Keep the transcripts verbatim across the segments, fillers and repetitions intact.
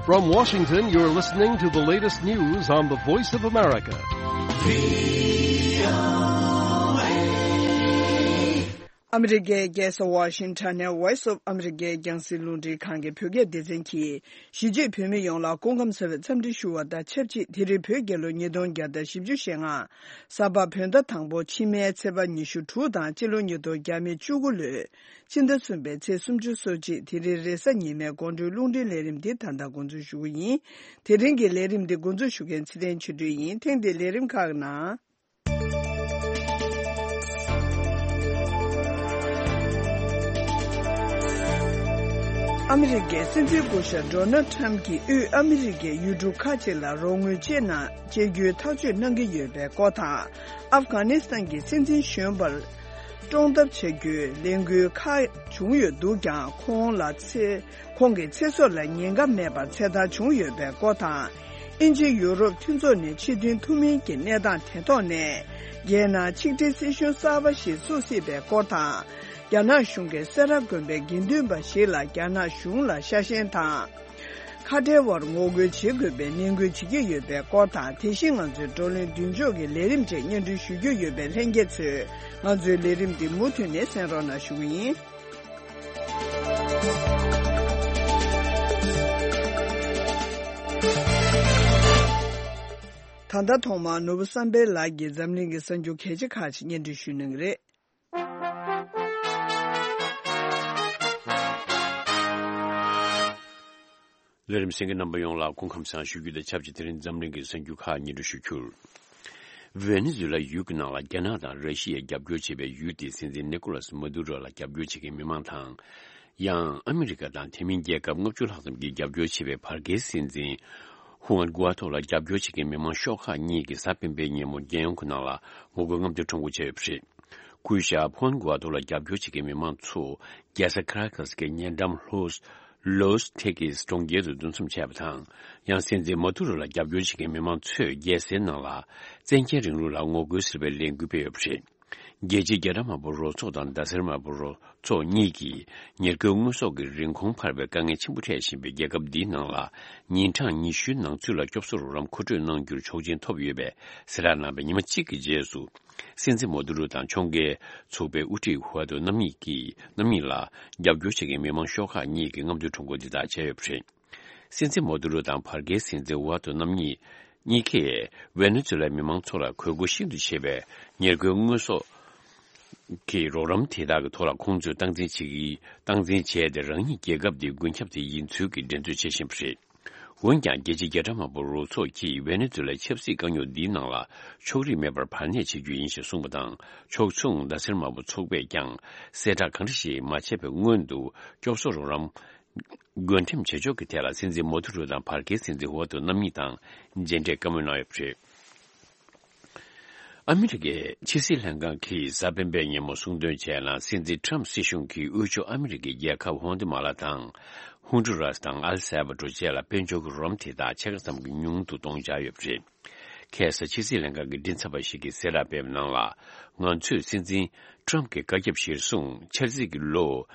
From Washington, you're listening to the latest news on the Voice of America. ཨ་མི་རི་ཀའི་རྒྱལ་ས་ཝ་ཤིང་ཊོན་ནས་Voice of America རྒྱང་སྲིང་རླུང་འཕྲིན་ཁང་གི་བོད་སྐད་སྡེ་ཚན་གྱིས། གཞིས་བྱེས་བོད་མི་ཡོངས་ལ་སྐུ་ཁམས་བཟང་བའི་འཚམས་འདྲི་ཞུ་བ་དང་ཆབས་ཅིག་དེ་རིང་བོད་རྒྱལ་ལོ་ཉིས་སྟོང་བརྒྱ་དང་བཞི་བཅུ་ཞེ་ལྔ། གཟའ་པ་བོད་ཟླ་དང་པོ་ཕྱི་མའི་ཚེས་པ་ཉི་ཤུ་དྲུག་དང་སྤྱི་ལོ་ཉིས་སྟོང་བརྒྱ་མེད་བཅུ་དགུ་ལོའི་ཕྱི་ཟླ་གསུམ་པའི་ཚེས་སུམ་ཅུ་སོ་གཅིག་དེ་རིང་རེས་གཟའ་ཉི་མའི་དགོང་དྲོའི་རླུང་འཕྲིན་ལས་རིམ་འདི་ད་ལྟ་འགོ་འཛུགས་ཞུ་གི་ཡིན། དེ་རིང་གི་ལས་རིམ་འདི་འགོ་འཛུགས་ཞུ་མཁན་ཚེ་བརྟན་ཆོས་སྒྲོན་ཡིན། ཐེངས་འདིའི་ལས་རིམ་ཁག་ནང་། ཨ་མི་རི་ཀའི་སྲིད་འཛིན་སྐུ་ཞབས་ཌོ་ནལ་ཊམ་གྱིས་དབུས་ཨ་མི་རི་ཀའི་ཡུལ་གྲུ་ཁག་ཅིག་ལ་རོགས་དངུལ་སྤྱད་གནང་། སྤྱད་རྒྱུའི་ཐག་གཅོད་གནང་གི་ཡོད་པའི་སྐོར་དང་། ཨབ་གྷ་ནི་སི་ཐན་གྱི་སྲིད་འཛིན་གཞོན་པར་སྐྲོང་ཐབས་བྱ་རྒྱུའི་ལས་འགུལ་ཁག་བྱུང་ཡོད་འདུག་ཀྱང་། ཁོང་ལ་ཚེ། ཁོང་གི་ཚེ་སྲོག་ལ་ཉེན་ཁ་མེད་པར་ཚེ་ཐར་བྱུང་ཡོད་པའི་སྐོར་དང་། དབྱིན་ཇི་ཡུ་རོབ་མཐུན་ཚོགས་ནས་ཕྱིར་ཐོན་ཐུབ་མིན་གྱི་གནས་སྟངས་དེ་ཐོག་ནས། རྒྱལ་ནང་ཆིག་སྒྲིལ་སྲིད་གཞུང་གསར་པ་ཞིག་བཙུགས་སྲིད་པའི་སྐོར་དང་། རྒྱ་ནག་གཞུང་གིས་སེ་ར་དགོན་པའི་དགེ་འདུན་པ་ཞིག་ལ་རྒྱ་ནག་གཞུང་ལ་ཤ་ཞེན་དང་། ཁ་བྲལ་བར་ངོ་རྒོལ་བྱེད་དགོས་པའི་ནན་སྐུལ་བྱེད་ཀྱི་ཡོད་པའི་སྐོར་དང་། དེ་བཞིན་ང་ཚོའི་བགྲོ་གླེང་མདུན་ཕྱོགས་ཀྱི་ལས་རིམ་བཅས་སྙན་སྒྲོན་ཞུ་རྒྱུ་ཡོད་པས། ལྷན་རྒྱས་ཚོས་ང་ཚོའི་ལས་རིམ་འདི་མུ་མཐུད་ནས་གསན་རོགས་གནང་ཞུ་གི་ཡིན། ད་ལྟ་ཐོག་མར་ནོར་བུ་བསམ་འཕེལ་ལགས་ཀྱིས་འཛམ་གླིང་གི་གསར་འགྱུར་གལ་ཆེ་ཁག་ཅིག་སྙན་སྒྲོན་ཞུ་གནང་གི་རེད། ལས་རིམ་གསན་མཁན་རྣམ་པ་ཡོངས་ལ་སྐུ་ཁམས་བཟང་ཞུ་རྒྱུ་དང་ཆབས་ཅིག་དེ་རིང་འཛམ་གླིང་གི་གསར་འགྱུར་ཁག་སྙན་སྒྲོན་ཞུ་རྒྱུར། ཝེ་ནེ་ཛུ་ལ་ཡུལ་གྱི་ནང་ལ་རྒྱ་ནག་དང་ར་ཤི་ཡས་རྒྱབ་སྐྱོར་བྱེད་པའི་ཡུལ་དེའི་སྲིད་འཛིན་ནི་ཀོ་ལ་སི་མ་དུ་རོ་ལ་རྒྱབ་སྐྱོར་བྱེད་མཁན་མི་མང་དང་། ཡང་ཨ་མི་རི་ཀ་དང་དེ་མིན་རྒྱལ་ཁབ་ལྔ་བཅུ་ལྷག་ཙམ་གྱིས་རྒྱབ་སྐྱོར་བྱེད་པའི་བར་བརྒལ་སྲིད་འཛིན་ཧུའན་གུ་ཨ་ཐོ་ལ་རྒྱབ་སྐྱོར་བྱེད་མཁན་མི་མང་ཤོག་ཁག་གཉིས་ཀྱིས་གཟའ་སྤེན་པའི་ཉིན་མོ་རྒྱལ་ཡོངས་ཀྱི་ནང་ལ་ངོ་རྒོལ་རྔམ་སྟོན་ཁྲོམ་སྐོར་བྱས་ཡོད་པ་རེད། སྐུ་ཞབས་ཧུའན་གུ་ཨ་ཐོ་ལ་རྒྱབ་སྐྱོར་བྱེད་མཁན་མི་མང་ཚོ་རྒྱལ་ས་ཁ་ར་ཀ་སི་ཀའི་ཉེ་འགྲམ་ལྷོ་ལོས་ཐེ་ཀིས་གྲོང་ཁྱེར་དུ་འདུ་འཛོམས་བྱས་པ་དང་། ཡང་སྲིད་འཛིན་མ་དུ་རོ་ལ་རྒྱབ་སྐྱོར་བྱེད་མཁན་མི་མང་ཚོས་རྒྱལ་སའི་ནང་ལ་བཙན་རྒྱལ་རིང་ལུགས་ལ་ངོ་རྒོལ་ཟེར་བའི་ལས་འགུལ་སྤེལ་ཡོད་པ་རེད། རྒྱལ་སྤྱིའི་རྒྱ་གྲམ་དམར་པོ་རུ་ཚོགས་དང་ཟླ་ཟེར་དམར་པོ་རུ་ཚོགས་གཉིས་ཀྱིས་ཉེར་མཁོའི་དངོས་ཟོག་གི་རིན་གོང་འཕར་བའི་དཀའ་ངལ་ཆེན་པོ་འཕྲད་བཞིན་པའི་རྒྱལ་ཁབ་འདིའི་ནང་ལ་ཉིན་གྲངས་ཉི་ཤུའི་ནང་ཚུད་ལ་སྐྱོབ་གསོ་རོགས་རམ་མཁོ་སྤྲོད་གནང་རྒྱུར་ཆོག་མཆན་ཐོབ་ཡོད་པའི་གསལ་བསྒྲགས་གནང་བའི་ཉི་མ་གཅིག་གི་རྗེས་སུ། སྲིད་འཛིན་མོ་དུ་རུ་དང་ཁྱོང་མཁན་ཚོགས་པའི་དབུ་ཁྲིད་ཧུའ་ཏོ་རྣམ་གཉིས་ཀྱིས་རྣམ་གཉིས་ལ་རྒྱབ་སྐྱོར་བྱེད་མཁན་མི་མང་ཤོག་ཁག་གཉིས་ཀྱིས་རྔམ་སྟོན་ཁྲོམ་སྐོར་འདི་དག་བྱས་ཡོད་པ་རེད། སྲིད་འཛིན་མོ་དུ་རུ་དང་བར་བརྒལ་སྲིད་འཛིན་ཧུའ་ཏོ་རྣམ་གཉིས་གཉིས་ཀས་ཝེ་ནེ་ཛུ་ལའི་མི་མང་ཚོ་ལ་དགོས་མཁོ་ཤིན་ཏུ་ཆེ་བའི་ཉེར་མཁོའི་དངོས་ཟོག་གི་རོགས་རམ་དེ་དག་གི་ཐོག་ལ་ཁོང་ཚོས་སྟངས་འཛིན་བྱེད་ཀྱི་སྟངས་འཛིན་བྱས་ཏེ། རང་ཉིད་རྒྱལ་ཁབ་དེའི་མགོན་སྐྱབས་དེ་ཡིན་ཚུལ་གྱི་འགྲན་རྩོད་བྱེད་བཞིན་པ་རེད། འོན་ཀྱང་རྒྱལ་སྤྱིའི་རྒྱ་གྲམ་དམར་པོ་རུ་ཚོགས་ཀྱིས་ཝེ་ནེ་ཛུ་ལའི་ཆབ་སྲིད་དཀའ་རྙོག་འདིའི་ནང་ལ་ཕྱོགས་རིས་མེད་པར་བར་གནས་བྱེད་རྒྱུ་ཡིན་ཞེས་གསུངས་པ་དང་། ཕྱོགས་མཚུངས་ཟླ་ཟེར་དམར་པོ་ཚོགས་པས་ཀྱང་གསལ་བསྒྲགས་གང་འདྲ་ཞིག་མ་བྱས་པའི་སྔོན་དུ་སྐྱོབ་གསོ་རོགས་རམ་བགོ་འགྲེམས་བྱེད་ཕྱོགས་ཀྱི་ཐད་ལ་སྲིད་འཛིན་མོ་དུ་རུ་དང་བར་བརྒལ་སྲིད་འཛིན་ཧུའ་ཏོ་རྣམ་གཉིས་དང་མཇལ་འཕྲད་བཀའ་མོལ་གནང་ཡོད་པ་རེད། ཨ་མི་རི་ཀའི་ཕྱི་སྲིད་ལྷན་ཁང་གིས་གཟའ་སྤེན་པའི་ཉིན་མོ་གསུངས་དོན་བྱས་ན། སྲིད་འཛིན་ཊམ་སྲིད་གཞུང་གིས་དབུས་ཕྱོགས་ཨ་མི་རི་ཀའི་རྒྱལ་ཁབ་ཧོན་དི་མ་ལ་དང་ཧུན་ཌུ་རཱས་དང་ཨལ་སལ་བ་ཏོ་བཅས་ལ་དཔལ་འབྱོར་གྱི་རོགས་རམ་དེ་དག་ཕྱེད་ཀ་ཙམ་གྱིས་ཉུང་དུ་གཏོང་འཆར་ཡོད་པ་རེད། ཁ་སང་ཕྱི་སྲིད་ལྷན་ཁང་གི་མགྲིན་ཚབ་པ་ཞིག་གིས་གསལ་བསྒྲགས་སྤེལ་བའི་ནང་ལ། ང་ཚོས་སྲིད་འཛིན་ཊམ་གྱི་བཀའ་ཁྱབ་གཞིར་བཟུང་ཕྱི་ཚེས་ཀྱི་ལོ་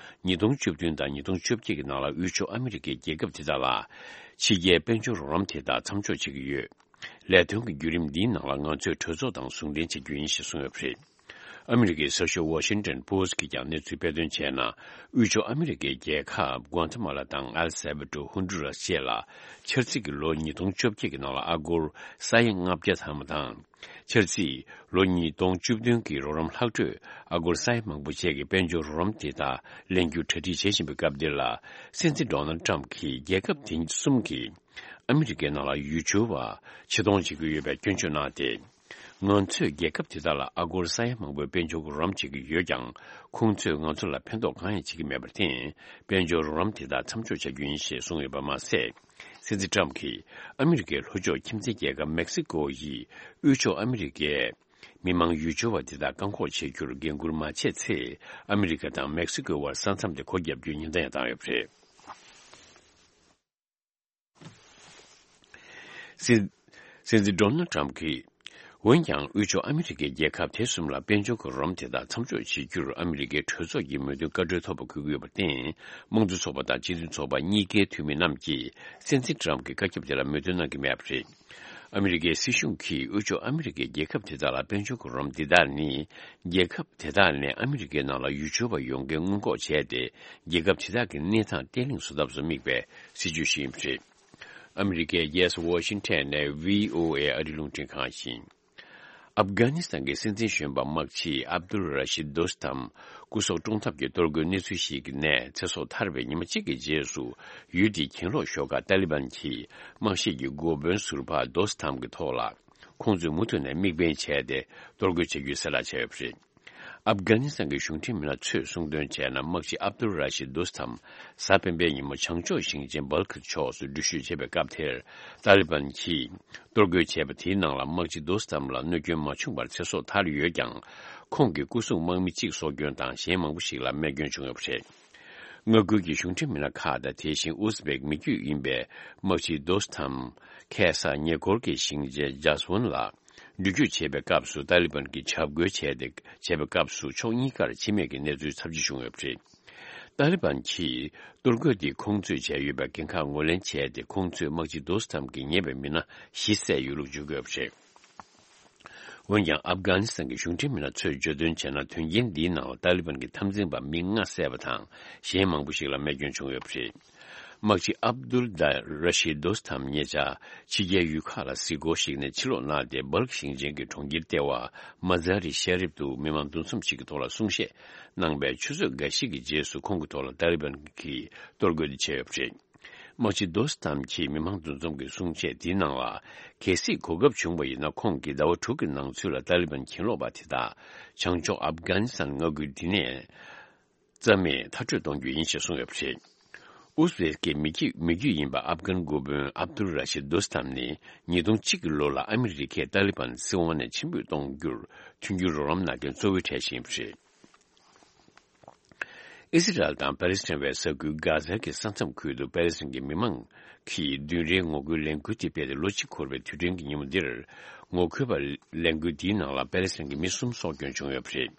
ཉིས་སྟོང་བཅུ་བདུན་དང་ཉིས་སྟོང་བཅོ་བརྒྱད་ཀྱི་ནང་ལ་དབུས་ཕྱོགས་ཨ་མི་རི་ཀའི་རྒྱལ་ཁབ་དེ་དག་ལ་ཕྱི་རྒྱལ་དཔལ་འབྱོར་རོགས་རམ་དེ་དག་མཚམས་འཇོག་བྱེད་ཀྱི་ཡོད། ལས་དོན་གྱི་བརྒྱུད་རིམ་འདིའི་ནང་ལ་ང་ཚོས་གྲོས་ཚོགས་དང་ཟུང་འབྲེལ་བྱེད་རྒྱུ་ཡིན་ཞེས་གསུངས་ཡོད་པ་རེད། ཨ་མི་རི་ཀའི་གསར་ཤོག་ཝ་ཤིང་ཊོན་པོ་སི་ཊི་གིས་ཀྱང་གནས་ཚུལ་སྤེལ་དོན་བྱས་ན། དབུས་ཕྱོགས་ཨ་མི་རི་ཀའི་རྒྱལ་ཁབ་གུའ་ཐི་མ་ལ་དང་ཨེལ་སལ་བ་ཏོ། ཧུན་ཌུ་རཱས་བཅས་ལ་ཕྱི་ཚེས་ཀྱི་ལོ་ཉིས་སྟོང་བཅོ་བརྒྱད་ཀྱི་ནང་ལ་ཨ་སྒོར་ས་ཡ་ལྔ་བརྒྱ་ཐམ་པ་དང་། ཕྱི་ཚེས་ལོ་ཉིས་སྟོང་བཅུ་བདུན་གྱི་རོགས་རམ་ལྷག་འཕྲོས་ཨ་སྒོར་ས་ཡ་མང་པོ་བཅས་ཀྱི་དཔལ་འབྱོར་རོགས་རམ་དེ་དག་ལེན་རྒྱུ་གྲ་སྒྲིག་བྱེད་བཞིན་པའི་སྐབས་འདིར་ལ། སྲིད་འཛིན་ཌོ་ནལ་ཊམ་གྱིས་རྒྱལ་ཁབ་དེ་གསུམ་གྱིས་ཨ་མི་རི་ཀའི་ནང་ལ་ཡུལ་སྐྱོར་བ་ཕྱིར་གཏོང་བྱེད་ཀྱི་ཡོད་པའི་སྐྱོན་བརྗོད་གནང་སྟེ། ང་ཚོས་རྒྱལ་ཁབ་དེ་དག་ལ་ཨ་སྒོར་ས་ཡ་མང་པོའི་དཔལ་འབྱོར་རོགས་རམ་བྱེད་ཀྱི་ཡོད་ཀྱང་། ཁོང་ཚོས་ང་ཚོ་ལ་ཕན་ཐོགས་གང་ཡང་བྱེད་ཀྱི་མེད་པར་བརྟེན། དཔལ་འབྱོར་རོགས་རམ་དེ་དག་མཚམས་འཇོག་བྱ་རྒྱུ་ཡིན་ཞེས་གསུངས་ཡོད་པ་མ་ཟད། སྲིད་འཛིན་ཊམ་གྱིས་ཨ་མི་རི་ཀའི་ལྷོ་ཕྱོགས་ཁྱིམ་མཚེས་རྒྱལ་ཁབ་མེག་སི་ཀོ་ཡིས་དབུས་ཕྱོགས་ཨ་མི་རི་ཀའི་མི་མང་ཡུལ་སྐྱོར་བ་དེ་དག་བཀག་འགོག་བྱེད་རྒྱུར་འགན་འཁུར་མ་བྱས་ཚེ། ཨ་མི་རི་ཀ་དང་མེག་སི་ཀོའི་དབར་ས་མཚམས་དེ་སྒོ་བརྒྱབ་རྒྱུའི་ཉེན་བརྡ་ཡང་བཏང་ཡོད་པ་རེད། སྲིད། སྲིད་འཛིན་ཌོ་ནལ་ཊམ་གྱིས་ འོན་ཀྱང་། དབུས་ཕྱོགས་ཨ་མི་རི་ཀའི་རྒྱལ་ཁབ་དེ་གསུམ་ལ་དཔལ་འབྱོར་གྱི་རོགས་རམ་དེ་དག་མཚམས་འཇོག་བྱེད་རྒྱུར་ཨ་མི་རི་ཀའི་གྲོས་ཚོགས་ཀྱི་མོས་མཐུན་བཀའ་འཁྲོལ་ཐོབ་པ་འཁོད་ཀྱི་ཡོད་པར་བརྟེན། དམངས་གཙོ་ཚོགས་པ་དང་སྤྱི་མཐུན་ཚོགས་པ་གཉིས་ཀའི་འཐུས་མི་རྣམས་ཀྱིས་སྲིད་འཛིན་ཏྲམ་གྱི་བཀའ་ཁྱབ་དེ་ལ་མོས་མཐུན་གནང་གི་མེད་པ་རེད། ཨ་མི་རི་ཀའི་སྲིད་གཞུང་གིས་དབུས་ཕྱོགས་ཨ་མི་རི་ཀའི་རྒྱལ་ཁབ་དེ་དག་ལ་དཔལ་འབྱོར་གྱི་རོགས་རམ་འདི་དག་ནི། རྒྱལ་ཁབ་དེ་དག་ནས་ཨ་མི་རི་ཀའི་ནང་ལ་ཡུལ་སྐྱོར་བ་ཡོང་མཁན་སྔོན་འགོག་བྱས་ཏེ། རྒྱལ་ཁབ་དེ་དག་གི་གནས་སྟངས་བརྟན་ལྷིང་བཟོ་ཐབས་སུ་དམིགས་པའི་སྲིད་ཇུས་ཤིག་ཡིན་པ་རེད། ཨ་མི་རི་ཀའི་རྒྱལ་ས་ཝ་ཤིང་ཊོན་ནས་བྷི་ཨོ་ཨེ་ཨ་རིའི་རླུང་འཕྲིན་ཁང་ཡིན། ཨབ་གྷ་ནི་སི་ཐན་གྱི་སྲིད་འཛིན་གཞོན་པ་དམག་སྤྱི་ཨབ་དུལ་ར་ཤིད་དོ་སི་ཐམ་སྐུ་སྲོག་བཀྲོངས་ཐབས་ཀྱི་གཏོར་རྒོལ་གནས་ཚུལ་ཞིག་གི་ནས་ཚེ་སྲོག་ཐར་བའི་ཉི་མ་གཅིག་གི་རྗེས་སུ། ཡུལ་དེའི་གྱེན་ལོག་ཤོག་ཁག་ཏཱ་ལི་བན་གྱིས་དམག་ཤེད་ཀྱི་འགོ་དཔོན་ཟུར་པ་དོ་སི་ཐམ་གྱི་ཐོག་ལ། ཁོང་ཚོས་མུ་མཐུད་ནས་དམིགས་འབེན་བྱས་ཏེ་གཏོར་རྒོལ་བྱེད་རྒྱུའི་གསལ་བསྒྲགས་བྱས་ཡོད་པ་རེད། ཨབ་གྷ་ནི་སི་ཐན་གྱི་གཞུང་འབྲེལ་མི་སྣ་ཚོས་གསུངས་དོན་བྱས་ན། དམག་སྤྱི་ཨབ་དུལ་ར་ཤིད་དུ་སི་ཐམ་གཟའ་སྤེན་པའི་ཉིན་མོ་བྱང་ཕྱོགས་ཞིང་ཆེན་སྦལ་ཁི་ཕྱོགས་སུ་འགྲུལ་བཞུད་བྱེད་པའི་སྐབས་དེར། ཏཱ་ལི་བན་གྱིས་གཏོར་རྒོལ་བྱས་པ་དེའི་ནང་ལ། དམག་སྤྱི་དུ་སི་ཐམ་ལ་གནོད་སྐྱོན་མ་བྱུང་བར་ཚེ་སྲོག་ཐར་ཡོད་ཀྱང་། ཁོང་གི་སྐུ་སྲུང་དམག་མི་གཅིག་སྲོག་སྐྱོན་དང་། གཞན་མང་པོ་ཞིག་ལ་རྨས་སྐྱོན་བྱུང་ཡོད་པ་རེད། མངའ་ཁུལ་གྱི་གཞུང་འབྲེལ་མི་སྣ་ཁག་དང་། དེ་བཞིན་ཨུ་ཛི་བེག་མི་རྒྱུད་ཡིན་པའི་དམག་སྤྱི་དོ་སི་ཐམ་ཁ་སང་ཉེ་འཁོར་གྱི་ཞིང་ཆེན་ཇཱ་སི་ཝན་ལ་འགྲུལ་སྐྱོད་བྱེད་པའི་སྐབས་སུ། ཏཱ་ལི་བན་གྱིས་འཇབ་རྒོལ་བྱས་ཏེ། བྱས་པའི་སྐབས་སུ་ཕྱོགས་གཉིས་ཀར་འཆི་རྨས་ཀྱི་གནས་ཚུལ་ཚབས་ཆེ་བྱུང་ཡོད་པ་རེད། ཏཱ་ལི་བན་གྱིས་གཏོར་རྒོལ་འདི་ཁོང་ཚོས་བྱས་ཡོད་པའི་འགན་ཁག་ངོས་ལེན་བྱས་ཏེ། ཁོང་ཚོས་དམག་སྤྱི་དོ་སི་ཐམ་གྱིས་ཉེས་པའི་མི་སྣ་བཞི་བསད་ཡོད་ལུགས་བརྗོད་ཀྱི་ཡོད་པ་རེད། འོན་ཀྱང་། ཨབ་གྷ་ནི་སི་ཐན་གྱི་གཞུང་འབྲེལ་མི་སྣ་ཚོས་བརྗོད་དོན་བྱས་ན། དོན་རྐྱེན་འདིའི་ནང་ལ་ཏཱ་ལི་བན་གྱི་འཐབ་འཛིང་པ་མི་ལྔ་བསད་པ་དང་། གཞན་མང་པོ་ཞིག་ལ་རྨས་སྐྱོན་བྱུང་ཡོད་པ་རེད། དམག་སྤྱི་ཨབ་དུལ་དཱ་ར་ཤིད་དོ་སི་ཐམ་ཉེ་ཆར་ཕྱི་རྒྱལ་ཡུལ་ཁག་ལ་གཟིགས་སྐོར་ཞིག་ནས་ཕྱིར་ལོག་གནང་སྟེ། སྦལ་ཁི་ཞིང་ཆེན་གྱི་གྲོང་ཁྱེར་ལྟེ་བ་མ་ཛ་རི་ཤ་རིབ་ཏུ་མི་མང་འདུ་འཛོམས་ཤིག་གི་ཐོག་ལ་གསུང་བཤད་གནང་པའི་ཆུ་ཚོད་འགའ་ཞིག་གི་རྗེས་སུ། ཁོང་གི་ཐོག་ལ་ཏཱ་ལི་བན་གྱིས་གཏོར་རྒོལ་དེ་བྱས་ཡོད་པ་རེད། དམག་སྤྱི་དོ་སི་ཐམ་གྱིས་མི་མང་འདུ་འཛོམས་ཀྱི་གསུང་བཤད་དེའི་ནང་ལ། གལ་སྲིད་གོ་སྐབས་བྱུང་བ་ཡིན་ན། ཁོང་གིས་ཟླ་བ་དྲུག་གི་ནང་ཚུད་ལ་ཏཱ་ལི་བན་གྱེན་ལོག་པ་དེ་དག་བྱང་ཕྱོགས་ཨབ་གྷ་ནི་སི་ཐན་མངའ་ཁུལ་འདི་ནས་རྩ་མེད་མཐར་སྐྲོད་གཏོང་རྒྱུ་ཡིན་ཞེས་གསུངས་ཡོད་པ་རེད། ཨུ་ཛི་བེག་གི་མི་རྒྱུད་མི་རྒྱུད་ཡིན་པ་ཨབ་གྷན་འགོ་དཔོན་ཨབ་དུལ་ར་ཤིད་དུ་སི་ཐམ་ནི། ཉིས་སྟོང་གཅིག་གི་ལོ་ལ་ཨ་མི་རི་ཀས་ཏཱ་ལི་བན་སྲིད་དབང་ནས་ཕྱིར་འབུད་གཏོང་རྒྱུར་མཐུན་འགྱུར་རོགས་རམ་གནང་མཁན་གཙོ་བོའི་གྲས་ཤིག་ཡིན་པ་རེད། ཨི་སི་རལ་དང་པ་ལི་སི་ཐན་བའི་ས་ཁུལ་གྷ་ཛ་གི་ས་མཚམས་ཁུལ་དུ་པ་ལི་སི་ཐན་གྱི་མི་མང་གིས་བདུན་རེའི་ངོ་རྒོལ་ལས་འགུལ་དེ་སྤེལ་ཏེ། ལོ་གཅིག་འཁོར་བའི་དུས་དྲན་གྱི་ཉིན་མོ་འདིར། ངོ་རྒོལ་པ་ལས་འགུལ་འདིའི་ནང་ལ་པ་ལི་སི་ཐན་གྱི་མི་གསུམ་སྲོག་སྐྱོན་བྱུང་ཡོད་པ་རེད།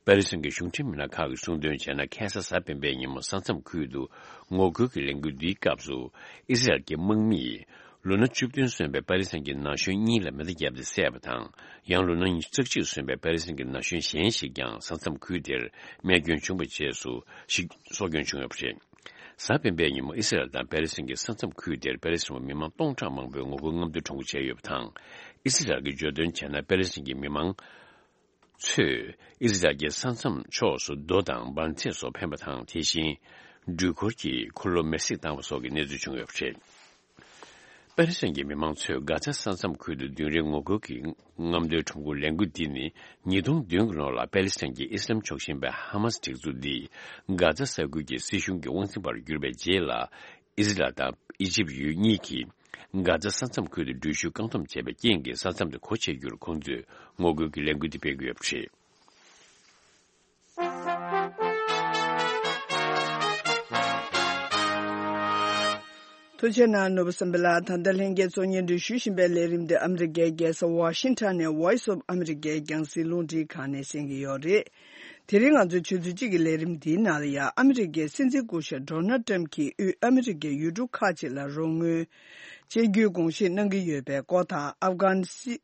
པ་ལི་སི་ཐན་གྱི་གཞུང་འབྲེལ་མི་སྣ་ཁག་གིས་གསུངས་དོན་བྱས་ན། ཁ་སང་གཟའ་སྤེན་པའི་ཉིན་མོ་ས་མཚམས་ཁུལ་དུ་ངོ་རྒོལ་གྱི་ལས་འགུལ་འདིའི་སྐབས་སུ། ཨི་སི་རལ་གྱི་དམག་མིས་ལོ་ན་བཅུ་བདུན་སོན་པའི་པ་ལི་སི་ཐན་གྱི་ན་གཞོན་གཉིས་ལ་མེ་མདའ་བརྒྱབ་སྟེ་བསད་པ་དང་། ཡང་ལོ་ན་ཉི་ཤུ་རྩ་གཅིག་སོན་པའི་པ་ལི་སི་ཐན་གྱི་ན་གཞོན་གཞན་ཞིག་ཀྱང་ས་མཚམས་ཁུལ་དེར་རྨས་སྐྱོན་བྱུང་བའི་རྗེས་སུ་ཞིག་སྲོག་སྐྱོན་བྱུང་ཡོད་པ་རེད། གཟའ་སྤེན་པའི་ཉིན་མོ་ཨི་སི་རལ་དང་པ་ལི་སི་ཐན་གྱི་ས་མཚམས་ཁུལ་དེར་པ་ལི་སི་ཐན་མི་མང་སྟོང་ཕྲག་མང་པོས་ངོ་རྒོལ་རྔམ་སྟོན་ཁྲོམ་སྐོར་བྱས་ཡོད་པ་དང་། ཨི་སི་རལ་གྱིས་བརྗོད་དོན་བྱས་ན། པ་ལི་སི་ཐན་གྱི་མི་མང་ཚོས་ཨི་སི་རལ་གྱི་ས་མཚམས་ཕྱོགས་སུ་རྡོ་དང་འབར་མཛད་སོགས་འཕེན་པ་དང་། དེ་བཞིན་འགྲུལ་འཁོར་གྱི་འཁོར་ལོ་མེར་སྲེག་བཏང་བ་སོགས་ཀྱི་གནས་ཚུལ་བྱུང་ཡོད་པ་རེད། པ་ལི་སི་ཐན་གྱི་མི་མང་ཚོས་གྷ་ཛ་ས་མཚམས་ཁུལ་དུ་བདུན་རེའི་ངོ་རྒོལ་གྱི་རྔམ་སྟོན་ཁྲོམ་སྐོར་ལས་འགུལ་འདི་ནི། ཉིས་སྟོང་བདུན་གྱི་ལོ་ལ་པ་ལི་སི་ཐན་གྱི་ཨི་སི་ལམ་ཕྱོགས་ཞེན་པའི་ཧ་མཱས་སྒྲིག་འཛུགས་འདིས་གྷ་ཛ་ས་ཁུལ་གྱི་སྲིད་གཞུང་གི་དབང་འཛིན་པར་གྱུར་པའི་རྗེས་ལ། ཨི་སི་རལ་དང་ཨི་ཇིབ་ཡུལ་གཉིས་ཀྱིས་གྷ་ཛ་ས་མཚམས་ཁུལ་དུ་འགྲུལ་བཞུད་བཀག་སྡོམ་བྱས་པའི་རྐྱེན་གྱིས། ས་མཚམས་དེ་སྒོ་ཕྱེ་རྒྱུར་ཁོང་ཚོས་ངོ་རྒོལ་གྱི་ལས་འགུལ་འདི་སྤེལ་གྱི་ཡོད་པ་རེད། ཐུགས་རྗེ་གནང་ནོར་བུ་བསམ་འཕེལ་ལགས། ད་ལྟ་ལྷན་རྒྱས་ཚོ་སྙན་སྒྲོན་ཞུ་བཞིན་པའི་ལས་རིམ་འདི་ཨ་མི་རི་ཀའི་རྒྱལ་ས་ཝ་ཤིང་ཊོན་ནས་Voice of America རྒྱང་སྲིང་རླུང་འཕྲིན་ཁང་ནས་གསན་གྱི་ཡོད་རེད། དེ་རིང་ང་ཚོའི་ཆུ་ཚོད་གཅིག་གི་ལས་རིམ་འདིའི་ནང་ལ་ཡང་། ཨ་མི་རི་ཀའི་སྲིད་འཛིན་སྐུ་ཞབས་ཌོ་ནལ་ཊམ་གྱིས་དབུས་ཨ་མི་རི་ཀའི་ཡུལ་གྲུ་ཁག་ཅིག་ལ་རོགས་དངུལ་སྤྱོད་རྒྱུའི་དགོངས་བཞེས་གནང་གི་ཡོད་པའི་སྐོར་དང་། ཨབ་གྷན་སྲིད་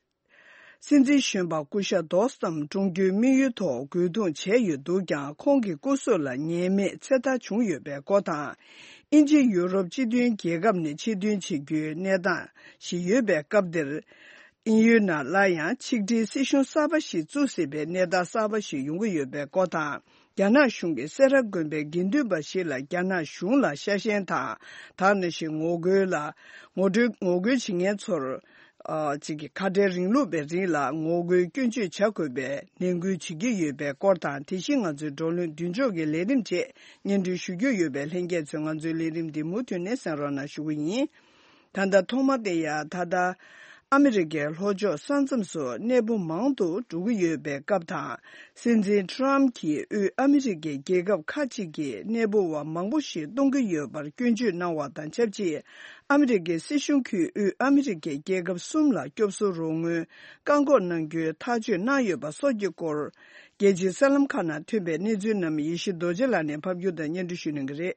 སྲིད་འཛིན་གཞོན་པ་སྐུ་ཞབས་དོ་སི་ཐམ་བཀྲོངས་རྒྱུའི་དམིགས་ཡུལ་ཐོག་རྒོལ་རྡུང་བྱས་ཡོད་འདུག་ཀྱང་། ཁོང་གི་སྐུ་སྲོག་ལ་ཉེས་མེད་ཚེ་ཐར་བྱུང་ཡོད་པའི་སྐོར་དང་། དབྱིན་ཇི་ཡུ་རོབ་སྤྱི་མཐུན་རྒྱལ་ཁབ་ནས་ཕྱིར་འདོན་བྱེད་རྒྱུའི་གནས་སྟངས་ཤིག་ཡོད་པའི་སྐབས་འདིར། དབྱིན་ཡུལ་ནང་སླར་ཡང་ཆིག་སྒྲིལ་སྲིད་གཞུང་གསར་པ་ཞིག་བཙུགས་སྲིད་པའི་གནས་སྟངས་གསར་པ་ཞིག་ཡོང་གི་ཡོད་པའི་སྐོར་དང་། རྒྱ་ནག་གཞུང་གིས་སེ་ར་དགོན་པའི་དགེ་འདུན་པ་ཞིག་ལ་རྒྱ་ནག་གཞུང་ལ་ཤ་ཞེན་དང་། དེ་ནང་བཞིན་ངོ་རྒོལ་ལ་ངོ་སྤྲོད་ངོ་རྒོལ་བྱེད་མཁན་ཚོར། ཨ། ཅིག་གི་ཁ་བྲལ་རིང་ལུགས་པའི་རིང་ལ་ངོ་རྒོལ་སྐྱོན་བརྗོད་བྱ་དགོས་པའི་ནན་སྐུལ་བྱེད་ཀྱི་ཡོད་པའི་སྐོར་དང་། དེ་བཞིན་ང་ཚོའི་བགྲོ་གླེང་མདུན་ལྕོག་གི་ལས་རིམ་བཅས་སྙན་སྒྲོན་ཞུ་རྒྱུ་ཡོད་པས། ལྷན་རྒྱས་ཚོས་ང་ཚོའི་ལས་རིམ་འདི་མུ་མཐུད་ནས་གསན་རོགས་གནང་ཞུ་གི་ཡིན། ད་ལྟ་ཐོག་མ་དེ་ཡང་ད་ལྟ་ ཨ་མི་རི་ཀའི་ལྷོ་ཕྱོགས་ས་མཚམས་སུ་གནས་སྤོ་མང་དུ་འགྲོ་གི་ཡོད་པའི་སྐབས་དང་། སྲིད་འཛིན་ཊམ་གྱིས་དབུས་ཨ་མི་རི་ཀའི་རྒྱལ་ཁབ་ཁག་ཅིག་གི་གནས་སྤོ་བ་མང་པོ་ཞིག་གཏོང་གི་ཡོད་པར་སྐྱོན་བརྗོད་གནང་བ་དང་ཆབས་ཅིག་ཨ་མི་རི་ཀའི་སྲིད་གཞུང་གིས་དབུས་ཨ་མི་རི་ཀའི་རྒྱལ་ཁབ་གསུམ་ལ་སྐྱོབ་གསོ་རོགས་དངུལ་བཀག་འགོག་གནང་རྒྱུའི་ཐག་གཅོད་གནང་ཡོད་པ་སོགས་ཀྱི་སྐོར། རྒྱལ་སྤྱིའི་གསར་ལམ་ཁག་ནང་ཐོན་པའི་གནས་ཚུལ་རྣམས་ཡེ་ཤེས་རྡོ་རྗེ་ལགས་ནས་ཕབ་སྒྱུར་དང་སྙན་སྒྲོན་ཞུ་གནང་གི་རེད།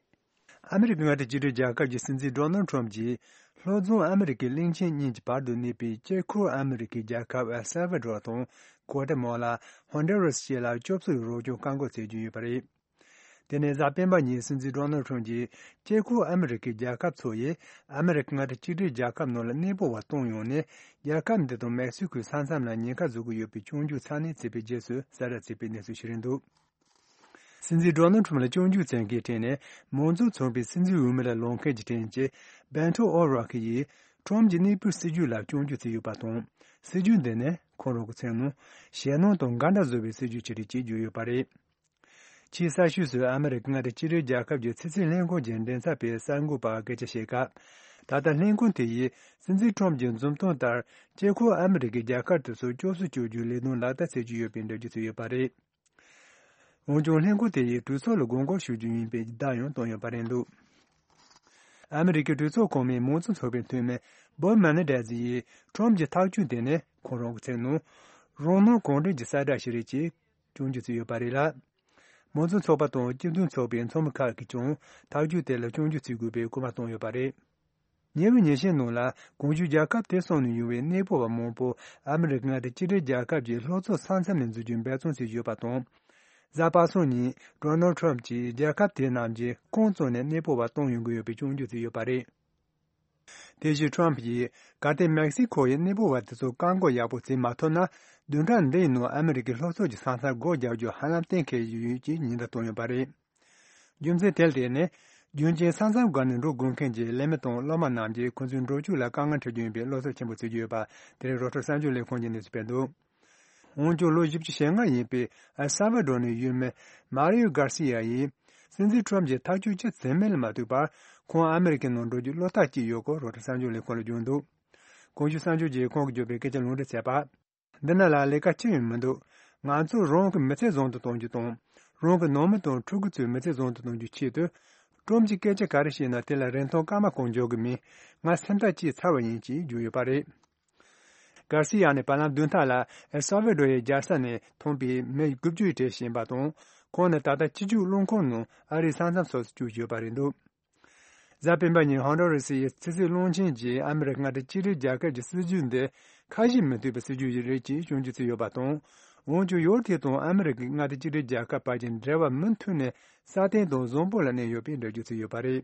ཨ་མི་རི་ཀའི་མངའ་སྡེ་གཅིག་སྒྲིལ་རྒྱལ་ཁབ་ཀྱི་སྲིད་འཛིན་ཌོ་ནལ་ཁྲོམ་གྱིས། ལྷོ་རྫོང་ཨ་མི་རི་ཀའི་གླིང་ཆེན་གཉིས་ཀྱི་བར་དུ་གནས་པའི་དཀྱིལ་འཁོར་ཨ་མི་རི་ཀའི་རྒྱལ་ཁབ་ཨེལ་སལ་ཝ་ཌོར་དང་། གོ་ཏེ་མ་ལ། ཧོན་ཌུ་རཱས་བཅས་ལ་སྐྱོབ་གསོའི་རོགས་སྐྱོར་བཀག་འགོག་བྱེད་རྒྱུ་ཡོད་པ་རེད། དེ་ནས་གཟའ་སྤེན་པ་ཉིན་སྲིད་འཛིན་ཌོ་ནལ་ཁྲོམ་གྱིས། དཀྱིལ་འཁོར་ཨ་མི་རི་ཀའི་རྒྱལ་ཁབ་ཚོ་ཡིས། ཨ་མི་རི་ཀའི་མངའ་སྡེ་གཅིག་སྒྲིལ་རྒྱལ་ཁབ་ནང་ལ་གནས་སྤོ་བ་གཏོང་ཡོང་ནས། རྒྱལ་ཁབ་འདི་དང་མེག་སི་ཁོའི་ས་མཚམས་ལ་ཉེན་ཁ་བཟོ་གི་ཡོད་པའི་སྐྱོན་བརྗོད་ཚ་ནན་བྱས་པའི་རྗེས་སུ། གསལ་བསྒྲགས་བྱས་པའི་གནས་ཚུལ་ཞིག་རེད་འདུག་སྲིད་འཛིན་ཌོ་ནལ་ཁྲོམ་ལ་སྐྱོན་བརྗོད་བྱེད་མཁན་གྱི་གྲས་ནས། མང་གཙོ་ཚོགས་པའི་སྲིད་འཛིན་འོས་མི་ལ་ལངས་མཁན་གྱི་གྲས་ཀྱི་བྷེ་ཏོ་ཨོ་རོག་ཡིས། ཁྲོམ་གྱི་གནས་སྤོའི་སྲིད་ཇུས་ལ་སྐྱོན་བརྗོད་བྱས་ཡོད་པ་དང་། སྲིད་ཇུས་འདི་ནི་ཁོང་རང་གི་མཚན་ནང་ཞེད་སྣང་དང་འགལ་ཟླ་བཟོ་བའི་སྲིད་ཇུས་ཅིག་རེད་ཅེས་བརྗོད་ཡོད་པ་རེད། ཕྱིའི་གསར་ཤོག་སུ་ཨ་མི་རི་ཀའི་མངའ་སྡེ་གཅིག་སྒྲིལ་རྒྱལ་ཁབ་ཀྱི་ཕྱི་སྲིད་ལྷན་ཁང་གི་མགྲིན་ཚབ་པས་གསར་འགོད་པར་སྐད་ཆ་བཤད་སྐབས། ད་ལྟ་ལྷན་ཁང་དེ་ཡིས་སྲིད་འཛིན་ཁྲོམ་གྱི་འཛུམ་མདངས་ལྟར། དཀྱིལ་འཁོར་ཨ་མི་རི་ཀའི་རྒྱལ་ཁབ་དེ་ཚོར་སྐྱོབ་གསོ་སྐྱོབ་རྒྱུའི་ལས་དོན་ལག་བསྟར་བྱེད་ཀྱི་ཡོད་པའི་འགྲེལ་བརྗོད་བྱས་ཡོད་པ་རེད། འོན་ཀྱང་ལྷན་ཁང་དེ་ཡིས་གྲོས་ཚོགས་ལ་དགོངས་སྐོར་ཞུ་རྒྱུ་ཡིན་པའི་བརྡ་ཡང་བཏོན་ཡོད་པ་རེད་འདུག་ཨ་མི་རི་ཀའི་གྲོས་ཚོགས་གོང་མའི་མང་གཙོ་ཚོགས་པའི་འཐུས་མི་བོབ་མེ་ནེ་ཌེ་ཛི་ཡིས་ཁྲོམ་གྱི་ཐག་གཅོད་དེ་ནི་ཁོང་རང་གི་མཚན་ནང་རང་སྣང་གང་དྲན་གྱི་གསལ་བསྒྲགས་ཤིག་རེད་ཅེས་སྐྱོན་བརྗོད་བྱས་ཡོད་པ་རེད་ལ། མང་གཙོ་ཚོགས་པ་དང་སྤྱི་མཐུན་ཚོགས་པའི་ཚོགས་མི་ཁག་གིས་ཀྱང་ཐག་གཅོད་དེ་ལ་སྐྱོན་བརྗོད་བྱེད་དགོས་པའི་སྐུལ་མ་བཏང་ཡོད་པ་རེད། ཉེ་བའི་ཉིན་ཤས་ནང་ལ་གོང་ཞུས་རྒྱལ་ཁབ་དེ་གསུམ་ནས་ཡོང་བའི་གནས་སྤོ་བ་མང་པོ་ཨ་མི་རི་ཀའི་མངའ་སྡེ་གཅིག་སྒྲིལ་རྒྱལ་ཁབ་ཀྱི་ལྷོ་ཕྱོགས་ས་མཚམས་ནས་འཛུལ་རྒྱུའི་འབད་བརྩོན་བྱས་ཡོད་པ་དང་། གཟའ་པ་སངས་ཉིན་ཌོ་ནལ་ཁྲོམ་གྱིས་རྒྱལ་ཁབ་དེ་རྣམས་ཀྱིས་ཁོང་གཙོས་ནས་གནས་སྤོ་བ་གཏོང་ཡོང་གི་ཡོད་པའི་སྐྱོན་བརྗོད་བྱས་ཡོད་པ་རེད། དེ་བཞིན་ཁྲོམ་གྱིས་གལ་ཏེ་མེག་སི་ཁོ་ཡིས་གནས་སྤོ་བ་དེ་ཚོར་བཀག་འགོག་ཡག་པོ་བྱེད་མ་ཐུབ་ན། བདུན་ཕྲག་འདིའི་ནང་ཨ་མི་རི་ཀའི་ལྷོ་ཕྱོགས་ཀྱི་ས་མཚམས་སྒོ་རྒྱག་རྒྱུ་ཧ་ལམ་གཏན་འཁེལ་ཡོད་ཅེས་ཉེན་བརྡ་བཏང་ཡོད་པ་རེད། རྒྱུ་མཚན་དེ་ལ་བརྟེན་ནས། རྒྱུན་གཅིག་ས་མཚམས་བརྒལ་ནས་འགྲོ་དགོས་མཁན་གྱི་ལས་མི་དང་སློབ་མ་རྣམས་ཀྱིས་ཁོ་ཚོའི་འགྲོ་སྐྱོད་ལ་དཀའ་ངལ་འཕྲད་རྒྱུ་ཡིན་པའི་བློ་འཚབ་ཆེན་པོ་བྱེད་ཀྱི་ཡོད་པ། དེ་རིང་རོའི་ཊར་གསར་འགྱུར་ལས་ཁང་གིས་གནས་ཚུལ་སྤེལ་འདུག་འོན་ཀྱང་ལོ་བཞི་བཅུ་ཞེ་ལྔ་ཡིན་པའི་ཨེལ་སལ་ཝ་ཌོར་ནས་ཡུལ་མི་མཱ་རི་ཡོ་གར་སི་ཡ་ཡིས། སྲིད་འཛིན་ཁྲོམ་གྱིས་ཐག་གཅོད་ཅི་བྱེད་མིན་ལ་མ་ལྟོས་པར། ཁོང་ཨ་མི་རི་ཀའི་ནང་འགྲོ་རྒྱུར་བློ་ཐག་བཅད་ཡོད་སྐོར་རོའི་ཊར་གསར་འགྱུར་ལས་ཁང་ལ་བརྗོད་འདུག་གོང་ཞུས་གསར་འགྱུར་གྱིས་ཁོང་གིས་བརྗོད་པའི་སྐད་ཆ་ལུང་འདྲེན་བྱས་པ། འདི་ནང་ལ་ལས་ཀ་ཅི་ཡང་མི་འདུག་ང་ཚོས་རང་གི་མི་ཚེ་བཟང་དུ་གཏོང་རྒྱུ་དང་། རང་གི་ནང་མི་དང་ཕྲུ་གུ་ཚོའི་མི་ཚེ་བཟང་དུ་གཏོང་རྒྱུའི་ཆེད་དུ། ཁྲོམ་གྱིས་སྐད་ཆ་ག་རེ་བཤད་ན་དེ་ལ་རིན་ཐང་སྐར་མ་གང་འཇོག་གི་མིན། ང་སེམས་ཐག་བཅད་ཚར་བ་ཡིན་ཅེས་བརྗོད་ཡོད་པ་རེད། གར་སི་ཡ་ནི་བར་ལམ་བདུན་ཕྲག་ལ་ཨེལ་སལ་ཝ་ཌོར་ཡི་རྒྱལ་ས་ནས་ཐོན་པའི་མི་དགུ་བཅུ་ཡི་གྲས་ཤིག་ཡིན་པ་དང་། ཁོང་ནི་ད་ལྟ་སྤྱི་སྤྱོད་རླངས་འཁོར་ནང་ཨ་རིའི་ས་མཚམས་སོགས་སུ་བསྐྱོད་ཡོད་པ་རེད་འདུག་གཟའ་སྤེན་པ་ཉིན་ཧོན་ཌུ་ར་སི་ཡི་ཕྱི་སྲིད་བློན་ཆེན་གྱིས་ཨ་མི་རི་ཀའི་མངའ་སྡེ་གཅིག་སྒྲིལ་རྒྱལ་ཁབ་ཀྱི་སྲིད་ཇུས་འདི་ཁ་ཞེ་མི་མཐུན་པའི་སྲིད་ཇུས་ཤིག་རེད་ཅེས་སྐྱོན་བརྗོད་བྱས་ཡོད་པ་དང་། འོན་ཀྱང་ཡུལ་དེ་དང་ཨ་མི་རི་ཀའི་མངའ་སྡེ་གཅིག་སྒྲིལ་རྒྱལ་ཁབ་བར་གྱི་འབྲེལ་བ་མུ་མཐུད་ནས་སྲ་བརྟན་དང་བཟང་པོ་ལ་གནས་ཡོད་པའི་འགྲེལ་བརྗོད་བྱས་ཡོད་པ་རེད།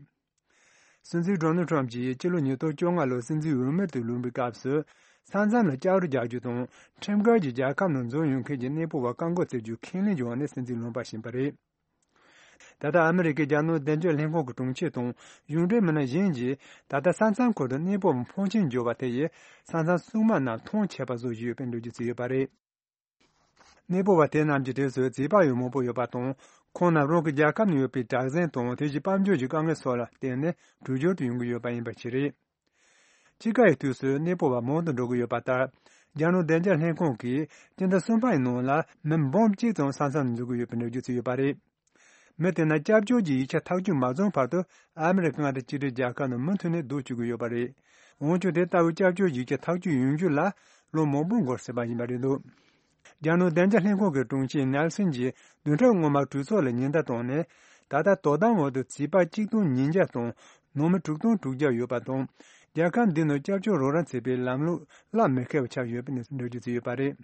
སྲིད་འཛིན་ཌོ་ནལ་ཁྲོམ་གྱིས་སྤྱི་ལོ་ཉིས་སྟོང་བཅོ་ལྔ་ལོར་སྲིད་འཛིན་འོས་མི་དུ་ལངས་པའི་སྐབས་སུ། ས་མཚམས་ལ་སྐྱབས་རོགས་རྒྱག་རྒྱུ་དང་། ཁྲིམས་འགལ་གྱིས་རྒྱལ་ཁབ་ནང་འཛུལ་ཡོང་མཁན་གྱི་གནས་སྤོ་བ་བཀག་འགོག་བྱེད་རྒྱུའི་ཁས་ལེན་བྱུང་བ་ནས་སྲིད་འཛིན་ལངས་པ་ཕྱིན་པ་རེད། ད་ལྟ་ཨ་མི་རི་ཀའི་རྒྱལ་ནང་བདེ་འཇགས་ལྷན་ཁང་གི་དྲུང་ཆེ་དང་གཞུང་འབྲེལ་མི་སྣ་གཞན་གྱིས། ད་ལྟ་ས་མཚམས་ཁུལ་དུ་གནས་སྤོ་བ་ཕོན་ཆེན་འབྱོར་བ་དེ་ཡིས་ས་མཚམས་སྲུང་དམག་རྣམས་མཐོང་ཆད་པ་བཟོ་བཞིན་ཡོད་པའི་འགྲེལ་བརྗོད་བྱས་ཡོད་པ་རེད། གནས་སྤོ་བ་དེ་རྣམས་ཀྱི་གྲས་སུ་བྱིས་པ་ཡང་མང་པོ་ཡོད་པ་དང་། ཁོང་རྣམས་རང་གི་རྒྱལ་ཁབ་ནང་ཡོད་པའི་དྲག་ཟིང་དང་དེ་བཞིན་དཔལ་འབྱོར་གྱི་དཀའ་ངལ་སོགས་ལ་བརྟེན་ནས་བྲོས་བྱོལ་དུ་ཡོང་གི་ཡོད་པ་ཡིན་པ་ཞིག་རེད། དཔྱིད་ཀ་ཡི་དུས་སུ་གནས་སྤོ་བ་མང་དུ་འགྲོ་གི་ཡོད་པ་ལྟར། རྒྱལ་ནང་བདེ་འཇགས་ལྷན་ཁང་གིས་སྤྱི་ཟླ་གསུམ་པ་ཡི་ནང་ལ་མི་འབུམ་གཅིག་ཙམ་ས་མཚམས་ནས་འཛུལ་གྱི་ཡོད་པའི་འགྲེལ་བརྗོད་བྱས་ཡོད་པ་རེད། མི་དེ་རྣམས་སྐྱབས་བཅོལ་གྱི་ཡིག་ཆ་ཐག་གཅོད་མ་བྱུང་བར་དུ་ཨ་མི་རི་ཀའི་མངའ་སྡེ་གཅིག་སྒྲིལ་རྒྱལ་ཁབ་ནང་མུ་མཐུད་ནས་སྡོད་བཅུག་གི་ཡོད་པ་རེད། འོན་ཀྱང་དེ་ལྟ་བུའི་སྐྱབས་བཅོལ་ཡིག་ཆ་ཐག་གཅོད་ཡོང་རྒྱུ་ལ་ལོ་མང་པོ་འགོར་སྲིད་པ་ཡིན་པ་རེད་འདུག་རྒྱལ་ནང་བདེ་འཇགས་ལྷན་ཁང་གི་དྲུང་ཆེ་ནེལ་སན་གྱིས་བདུན་ཕྲག་སྔོན་མ་གྲོས་ཚོགས་ལ་ཉེན་བརྡ་བཏང་ནས། ད་ལྟ་དོ་དམ་འོག་ཏུ་བྱིས་པ་གཅིག་སྟོང་ཉིས་བརྒྱ་དང་ནང་མི་དྲུག་སྟོང་དྲུག་བརྒྱ་ཡོད་པ་དང་། རྒྱལ་ཁབ་འདི་ནང་སྐྱབས་བཅོལ་རོགས་རམ་བྱེད་པའི་ལམ་ལུགས་གླ་མི་ཁེལ་བ་ཆགས་ཡོད་པའི་གནས་ཚུལ་འགྲེལ་བརྗོད་བྱས་ཡོད་པ་རེད།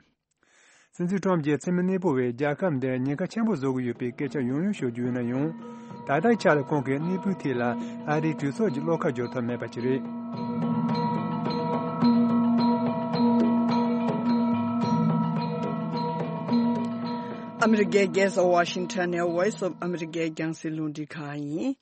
སྲིད་འཛིན་ཁྲོམ་གྱིས་འཚེ་མེད་གནས་སྤོ་བའི་རྒྱལ་ཁབ་འདིར་ཉེན་ཁ་ཆེན་པོ་བཟོ་གི་ཡོད་པའི་སྐད་ཆ་ཡང་ཡང་ཤོད་རྒྱུ་ཡིན་ན་ཡང་། ད་ལྟའི་ཆ་ལ་ཁོང་གིས་གནས་སྤོའི་ཐད་ལ་ཨ་རིའི་གྲོས་ཚོགས་ཀྱི་བློ་ཁ་སྒྱུར་ཐབས་མེད་པ་ཞིག་རེད། ཨ་མི་རི་ཀའི་རྒྱལ་ས་ཝ་ཤིང་ཊོན་ནས་Voice of America རྒྱང་སྲིང་རླུང་འཕྲིན་ཁང་ཡིན།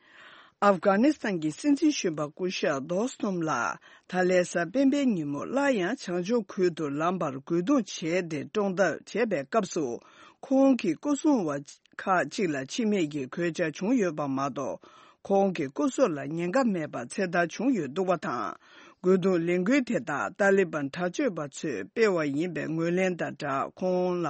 ཨབ་གྷ་ནི་སི་ཐན་གྱི་སྲིད་འཛིན་གཞོན་པ་སྐུ་ཞབས་རྡོ་སི་ཏུམ་ལགས་ད་ལན་གཟའ་སྤེན་པའི་ཉིན་མོ་སླར་ཡང་བྱང་ཕྱོགས་ཁུལ་དུ་ལངས་པར་རྒོལ་རྡུང་བྱས་ཏེ་བཀྲོངས་ཐབས་བྱས་པའི་སྐབས་སུ། ཁོང་གི་སྐུ་སྲུང་བ་ཁག་ཅིག་ལ་འཆི་རྨས་ཀྱི་གོད་ཆག་བྱུང་ཡོད་པ་མ་གཏོགས། ཁོང་གི་སྐུ་སྲོག་ལ་ཉེན་ཁ་མེད་པར་ཚེ་ཐར་བྱུང་ཡོད་འདུག་པ་དང་། རྒོལ་རྡུང་ལས་འགུལ་དེ་དག་ཏཱ་ལི་བན་དྲག་སྤྱོད་པ་ཚོས་སྤེལ་བ་ཡིན་པའི་ངོས་ལེན་དང་སྦྲགས། ཁོང་ལ་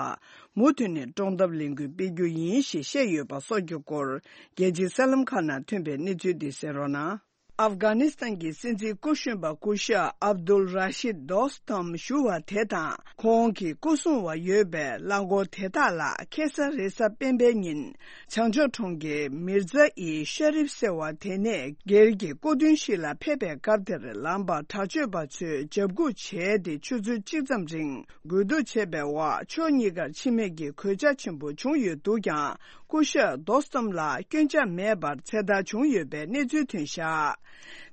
མུ་མཐུད་ནས་དཀྲོག་གཏམ་ལས་འགུལ་སྤེལ་རྒྱུ་ཡིན་ཞེས་བཤད་ཡོད་པ་སོགས་ཀྱི་སྐོར། རྒྱལ་སྤྱིའི་གསར་ལམ་ཁག་ནང་ཐོན་པའི་གནས་ཚུལ་འདི་གསན་རོགས་གནང་། ཨབ་གྷ་ནི་སི་ཐན་གྱི་སྲིད་འཛིན་སྐུ་གཞོན་པ་སྐུ་ཞབས་ཨབ་དུལ་ར་ཤིད་དོ་སྟམ་ཞུ་བ་དེ་དང་། ཁོང་གི་སྐུ་སྲུང་བ་ཡོད་པའི་རླངས་འཁོར་དེ་དག་ལ་ཁེ་ས་རེས་གཟའ་སྤེན་པའི་ཉིན། བྱང་ཕྱོགས་གྲོང་ཁྱེར་མིར་ཛ་ཨི་ཤ་རིབ་ཟེར་བ་དེ་ནས་སྒེར་གྱི་སྐུ་མདུན་ཞིག་ལ་ཕེབས་པའི་སྐབས་དེར། ལམ་པ་དྲག་སྤྱོད་པ་ཚོས་འཇབ་རྒོལ་བྱས་ཏེ། ཆུ་ཚོད་གཅིག་ཙམ་རིང་རྒོལ་རྡུང་བྱས་པའི་འོག་ཕྱོགས་གཉིས་ཀར་འཆི་རྨས་ཀྱི་གོད་ཆག་ཆེན་པོ་བྱུང་ཡོད་འདུག་ཀྱང་། སྐུ་ཞབས་དོ་སྟམ་ལ་སྐྱོན་ཆ་མེད་པར་ཚེ་ཐར་བྱུང་ཡོད་པའི་གནས་ཚུལ་ཐོན་བཞག་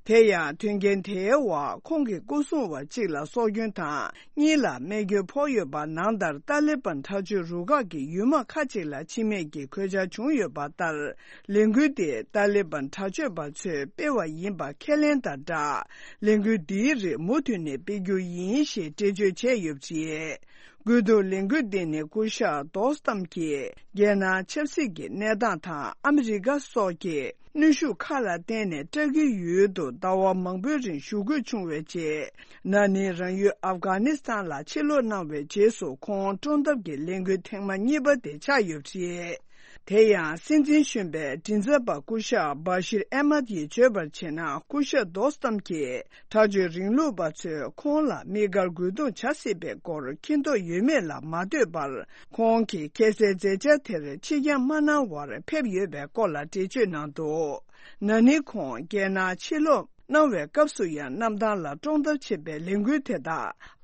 དེ་ཡང་། དོན་རྐྱེན་དེའི་འོག་ཁོང་གི་སྐུ་སྲུང་བ་གཅིག་ལ་སྲོག་སྐྱོན་དང་། གཉིས་ལ་རྨས་སྐྱོན་ཕོག་ཡོད་པ་ནང་ལྟར། ཏཱ་ལི་བན་དྲག་སྤྱོད་རུ་ཁག་གི་ཡུལ་དམག་ཁག་ཅིག་ལ་འཆི་རྨས་ཀྱི་གོད་ཆག་བྱུང་ཡོད་པ་ལྟར། ལས་འགུལ་དེ་ཏཱ་ལི་བན་དྲག་སྤྱོད་པ་ཚོས་སྤེལ་བ་ཡིན་པ་ཁས་ལེན་དང་སྦྲགས། ལས་འགུལ་འདིའི་རིགས་མུ་མཐུད་ནས་སྤེལ་རྒྱུ་ཡིན་ཞེས་འགྲེལ་བརྗོད་བྱས་ཡོད་པ་རེད། རྒོལ་རྡུང་ལས་འགུལ་འདི་ནི་སྐུ་ཞབས་དོ་སྟམ་གྱིས་རྒྱལ་ནང་ཆབ་སྲིད་ཀྱི་གནས་སྟངས་དང་། ཨ་མི་རི་ཀ་སོགས་ཀྱི་གནོན་ཤུགས་ཁག་ལ་བརྟེན་ནས། ཏུར་ཀིའི་ཡུལ་དུ་ཟླ་བ་མང་པོའི་རིང་བཞུགས་དགོས་བྱུང་བའི་རྗེས། ན་ནིང་རང་ཡུལ་ཨབ་གྷ་ནི་སི་ཐན་ལ་ཕྱིར་ལོག་གནང་བའི་རྗེས་སུ། ཁོང་དཀྲོག་གཏམ་གྱི་ལས་འགུལ་ཐེངས་མ་གཉིས་པ་དེ་ཆགས་ཡོད་པ་རེད། དེ་ཡང་། སྲིད་འཛིན་གཞོན་པའི་མགྲིན་ཚབ་པ་སྐུ་ཞབས་བྷ་ཤིར་ཨེ་མད་ཡིས་བརྗོད་པར་བྱས་ན། སྐུ་ཞབས་དོ་སྟམ་གྱིས་དྲག་སྤྱོད་རིང་ལུགས་པ་ཚོས་ཁོང་ལ་དམིགས་བཀར་རྒོལ་རྡུང་བྱ་སྲིད་པའི་སྐོར་མཁྱེན་རྟོགས་ཡོད་མེད་ལ་མ་ལྟོས་པར། ཁོང་གིས་ཁ་སའི་མཛད་འཆར་དེར་ཕྱིར་འགྱངས་མ་གནང་བར་ཕེབས་ཡོད་པའི་སྐོར་ལ་འགྲེལ་བརྗོད་གནང་འདུག་ན་ནིང་ཁོང་རྒྱལ་ནང་ཕྱིར་ལོག་གནང་བའི་སྐབས་སུ་ཡང་། གནམ་ཐང་ལ་དཀྲོག་གཏམ་བྱེད་པའི་ལས་འགུལ་དེ་དག་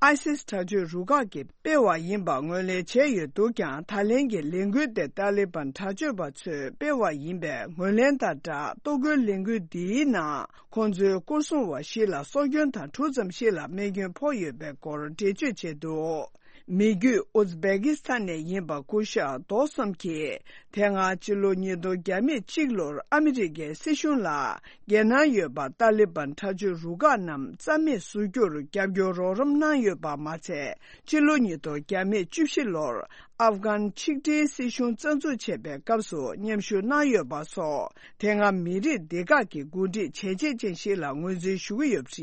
ཨའི་སིས་དྲག་སྤྱོད་རུ་ཁག་གིས་སྤེལ་བ་ཡིན་པ་ངོས་ལེན་བྱས་ཡོད་འདུག་ཀྱང་། ད་ལན་གྱི་ལས་འགུལ་དེ་ཏཱ་ལི་བན་དྲག་སྤྱོད་པ་ཚོས་སྤེལ་བ་ཡིན་པའི་ངོས་ལེན་དང་སྦྲགས། གཏོར་རྒོལ་ལས་འགུལ་འདིའི་ནང་ཁོང་ཚོའི་སྐོར་སྲུང་བ་བཞི་ལ་སྲོག་སྐྱོན་དང་། དྲུག་ཙམ་ཞིག་ལ་རྨས་སྐྱོན་ཕོག་ཡོད་པའི་སྐོར་འགྲེལ་བརྗོད་བྱས་འདུག་མི་རྒྱུད་ཨུ་ཛི་བེ་ཀི་སི་ཐན་ནས་ཡིན་པ་སྐུ་ཞབས་དོ་སམ་གྱིས། དེ་སྔ་ཕྱི་ལོ་ཉིས་སྟོང་བརྒྱ་མེད་གཅིག་ལོར་ཨ་མི་རི་ཀའི་སྲིད་གཞུང་ལ། རྒྱལ་ནང་ཡོད་པ་ཏཱ་ལི་བན་དྲག་སྤྱོད་རུ་ཁག་རྣམས་རྩ་མེད་བཟོ་རྒྱུར་རྒྱབ་སྐྱོར་རོགས་རམ་གནང་ཡོད་པ་མ་ཚད། ཕྱི་ལོ་ཉིས་སྟོང་བརྒྱ་མེད་བཅུ་བཞི་ལོར་ཨབ་གྷན་ཆིག་སྒྲིལ་སྲིད་གཞུང་རྩ་འཛུགས་བྱས་པའི་སྐབས་སུ་མཉམ་ཞུགས་གནང་ཡོད་པ་སོགས། དེ་སྔ་མི་རིགས་སྡེ་ཁག་གི་འགོ་ཁྲིད་བྱས་རྗེས་ཅན་ཞིག་ལ་ངོས་འཛིན་ཞུ་གི་ཡོད་པ་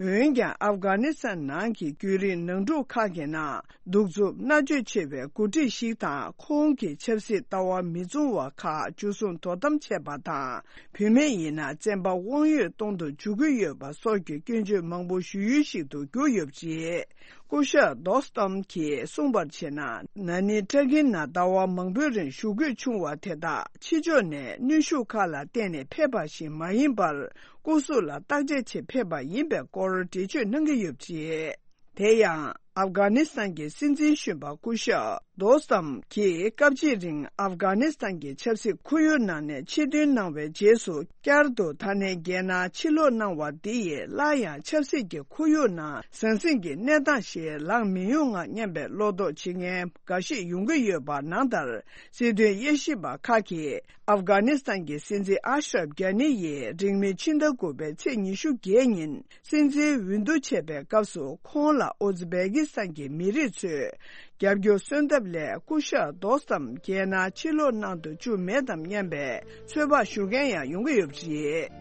རེད། འོན་ཀྱང་། ཨབ་གྷ་ནི་སི་ཐན་ནང་གི་རྒྱུན་རིང་ནང་འཁྲུག་ཁག་གི་ནང་། གདུག་རྩུབ་མནར་གཅོད་ཆེ་བའི་འགོ་ཁྲིད་ཞིག་དང་། ཁོང་གི་ཆབ་སྲིད་ལྟ་བ་མི་མཚུངས་པ་ཁག་འཇུ་བཟུང་དོ་དམ་བྱས་པ་དང་། བུད་མེད་ཡིན་ན་བཙན་པ་དབང་ཡོད་གཏོང་དུ་འཇུག་གི་ཡོད་པ་སོགས་ཀྱི་སྐྱོན་བརྗོད་མང་པོ་ཞུ་ཡུལ་ཞིག་ཏུ་གྱུར་ཡོད་པ་རེད། སྐུ་ཞབས་དོ་སྟམ་གྱིས་གསུངས་པར་བྱས་ན། ན་ནིང་ཏུར་ཀི་ནང་ཟླ་བ་མང་པོའི་རིང་བཞུགས་དགོས་བྱུང་བ་དེ་དག་ཕྱི་ཕྱོགས་ནས་གནོན་ཤུགས་ཁག་ལ་བརྟེན་ནས་ཕེབས་པ་ཞིག་མ་ཡིན་པར། སྐུ་གཟུགས་ལ་བརྟག་དཔྱད་ཆེད་ཕེབས་པ་ཡིན་པའི་སྐོར་འགྲེལ་བརྗོད་གནང་གི་ཡོད་པ་རེད། དེ་ཡང་། ཨབ་གྷ་ནི་སི་ཐན་གྱི་སྲིད་འཛིན་གཞོན་པ་སྐུ་ཞབས་དོ་སམ་གྱིས། སྐབས་གཅིག་རིང་ཨབ་གྷ་ནི་སི་ཐན་གྱི་ཆབ་སྲིད་ཁོར་ཡུག་ནང་ནས་ཕྱིར་ཐོན་གནང་བའི་རྗེས་སུ། བསྐྱར་དུ་ད་ལན་རྒྱལ་ནང་ཕྱིར་ལོག་གནང་བ་འདི་ཡིས། སླར་ཡང་ཆབ་སྲིད་ཀྱི་ཁོར་ཡུག་ནང་ཟང་ཟིང་གི་གནས་སྟངས་ཤིག་ལངས་མི་ཡོང་ངམ་སྙམ་པའི་བློ་དོགས་བྱེད་མཁན་འགའ་ཞིག་ཡོང་གི་ཡོད་པ་ནང་ལྟར། སྲིད་དོན་དབྱེ་ཞིབ་པ་ཁག་གིས། ཨབ་གྷ་ནི་སི་ཐན་གྱི་སྲིད་འཛིན་ཨ་ཤ་རབ་གྷ་ནི་ཡིས་རིང་མིན་ཕྱི་ཟླ་དགུ་པའི་ཚེས་ཉི་ཤུ་བརྒྱད་ཉིན། སྲིད་འཛིན་འོས་བསྡུ་བྱས་པའི་སྐབས་སུ། ཁོང་ལ་ཨུ་ཛི་བེ་ཀི་སི་ཐན་གྱི་མི་རིགས་ཚོས་རྒྱབ་སྐྱོར་སོན་ཐབས་ལས། སྐུ་ཞབས་དོ་སམ་རྒྱལ་ནང་ཕྱིར་ལོག་གནང་དུ་བཅུག་མེད་དམ་སྙམ་པའི་ཚོད་དཔག་ཞུ་མཁན་ཡང་ཡོང་གི་ཡོད་པ་རེད།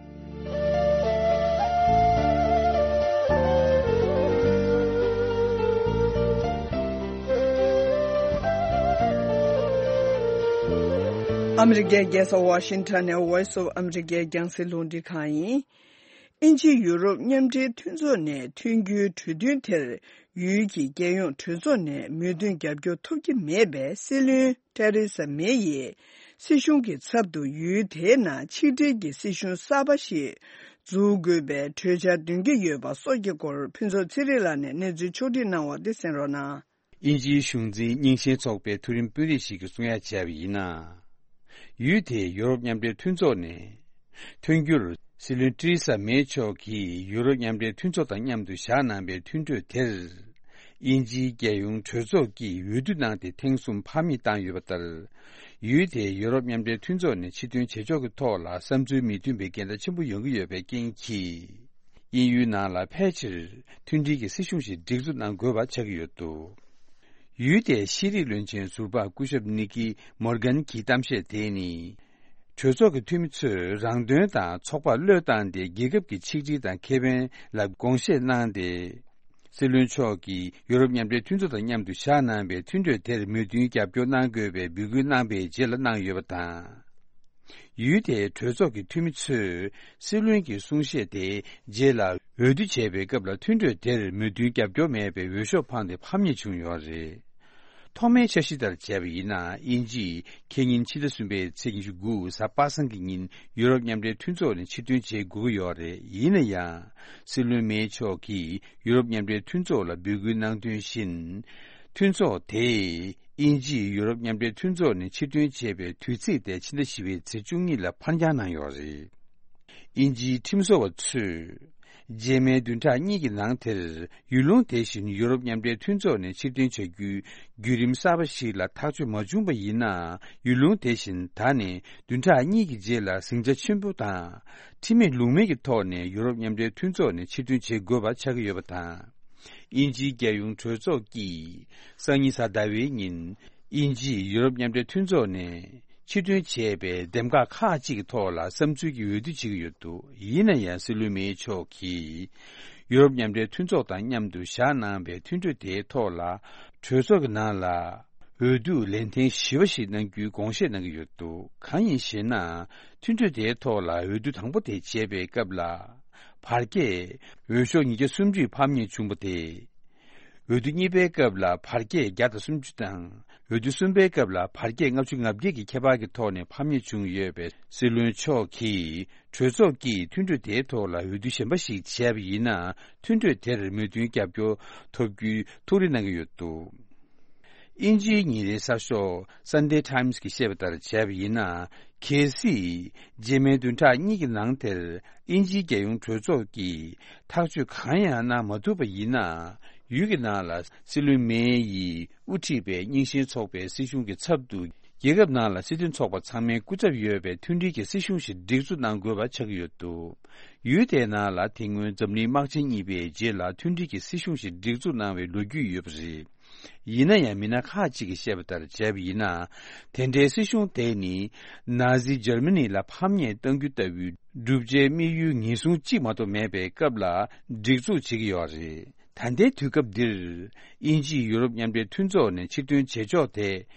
ཨ་མི་རི་ཀའི་རྒྱལ་ས་ཝ་ཤིང་ཊོན་ནས་Voice of America རྒྱང་སྲིང་རླུང་འཕྲིན་ཁང་ཡིན། དབྱིན་ཇི་ཡུ་རོབ་མཉམ་འབྲེལ་མཐུན་ཚོགས་ནས་མཐུན་འགྱུར་གྲོས་མཐུན་དེར། ཡུལ་གྱི་རྒྱལ་ཡོངས་གྲོས་ཚོགས་ནས་མོས་མཐུན་རྒྱབ་སྐྱོར་ཐོབ་ཀྱི་མེད་པས། སྲིད་བློན་ཏེ་རེ་ས་མེ་ཡིས་སྲིད་གཞུང་གི་ཚབ་ཏུ་ཡུལ་དེའི་ནང་ཆིག་སྒྲིལ་གྱི་སྲིད་གཞུང་གསར་པ་ཞིག་འཛུགས་དགོས་པའི་གྲོས་འཆར་འདོན་གྱི་ཡོད་པ་སོགས་ཀྱི་སྐོར། ཕུན་ཚོགས་ཚེ་རིང་ལགས་ནས་གནས་ཚུལ་ཕྱོགས་སྒྲིག་གནང་བ་དེ་གསན་རོགས་གནང་། དབྱིན་ཇིའི་གཞུང་འཛིན་རྙིང་ཞེན་ཚོགས་པའི་མཐོ་རིམ་དཔོན་རིགས་ཤིག་གིས་གསུང་ཡ་བྱས་པ་ཡིན་ན། ཡུལ་དེས་ཡུ་རོབ་མཉམ་འབྲེལ་མཐུན་ཚོགས་ནས་ཐོན་རྒྱུར། སྲིད་བློན་ཏེ་རེ་ས་མེ་མཆོག་གིས་ཡུ་རོབ་མཉམ་འབྲེལ་མཐུན་ཚོགས་དང་མཉམ་དུ་བཞག་གནང་པའི་མཐུན་གྲོས་དེར། དབྱིན་ཇིའི་རྒྱལ་ཡོངས་གྲོས་ཚོགས་ཀྱིས་འོས་བསྡུ་གནང་སྟེ། ཐེངས་གསུམ་ཕར་མིང་བཏང་ཡོད་པ་ལྟར། ཡུལ་དེས་ཡུ་རོབ་མཉམ་འབྲེལ་མཐུན་ཚོགས་ནས་ཕྱིར་ཐོན་བྱེད་ཕྱོགས་ཀྱི་ཐོག་ལ་བསམ་ཚུལ་མི་མཐུན་པའི་འགལ་ཟླ་ཆེན་པོ་ཡོང་གི་ཡོད་པའི་རྐྱེན་གྱིས། དབྱིན་ཡུལ་ནང་ལ་ཕལ་ཆེར་མཐུན་སྒྲིལ་གྱི་སྲིད་གཞུང་ཞིག་སྒྲིག་འཛུགས་གནང་དགོས་པ་ཆགས་ཀྱི་ཡོད་འདུག་ཡུལ་དེའི་ཤེས་རིག་བློན་ཆེན་ཟུར་པ་སྐུ་ཞབས་ནི་ཀི་མོར་གན་གྱི་གཏམ་བཤད་དེ་ནི། གྲོས་ཚོགས་ཀྱི་འཐུས་མི་ཚོས་རང་དོན་དང་ཚོགས་པར་བློས་བཏང་སྟེ། རྒྱལ་ཁབ་ཀྱི་ཆིག་སྒྲིལ་དང་ཁེ་ཕན་ལ་དགོངས་བཞེས་གནང་སྟེ། སྲིད་བློན་མཆོག་གིས་ཡུ་རོབ་མཉམ་འབྲེལ་མཐུན་ཚོགས་དང་མཉམ་དུ་བཞག་གནང་བའི་མཐུན་གྲོས་དེར་མོས་མཐུན་རྒྱབ་སྐྱོར་གནང་དགོས་པའི་འབོད་སྐུལ་གནང་པའི་རྗེས་ལ་གནང་ཡོད་པ་དང་། ཡུལ་དེའི་གྲོས་ཚོགས་ཀྱི་འཐུས་མི་ཚོས་སྲིད་བློན་གྱི་གསུང་བཤད་དེའི་རྗེས་ལ་འོས་བསྡུ་བྱས་པའི་སྐབས་ལ་མཐུན་གྲོས་དེར་མོས་མཐུན་རྒྱབ་སྐྱོར་མེད་པའི་འོས་ཤོག་འཕངས་ཏེ་ཕམ་ཉེས་བྱུང་ཡོད་རེད། ཐོག་མའི་འཆར་གཞི་ལྟར་བྱས་པ་ཡིན་ན། དབྱིན་ཇིས་ཁེ་ཉིན་ཕྱི་ཟླ་གསུམ་པའི་ཚེས་ཉི་ཤུ་དགུ་གཟའ་པ་སངས་ཀྱི་ཉིན་ཡུ་རོབ་མཉམ་འབྲེལ་མཐུན་ཚོགས་ནས་ཕྱིར་ཐོན་བྱེད་དགོས་ཀྱི་ཡོད་རེད། ཡིན་ན་ཡང་། སྲིད་བློན་མེ་མཆོག་གིས་ཡུ་རོབ་མཉམ་འབྲེལ་མཐུན་ཚོགས་ལ་འབོད་སྐུལ་གནང་དོན་བཞིན། མཐུན་ཚོགས་དེས་དབྱིན་ཇིས་ཡུ་རོབ་མཉམ་འབྲེལ་མཐུན་ཚོགས་ནས་ཕྱིར་ཐོན་བྱས་པའི་དུས་ཚིགས་དེ་ཕྱི་ཟླ་བཞི་པའི་ཚེས་བཅུ་གཉིས་ལ་ཕར་འགྱངས་གནང་ཡོད་རེད། དབྱིན་ཇིའི་ཁྲིམས་བཟོ་བ་ཚོས། རྗེས་མའི་བདུན་ཕྲག་གཉིས་ཀྱི་ནང་དེར་ཡུལ་ལུང་དེ་བཞིན་ཡུ་རོབ་མཉམ་འབྲེལ་མཐུན་ཚོགས་ནས་ཕྱིར་འཐེན་བྱ་རྒྱུའི་བརྒྱུད་རིམ་གསར་པ་ཞིག་ལ་ཐག་གཅོད་མ་བྱུང་པ་ཡིན་ན། ཡུལ་ལུང་དེ་བཞིན་ད་ནས་བདུན་ཕྲག་གཉིས་ཀྱི་རྗེས་ལ་ཟིང་ཆ་ཆེན་པོ་དང་ཁྲིམས་མེད་ལུགས་མེད་ཀྱི་ཐོག་ནས་ཡུ་རོབ་མཉམ་འབྲེལ་མཐུན་ཚོགས་ནས་ཕྱིར་འཐེན་བྱེད་དགོས་པ་ཆགས་ཀྱི་ཡོད་པ་དང་། དབྱིན་ཇིའི་རྒྱལ་ཡོངས་གྲོས་ཚོགས་ཀྱིས་སང་ཉིན་གཟའ་ཟླ་བའི་ཉིན། དབྱིན་ཇིས་ཡུ་རོབ་མཉམ་འབྲེལ་མཐུན་ཚོགས་ནས་ཕྱིར་འཐེན་བྱས་པའི་འདེམས་ཁག་ཁག་ཅིག་གི་ཐོག་ལ་བསམ་ཚུལ་གྱི་འོས་བསྡུ་བྱེད་ཀྱི་ཡོད་འདུག་ཡིན་ན་ཡང་། སྲིད་བློན་མེ་མཆོག་གིས་ཡུ་རོབ་མཉམ་འབྲེལ་མཐུན་ཚོགས་དང་མཉམ་དུ་བཞག་གནང་བའི་མཐུན་གྲོས་དེའི་ཐོག་ལ། གྲོས་ཚོགས་ཀྱི་ནང་ལ་འོས་བསྡུ་ལན་ཐེངས་བཞི་པ་ཞིག་གནང་རྒྱུའི་དགོངས་བཞེས་གནང་གི་ཡོད་འདུག་གང་ཡིན་ཞེ་ན། མཐུན་གྲོས་དེའི་ཐོག་ལ་འོས་བསྡུ་དང་པོ་དེ་བྱས་པའི་སྐབས་ལ། བར་བརྒལ་འོས་ཤོག་ཉིས་བརྒྱ་སུམ་ཅུ་ཕམ་ཉེས་བྱུང་བ་དེ། འོས་བསྡུ་གཉིས་པའི་སྐབས་ལ་བར་བརྒལ་བརྒྱ་དང་སུམ་ཅུ་དང་། འོས་བསྡུ་གསུམ་པའི་སྐབས་ལ་བར་བརྒལ་ལྔ་བཅུ་ང་བརྒྱད་ཀྱི་ཁྱད་པར་གྱི་ཐོག་ནས་ཕམ་ཉེས་བྱུང་ཡོད་པས། སྲིད་བློན་མཆོག་གིས་གྲོས་ཚོགས་ཀྱིས་མཐུན་གྲོས་དེའི་ཐོག་ལ་འོས་བསྡུ་གཞན་པ་ཞིག་བྱས་པ་ཡིན་ན། མཐུན་གྲོས་དེར་མོས་མཐུན་རྒྱབ་སྐྱོར་ཐོབ་རྒྱུའི་ཐུགས་རེ་གནང་གི་ཡོད་འདུག་དབྱིན་ཇིའི་ཉིན་རེའི་གསར་ཤོག་Sunday Times་གིས་བཤད་པ་ལྟར་བྱས་པ་ཡིན་ན། གལ་སྲིད་རྗེས་མའི་བདུན་ཕྲག་གཉིས་ཀྱི་ནང་དེར་དབྱིན་ཇིའི་རྒྱལ་ཡོངས་གྲོས་ཚོགས་ཀྱིས་ཐག་གཅོད་གང་ཡང་གནང་མ་ཐུབ་པ་ཡིན་ན། ཡུལ་གྱི་ནང་ལ་སྲིད་བློན་མེ་ཡིས་དབུ་ཁྲིད་པའི་རྙིང་ཞེན་ཚོགས་པའི་སྲིད་གཞུང་གི་ཚབ་ཏུ། རྒྱལ་ཁབ་ནང་ལ་སྲིད་དོན་ཚོགས་པ་ཚང་མའི་སྐུ་ཚབ་ཡོད་པའི་མཐུན་སྒྲིལ་གྱི་སྲིད་གཞུང་ཞིག་སྒྲིག་འཛུགས་གནང་དགོས་པ་ཆགས་ཀྱི་ཡོད་འདུག་ཡུལ་དེའི་ནང་ལ་དེ་སྔོན་འཛམ་གླིང་དམག་ཆེན་གཉིས་པའི་རྗེས་ལ་མཐུན་སྒྲིལ་གྱི་སྲིད་གཞུང་ཞིག་སྒྲིག་འཛུགས་གནང་བའི་ལོ་རྒྱུས་ཡོད་པ་རེད། ཡིན་ན་ཡང་། མི་སྣ་ཁག་ཅིག་གིས་བཤད་པ་ལྟར་བྱས་པ་ཡིན་ན། དེ་འདྲའི་སྲིད་གཞུང་དེ་ནི་ན་ཟི་འཇར་མ་ནི་ལ་ཕམ་ཉེས་གཏང་རྒྱུ་ལྟ་བུའི་བསྒྲུབ་བྱའི་དམིགས་ཡུལ་ངེས་བཟུང་གཅིག་མ་གཏོགས་མེད་པའི་སྐབས་ལ་སྒྲིག་འཛུགས་བྱེད་ཀྱི་ཡོད་རེད། ད་ལྟའི་དུས་སྐབས་འདིར། དབྱིན་ཇིས་ཡུ་རོབ་མཉམ་འབྲེལ་མཐུན་ཚོགས་ནས་ཕྱིར་ཐོན་བྱེད་ཕྱོགས་དེ་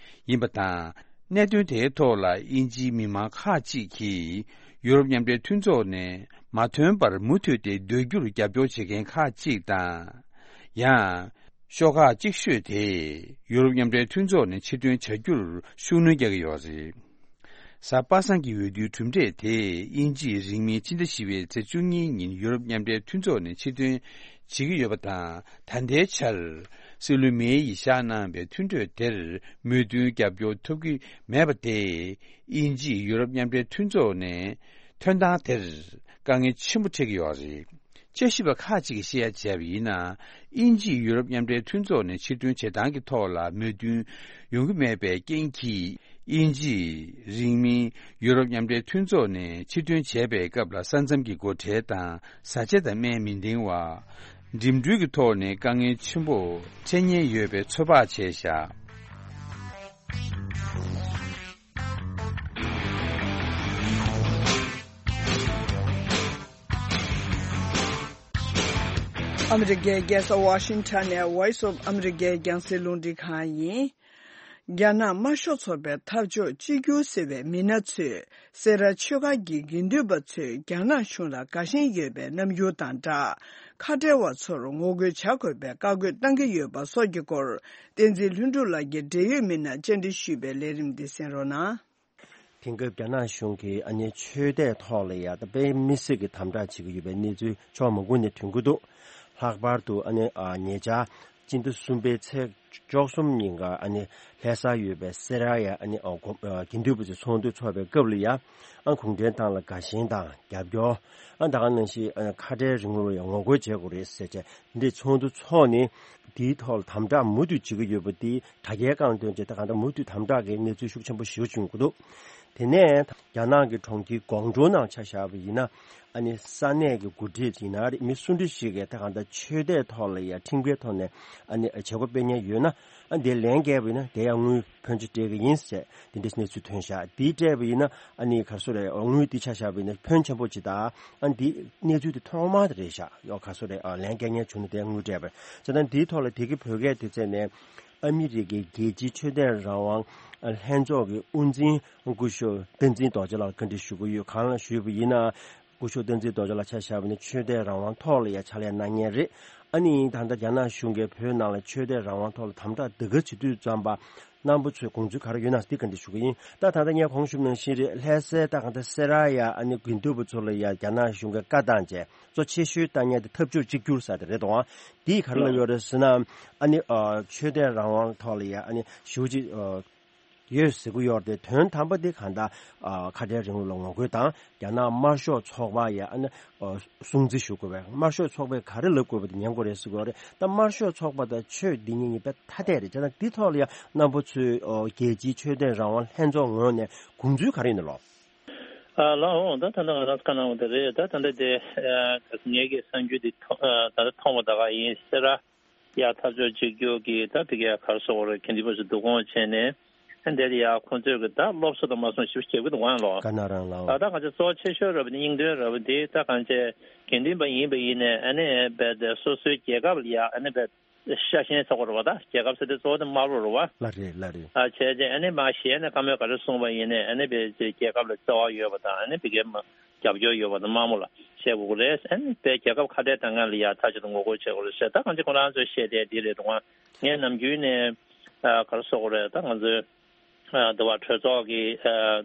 ཡིན་པ་དང་། གནད་དོན་དེའི་ཐོག་ལ་དབྱིན་ཇིའི་མི་མང་ཁག་ཅིག་གིས་ཡུ་རོབ་མཉམ་འབྲེལ་མཐུན་ཚོགས་ནས་མ་ཐོན་པར་མུ་མཐུད་དེ་སྡོད་རྒྱུར་རྒྱབ་སྐྱོར་བྱེད་མཁན་ཁག་ཅིག་དང་། ཡང་། ཤོག་ཁག་གཅིག་ཤོས་དེས་ཡུ་རོབ་མཉམ་འབྲེལ་མཐུན་ཚོགས་ནས་ཕྱིར་ཐོན་བྱ་རྒྱུར་ཤུགས་སྣོན་རྒྱག་གི་ཡོད་རེད། གཟའ་པ་སངས་ཀྱི་འོས་བསྡུའི་གྲུབ་འབྲས་དེས་དབྱིན་ཇིས་རིང་མིན་ཕྱི་ཟླ་བཞི་པའི་ཚེས་བཅུ་གཉིས་ཉིན་ཡུ་རོབ་མཉམ་འབྲེལ་མཐུན་ཚོགས་ནས་ཕྱིར་ཐོན་བྱེད་ཀྱི་ཡོད་པ་དང་། ད་ལྟའི་ཆར་སྲིད་བློན་མེ་ཡིས་བཞག་གནང་བའི་མཐུན་གྲོས་དེར་མོས་མཐུན་རྒྱབ་སྐྱོར་ཐོབ་ཀྱི་མེད་པ་དེས། དབྱིན་ཇིས་ཡུ་རོབ་མཉམ་འབྲེལ་མཐུན་ཚོགས་ནས་ཐོན་སྟངས་དེར་དཀའ་ངལ་ཆེན་པོ་འཕྲད་ཀྱི་ཡོད་རེད། དཔྱད་ཞིབ་པ་ཁག་ཅིག་གིས་བཤད་ཡ་བྱས་པ་ཡིན་ན། དབྱིན་ཇིས་ཡུ་རོབ་མཉམ་འབྲེལ་མཐུན་ཚོགས་ནས་ཕྱིར་ཐོན་བྱེད་སྟངས་ཀྱི་ཐོག་ལ་མོས་མཐུན་ཡོང་གི་མེད་པའི་རྐྱེན་གྱིས། དབྱིན་ཇིས་རིང་མིན་ཡུ་རོབ་མཉམ་འབྲེལ་མཐུན་ཚོགས་ནས་ཕྱིར་ཐོན་བྱས་པའི་སྐབས་ལ། ས་མཚམས་ཀྱི་སྒོ་ཁྲལ་དང་། བཟའ་བཅའ་དང་སྨན་མི་འདེང་བ། འགྲིམ་འགྲུལ་གྱི་ཐོག་ནས་དཀའ་ངལ་ཆེན་པོ་འཕྲད་ཉེན་ཡོད་པའི་ཚོད་དཔག་བྱས་བཞག་ཨ་མི་རི་ཀའི་རྒྱལ་ས་ཝ་ཤིང་ཊོན་ནས་Voice of America་རྒྱང་སྲིང་རླུང་འཕྲིན་ཁང་ཡིན། རྒྱ་ནག་དམར་ཤོག་ཚོགས་པའི་འཐབ་ཕྱོགས་གཅིག་གྱུར་ཟེར་བའི་མི་སྣ་ཚོས་སེ་ར་ཆོས་སྒར་གྱི་དགེ་འདུན་པ་ཚོས་རྒྱ་ནག་གཞུང་ལ་དགའ་ཞེན་ཡོད་པའི་རྣམ་འགྱུར་དང་སྦྲགས། ཁ་བྲལ་བ་ཚོར་ངོ་རྒོལ་བྱ་དགོས་པའི་བཀའ་བཀོད་བཏང་གི་ཡོད་པ་སོགས་ཀྱི་སྐོར། བསྟན་འཛིན་ལྷུན་གྲུབ་ལགས་ཀྱིས་འབྲེལ་ཡོད་མི་སྣར་བཅར་འདྲི་ཞུས་པའི་ལས་རིམ་འདི་གསན་རོགས་གནང་། དེང་སྐབས་རྒྱ་ནག་གཞུང་གིས་ཨ་ནི་ཆོས་དད་ཐོག་ལ་ཡ་ད་དཔེ་མི་སྲིད་ཀྱི་དམ་དྲག་བྱེད་ཀྱི་ཡོད་པའི་གནས་ཚུལ་ཕྱོགས་མང་པོ་ནས་ཐོན་གྱི་འདུག་ལྷག་པར་དུ་ཨ་ནི་ཨ་ཉེ་ཆར་སྤྱི་ཟླ་གསུམ་པའི་ཚེས་བཅུ་གསུམ་ཉིན་ཀ་ཨ་ནི་ལྷ་སར་ཡོད་པའི་སེ་ར་ཡ་ཨ་ནི་ཨ་དགོན་ཨ་དགེ་འདུན་པ་ཚོའི་ཚོགས་འདུ་འཚོགས་པའི་སྐབས་ལ་ཡ་ཨ་གུང་ཁྲན་ཏང་ལ་དགའ་ཞེན་དང་རྒྱབ་སྐྱོར། ཨ་ད་ག་ནང་བཞིན་ཨ་ཁ་བྲལ་རིང་ལུགས་ལ་ཡ་ངོ་རྒོལ་བྱེད་དགོས་རེད་ཟེར་བྱས་འདི་ཚོགས་འདུ་འཚོགས་ནས། དེའི་ཐོག་ལ་དམ་དྲག་མུ་མཐུད་བྱེད་ཀྱི་ཡོད་པ་དེ་དྲ་རྒྱའི་སྒང་ཐོན་རྗེས་ད་གང་ལྟར་མུ་མཐུད་དམ་དྲག་གི་གནས་ཚུལ་ཤུགས་ཆེན་པོ་ཞེ་པོ་བྱུང་གི་འདུག་དེ་ནས་རྒྱ་ནག་གི་གྲོང་ཁྱེར་ཀོང་ཀྲོའུ་ནང་ཆ་བཞག་པ་ཡིན་ན། ཨ་ནི་ས་གནས་ཀྱི་འགོ་ཁྲིད་ཡིན་ན་རེད། མི་སུ་འདྲ་ཞིག་གིས་ད་གང་ལྟར་ཆོས་དད་ཐོག་ལ་ཡ་ཁྲིམས་འགལ་ཐོག་ནས་ཨ་ནི་བྱེད་སྒོ་སྤེལ་མཁན་ཡོད་ན། ཨ་ནི་དེ་ལན་བརྒྱབ་པ་ཡིན་ན་དེ་ཡང་དངུལ་ཕོན་ཆེ་སྤྲད་ཀྱི་ཡིན་ཟེར་དེ་འདྲའི་གནས་ཚུལ་ཐོན་ཤག་དེ་སྤྲད་པ་ཡིན་ན་ཨ་ནི་ག་རེ་ཟེར་རེད། དངུལ་དེ་ཆ་བཞག་པ་ཡིན་ན་ཕོན་ཆེན་པོ་ཅིག་དང་། ཨ་ནི་དེ་གནས་ཚུལ་དེ་ཐོག་མ་དེ་རེད་ཤག་ཡོ་ག་རེ་ཟེར་རེད། ལན་བརྒྱབ་མཁན་བྱུང་ན་དེ་དངུལ་སྤྲད་པ་རེད། བྱས་ཙང་དེའི་ཐོག་ལ་དེ་གི་བོད་སྐད་དེ་བཙལ་ནས། ཨ་མི་རི་ཀའི་རྒྱལ་སྤྱིའི་ཆོས་དད་རང་དབང་ལྷན་ཚོགས་ཀྱི་དབུ་འཛིན་སྐུ་ཞབས་བསྟན་འཛིན་རྡོ་རྗེ་ལགས་ལ་བཀའ་འདྲི་ཞུ་གི་ཡོད། གང་ལ་ཞུས་པ་ཡིན་ན། སྐུ་ཞབས་བསྟན་འཛིན་རྡོ་རྗེ་ལགས་ཆ་བཞག་པ་ཡིན་ན་ཆོས་དད་རང་དབང་ཐོག་ལ་ཡ་ཕྱག་ལས་གནང་མཁན་རེད། ཨ་ནི་ད་ལྟ་རྒྱ་ནག་གཞུང་གིས་བོད་ནང་ལ་ཆོས་དད་རང་དབང་ཐོག་ལ་དམ་དྲག་ཟློས་གར་བྱེད་དུས་ཙམ་པ་རྣམ་པ་ཚོས་དགོངས་ཚུལ་ག་རེ་ཡོད་ན་འདི་བཀའ་འདྲི་ཞུ་གི་ཡིན། ད་ད་ལྟ་ངས་གོང་ཞུས་ནང་བཞིན་རེད། ལྷ་སའི་ད་གང་ལྟར་སེ་ར་ཡ་ཨ་ནི་དགེ་འདུན་པ་ཚོ་ལ་ཡ་རྒྱ་ནག་གཞུང་གིས་བཀའ་བཏང་བྱས། གཙོ་ཆེ་ཤོས་ལྟ་ཉན་དེ་འཐབ་ཕྱོགས་གཅིག་གྱུར་ཟེར་དེ་རེད་དོ། འདིས་ག་རེ་ལབ་ཡོད་རེད་ཟེར་ན། ཨ་ནི་ཨ་ཆོས་དད་རང་དབང་ཐོག་ལ་ཡ་ཨ་ནི་ཞེ་པོ་ཅིག་ཨ་ཡོད་ཟེར་གྱི་ཡོད་རེད། དོན་དམ་པ་དེ་གང་ལྟར་ཨ་ཁ་བྲལ་རིང་ལུགས་ལ་ངོ་རྒོལ་དང་རྒྱ་ནག་དམར་ཤོག་ཚོགས་པ་ཡ་ཨ་ནི་ཨ་སྲུང་བརྩི་ཞུ་དགོས་པས། དམར་ཤོག་ཚོགས་པས་ག་རེ་ལབ་དགོས་པ་དེ་ཉན་དགོས་རེད་ཟེར་གྱི་ཡོད་རེད། ད་དམར་ཤོག་ཚོགས་པ་དང་ཆོས་འདི་གཉིས་གཉིས་དཔེ་ཐ་དད་རེད། བྱས་ཙང་འདི་ཐོག་ལ་ཡ་རྣམ་པ་ཚོས་ཨ་རྒྱལ་སྤྱིའི་ཆོས་དད་རང་དབང་ལྷན་ཚོགས་ངོས་ནས་དགོངས་ཚུལ་ག་རེ་ཡིན་ནམ་ལགས། ཨ་ལགས་འོང་། ད་ད་ལྟ་ང་རང་བཀའ་གནང་བ་དེ་རེད། ད་ད་ལྟ་དེ་ཨ་ངེད་ཀྱི་གསར་འགྱུར་འདི་ཐོ་ཨ་ད་ལྟ་མཐོང་བ་ད་ག་ཡིན། སེ་ར་ཡ་འཐབ་ཕྱོགས་གཅིག་གྱུར་གྱི་ད་ཕ་གིའི་ག་རེ་ཟེར་དགོས་རེད། དགེ་འདུན་པ་ཚོ་བསྡུ་སྐོང་བྱས་ནས་ཨ་འདིར་ཡ་ཁོང་ཚོས་གི་ད་སློབ་གསོ་དང་མ་སོང་ཞིབ་བྱེད་ཀྱི་འདུག་ག་ལགས། ག་ན་རང་ལགས། ད་ད་གང་ཅི་གཙོ་ཆེ་ཤོས་རེད་པ། དེ་སྙིང་དོན་རེད་པ། དེ་ད་གང་ཅི་དགེ་འདུན་པ་ཡིན་པ་ཡིན་ནས་ཨ་ནི་རྦད་དེ་སོ་སོའི་རྒྱལ་ཁབ་ལ་ཡ་ཨ་ནི་རྦད་ཤ་ཞེན་ཚོགས་པ་རེད་པ། ད་རྒྱལ་ཁབ་ཟེར་དུས་གཙོ་བོ་དེ་དམར་པོ་རེད་པ། ལགས་རེད། ལགས་རེད། ཨ་བྱས་རྗེས་ཨ་ནི་མ་གཞི་ནས་བཀའ་མོལ་ག་རེ་གསུངས་པ་ཡིན་ནའི་ཨ་ནི་བས་རྒྱལ་ཁབ་ལ་བརྩེ་བ་ཡོད་པ་དང་ཨ་ནི་བི་གའི་རྒྱབ་སྐྱོར་ཡོད་པ་དང་དམར་མོ་ལ་བཤད་དགོས་ཀྱི་རེད། ཨ་ནི་བས་རྒྱལ་ཁབ་ཁ་བྲལ་བཏང་མཁན་ལ་ཡ་མཐའ་གཅིག་ཏུ་ངོ་རྒོལ་བྱེད་དགོས་རེད་ཟེར། ད་གང་ཅི་ཁོ་རང་ཚོས་བཤད་བསྡད་འདི་རེད་འདུག་ག་ངས་ནམ་རྒྱུན་ནས་ཨ་ག་རེ་ཟེར་དགོས་རེད། ད་ང་ཚོའི་ཨ་འདི་བ་གྲོས་ཚོགས་ཀྱི་ཨ་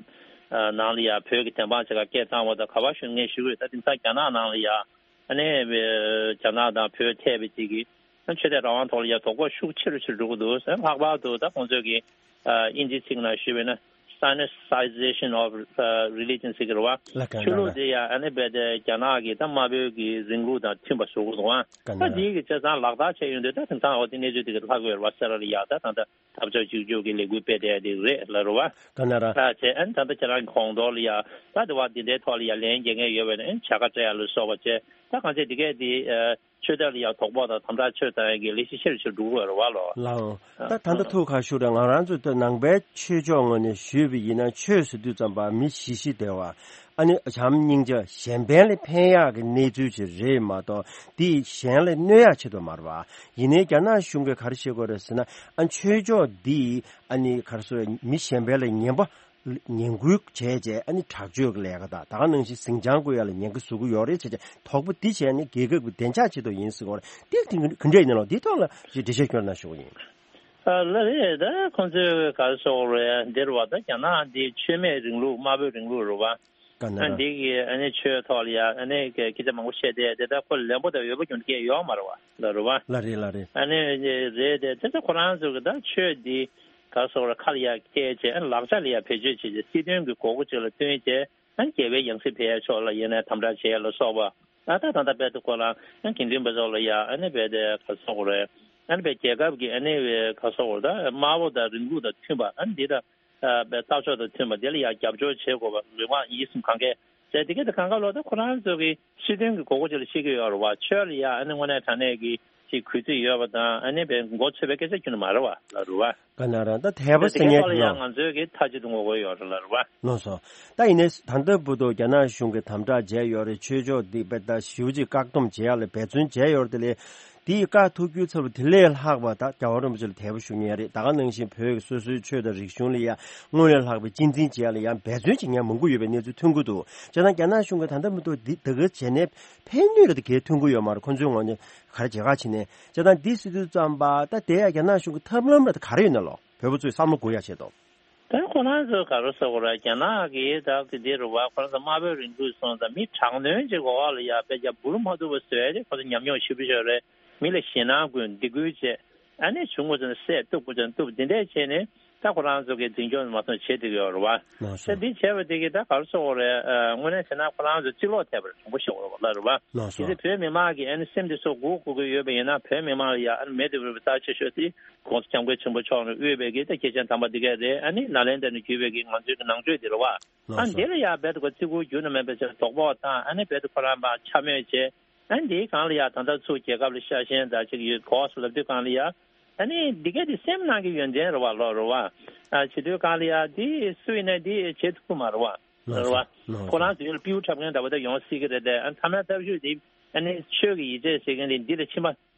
ཨ་ནང་ལ་ཡ་བོད་ཀྱི་བདེན་དཔང་བྱེད་ག་སྐད་བཏང་བ་དང་ག་པར་ཞུ་ངས་ཞུ་གི་རེད། ད་དེང་སང་རྒྱ་ནག་ནང་ལ་ཡ་ཨ་ནི་རྒྱ་ནག་དང་བོད་ཐད་པའི་གཅིག་གི་ཆོས་དད་རང་དབང་ཐོག་ལ་ཡ་དོ་ཕོག་ཤུགས་ཆེ་རུ་ཆེ་རུ་འགྲོ་གི་འདུག་ལྷག་པར་དུ་ད་ཁོང་ཚོས་ཀྱི་ཨ་དབྱིན་ཇིའི་ཚིག་ནང་ཞུས་པ་ཡིན་ན་Sinicization of Religion ཟེར་གྱི་རེད་པ། ལགས་ཀ་ཆོས་ལུགས་ལགས། དེ་ཡ་ཨ་ནི་རྦད་དེ་རྒྱ་ནག་གི་ད་དམར་པོའི་གི་རིང་ལུགས་དང་མཐུན་པ་བཟོ་དགོས་འདུག་ག་ད་ལགས། འདིའི་གི་བྱས་ཙང་ལག་བསྟར་བྱས་ཡོང་དུས་ད་དེང་སང་འོ་དེ་གནས་ཚུལ་དེ་གི་ལྷག་གི་ཡོད་རེད་པ། སེ་ར་ལ་ཡ་ད་ད་ད་འཐབ་ཕྱོགས་གཅིག་གྱུར་གྱི་ལས་འགུལ་སྤེལ་བསྡད་དེ་རེད་ལ་རུ་བ། ལགས་ཀ་ལགས། ད་བྱས་ཨ་ནི་ད་ལྟ་ཁྱེད་རང་གི་གོང་ཐོག་ལ་ཡ་ད་དེ་བ་འདི་འདྲའི་ཐོག་ལ་ཡ་ལན་རྒྱག་མཁན་ཡོད་པས་ན་ཨ་ནི་བྱ་དགའ་སྤྲད་ཡ་ལ་སོགས་པ་བྱས། ད་གང་ཅི་འདི་གས་འདི་ཨ་ཆོས་དད་ལ་ཡ་དོ་ཕོག་དང་དམ་དྲག་ཆོས་བཏང་ཡ་གི་ལས་གཞི་ཆེ་རུ་ཆེ་རུ་འགྲོ་གི་ཡོད་རེད་པ་ལོ། ལགས་འོང་། ད་ད་ལྟ་ཐུགས་ཁ་ཤུ་རེད། ང་རང་ཚོ་ད་ནང་པའི་ཆོས་ཕྱོགས་ངོས་ནས་ཞུས་པ་ཡིན་ན་ཆོས་ཟེར་དུས་ཙམ་པ་མི་ཞི་ཞི་བདེ་བ། ཨ་ནི་བྱམས་སྙིང་རྗེ་གཞན་ཕན་ལ་ཕན་ཡག་གི་གནས་ཚུལ་ཅིག་རེད་མ་གཏོགས་འདི་གཞན་ལ་གནོད་ཡག་ཆེད་དུ་མ་རེད་པ། ཡིན་ནའི་རྒྱ་ནག་གཞུང་གིས་ག་རེ་བྱེད་དགོས་རེད་ཟེར་ན། ཨ་ཆོས་ཕྱོགས་འདི་ཨ་ནི་ག་རེ་ཟེར་མི་གཞན་ཕན་ལ་ངན་པ་ངན་སྐུལ་བྱས་རྗེས་ཨ་ནི་དྲག་སྤྱོད་ཀྱི་ལས་ཀ་དང་ད་ག་ནང་བཞིན་ཟིང་ཆ་བཀོད་ཡག་ལ་ཉེན་ཁ་བཟོ་གི་ཡོད་རེད་བྱས་རྗེས་དོགས་པ་འདི་བྱས་ནས་རྒྱལ་ཁབ་ཀྱི་བདེ་འཇགས་ཆེད་དུ་ཡིན་ཟེར་གྱི་ཡོད་རེད། འདི་ག་འདྲ་ཡིན་ནམ་ལགས། འདིའི་ཐོག་ལ་ཅིག་འགྲེལ་བཤད་སྐྱོན་གནང་ཞུ་གི་ཡིན། ཨ་ལགས་རེད། ད་ཁོང་ཚོས་ག་རེ་ཟེར་དགོས་རེད། འདིར་བ་ད་རྒྱ་ནག་འདི་ཆོས་མེད་རིང་ལུགས་དམར་པོའི་རིང་ལུགས་རེད་པ། ག་ན་ཨ་ར། འདི་གི་ཨ་ནི་ཆོས་ཐོག་ལ་ཡ་ཨ་ནི་སྐད་ཆ་མང་པོ་བཤད་དེ་དེ་ལྟར་ཁོ་ལན་པོ་དང་འོས་པ་ཀྱང་སྐད་ཡོད་མ་རེད་པ། ལ་རེད་པ། ལ་རེད་ལ་རེད། ཨ་ནི་རེད་དེ་དེ་ཚོ་ཁོ་རང་ཚོ་གི་ད་ཆོས་འདི་ག་རེ་ཟེར་དགོས་རེད། ཁ་ལ་ཡ་བཀལ་བྱས་ཨ་ནི་ལག་ཆ་ལ་ཡ་བེད་སྤྱོད་བྱས་བྱས་སྲིད་དོན་གྱི་དགོས་མཁོ་ཅིག་ལ་བསྟུན་བྱས་ཨ་ནི་རྒྱལ་བའི་ཡང་སྲིད་ཕེབས་ཡ་ཕྱོགས་ལ་ཡིན་ནའི་དམ་དྲག་བྱས་ཡ་ལ་སོགས་པ། ད་ད་ད་ལྟ་རྦད་དེ་ཁོ་རང་ཨ་ནི་དགེ་འདུན་པ་ཚོ་ལ་ཡ་ཨ་ནི་རྦད་དེ་ག་རེ་ཟེར་དགོས་རེད། ཨ་ནི་རྦད་རྒྱལ་ཁབ་ཀྱི་ཨ་ནི་ག་རེ་ཟེར་དགོས་རེད། དམར་པོ་དང་རིང་ལུགས་དང་མཐུན་པ་ཨ་ནི་འདི་ད་ཨ་རྦད་ལྟ་ཕྱོགས་དང་མཐུན་པ་འདི་ལ་ཡ་རྒྱབ་སྐྱོར་བྱེད་དགོས་པ་ལུས་ངག་ཡིད་གསུམ་གང་གས་བྱས་དེ་གས་དེ་གང་ག་ལོ་ད་ཁོ་རང་ཚོ་གི་སྲིད་དོན་གྱི་དགོས་མཁོ་ཅིག་ལ་བཤད་ཀྱི་ཡོད་རེད་པ། ཆོས་ལ་ཡ་ཨ་ནི་དངོས་གནས་དྲང་གནས་ཀྱི་ཅིག་གུས་བརྩི་ཡོད་པ་དང་ཨ་ནི་རྦད་མགོ་ཚོས་པའི་སྐད་ཆ་ཁྱོན་ནས་མ་རེད་པ་ལ་རེད་པ། ག་ན་རང་ད་དད་པ་ཟེར་མཁན་དེ་ལ་ཡང་ང་ཚོས་ཀྱི་མཐའ་གཅིག་ཏུ་ངོ་རྒོལ་ཡོད་རེད་ལ་རེད་པ། ལགས་སོ། ད་ཡིན་ནའི་ད་ལྟ་བར་དུ་རྒྱ་ནག་གཞུང་གིས་དམ་དྲག་བྱས་ཡོད་རེད། ཆོས་ཕྱོགས་འདི་དཔེ་ད་ཞེ་པོ་ཅིག་བཀག་སྡོམ་བྱེད་ཡག་ལ་འབད་བརྩོན་བྱས་ཡོད་རེད། དེ་ལས་དེའི་བཀག་ཐུབ་རྒྱུའི་ཚབ་ལ་དེ་ལས་ལྷག་པ་ད་རྒྱལ་བ་རིན་པོ་ཆེ་ལ་དད་པ་ཞུ་མཁན་རེད། ད་ག་ནང་བཞིན་བོད་ཀྱི་སོ་སོའི་ཆོས་དང་རིག་གཞུང་ལ་ཡང་སྔོན་ལས་ལྷག་པའི་གཅེས་འཛིན་བྱེད་ཡག་ལ་ཡང་འབད་བརྩོན་བྱེད་མཁན་མང་པོ་ཡོད་པའི་གནས་ཚུལ་ཐོན་གྱི་འདུག་བྱས་ཙང་རྒྱ་ནག་གཞུང་གིས་ད་ལྟ་བར་དུ་འདི་ད་ག་བྱས་ནས་ཕན་ནུས་རེ་ད་གས་ཐོན་གྱི་ཡོད་མ་རེད། ཁོ་ཚོའི་ངོས་ནས་ག་རེ་བྱེད་ག་བྱས་ནས་བྱས་ཙང་འདི་ཟེར་དུས་ཙམ་པ་ད་དེ་ཡང་རྒྱ་ནག་གཞུང་གི་ཐབས་ལམ་རེ་ད་ག་རེ་ཡོད་ན་ལོ། བོད་པ་ཚོས་བསམ་བློ་འགུག་ཡག་ཆེད་དུ། ད་ཁོ་རང་ཚོས་ག་རེ་ཟེར་དགོས་རེད། རྒྱ་ནག་གིས་ད་གི་འདི་རུ་བ་ཁོ་རང་ཚོ་དམར་པོའི་རིང་ལུགས་སོང་ཙང་མི་དྲག་གནོན་ཅིག་འོག་ལ་ཡ་དཔེ་རྒྱ་འབུར་མ་ཐུབ་པ་བཟོས་ཏེ་ཁོ་ཚོ་ཉམས་མྱོང་ཞེ་པོ་ཅིག་ཡོད་རེད། མི་ལ་ཞེད་སྣང་སྐུལ་སྡིགས་སྐུལ་བྱས་ཨ་ནི་བྱུང་དགོས་ཙང་བསད་གཏུབ་དགོས་ཙང་གཏུབ་འདི་འདྲས་བྱས་ནས་ ད་ཁོ་རང་ཚོ་གི་འཛིན་སྐྱོང་མ་སོང་བྱེད་བསྡད་ཀྱི་ཡོད་རེད་བ། ལགས་སོ། ད་འདི་བྱས་པ་དེ་གི་ད་ག་རེ་ཟེར་དགོས་རེད། ཨ། དངོས་གནས་བྱས་ན་ཁོ་རང་ཚོ་རྩིས་ལོག་ཐེབས་པ་རེད། དྲང་པོ་བཤད་དགོས་རེད་བ། ལགས་རེད་བ། ལགས་སོ། དེ་བོད་མི་མང་གི་ཨ་ནི་སེམས་དེ་ཚོ་སྒུག་སྒུག་གི་ཡོད་པ་ཡིན་ན། བོད་མི་མང་ལ་ཡ་ཨ་ནི་མེད་དུ་མེད་པའི་རྩ་ཆེ་ཤོས་དེ་༸གོང་ས་༸སྐྱབས་མགོན་ཆེན་པོ་མཆོག་ནས་དབུས་པའི་གི་ད་སྐྱེས་ཆེན་དམ་པ་འདི་གས་རེད། ཨ་ནི་ནཱ་ལེནྡྲ་ནས་བརྒྱུད་པའི་གི་ང་ཚོའི་གི་ནང་ཆོས་འདི་རེད་བ། ལགས་ཨ་ནི་སོ། དེ་ལ་ཡ་རྦད་དེ་ཁོ་བརྩི་བཀུར་རྒྱུན་དུ་མེད་པའི་ཚེ་དོགས་པ་དང་། ཨ་ནི་རྦད་དེ་ཁོ་རང་པ་འཕྱ་སྨོད་བྱས། ཨ་ནི་དེའི་སྒང་ལ་ཡ་ད་ལྟ་ཚུར་རྒྱལ་ཁབ་ལ་ཤ་ཞེན་དང་ཅིག་ཡོད་གོ་སོ་ལབ་དུས་སྒང་ལ་ཡ། ཨ་ནི་འདི་གས་དེ་སེམས་ནང་གི་ཡོན་ཏན་རེད་བ། ལོ་རེད་བ། ཨ། བྱེད་དུས་སྒང་ལ་ཡ་དེ་སུ་ཡིན་ན་དེ་བྱེད་ཐུབ་ཀྱི་མ་རེད་བ། ལགས་རེད་བ། ལགས་སོ། ལགས་སོ། ཁོ་རང་ཚོའི་ལ་སྤྲེའུ་འཁྲབ་མཁན་འདྲ་བོ་ད་ཡོང་སྲིད་ཀྱི་རེད་དེ། ཨ། ཐ་མའི་སྟབས་ཤུགས་དེ་ཨ་ནི་ཆོས་ཀྱི་ཡིད་ཆེས་བྱེད་མཁན་དེ་འདི་ལ་ཕྱིན་པ་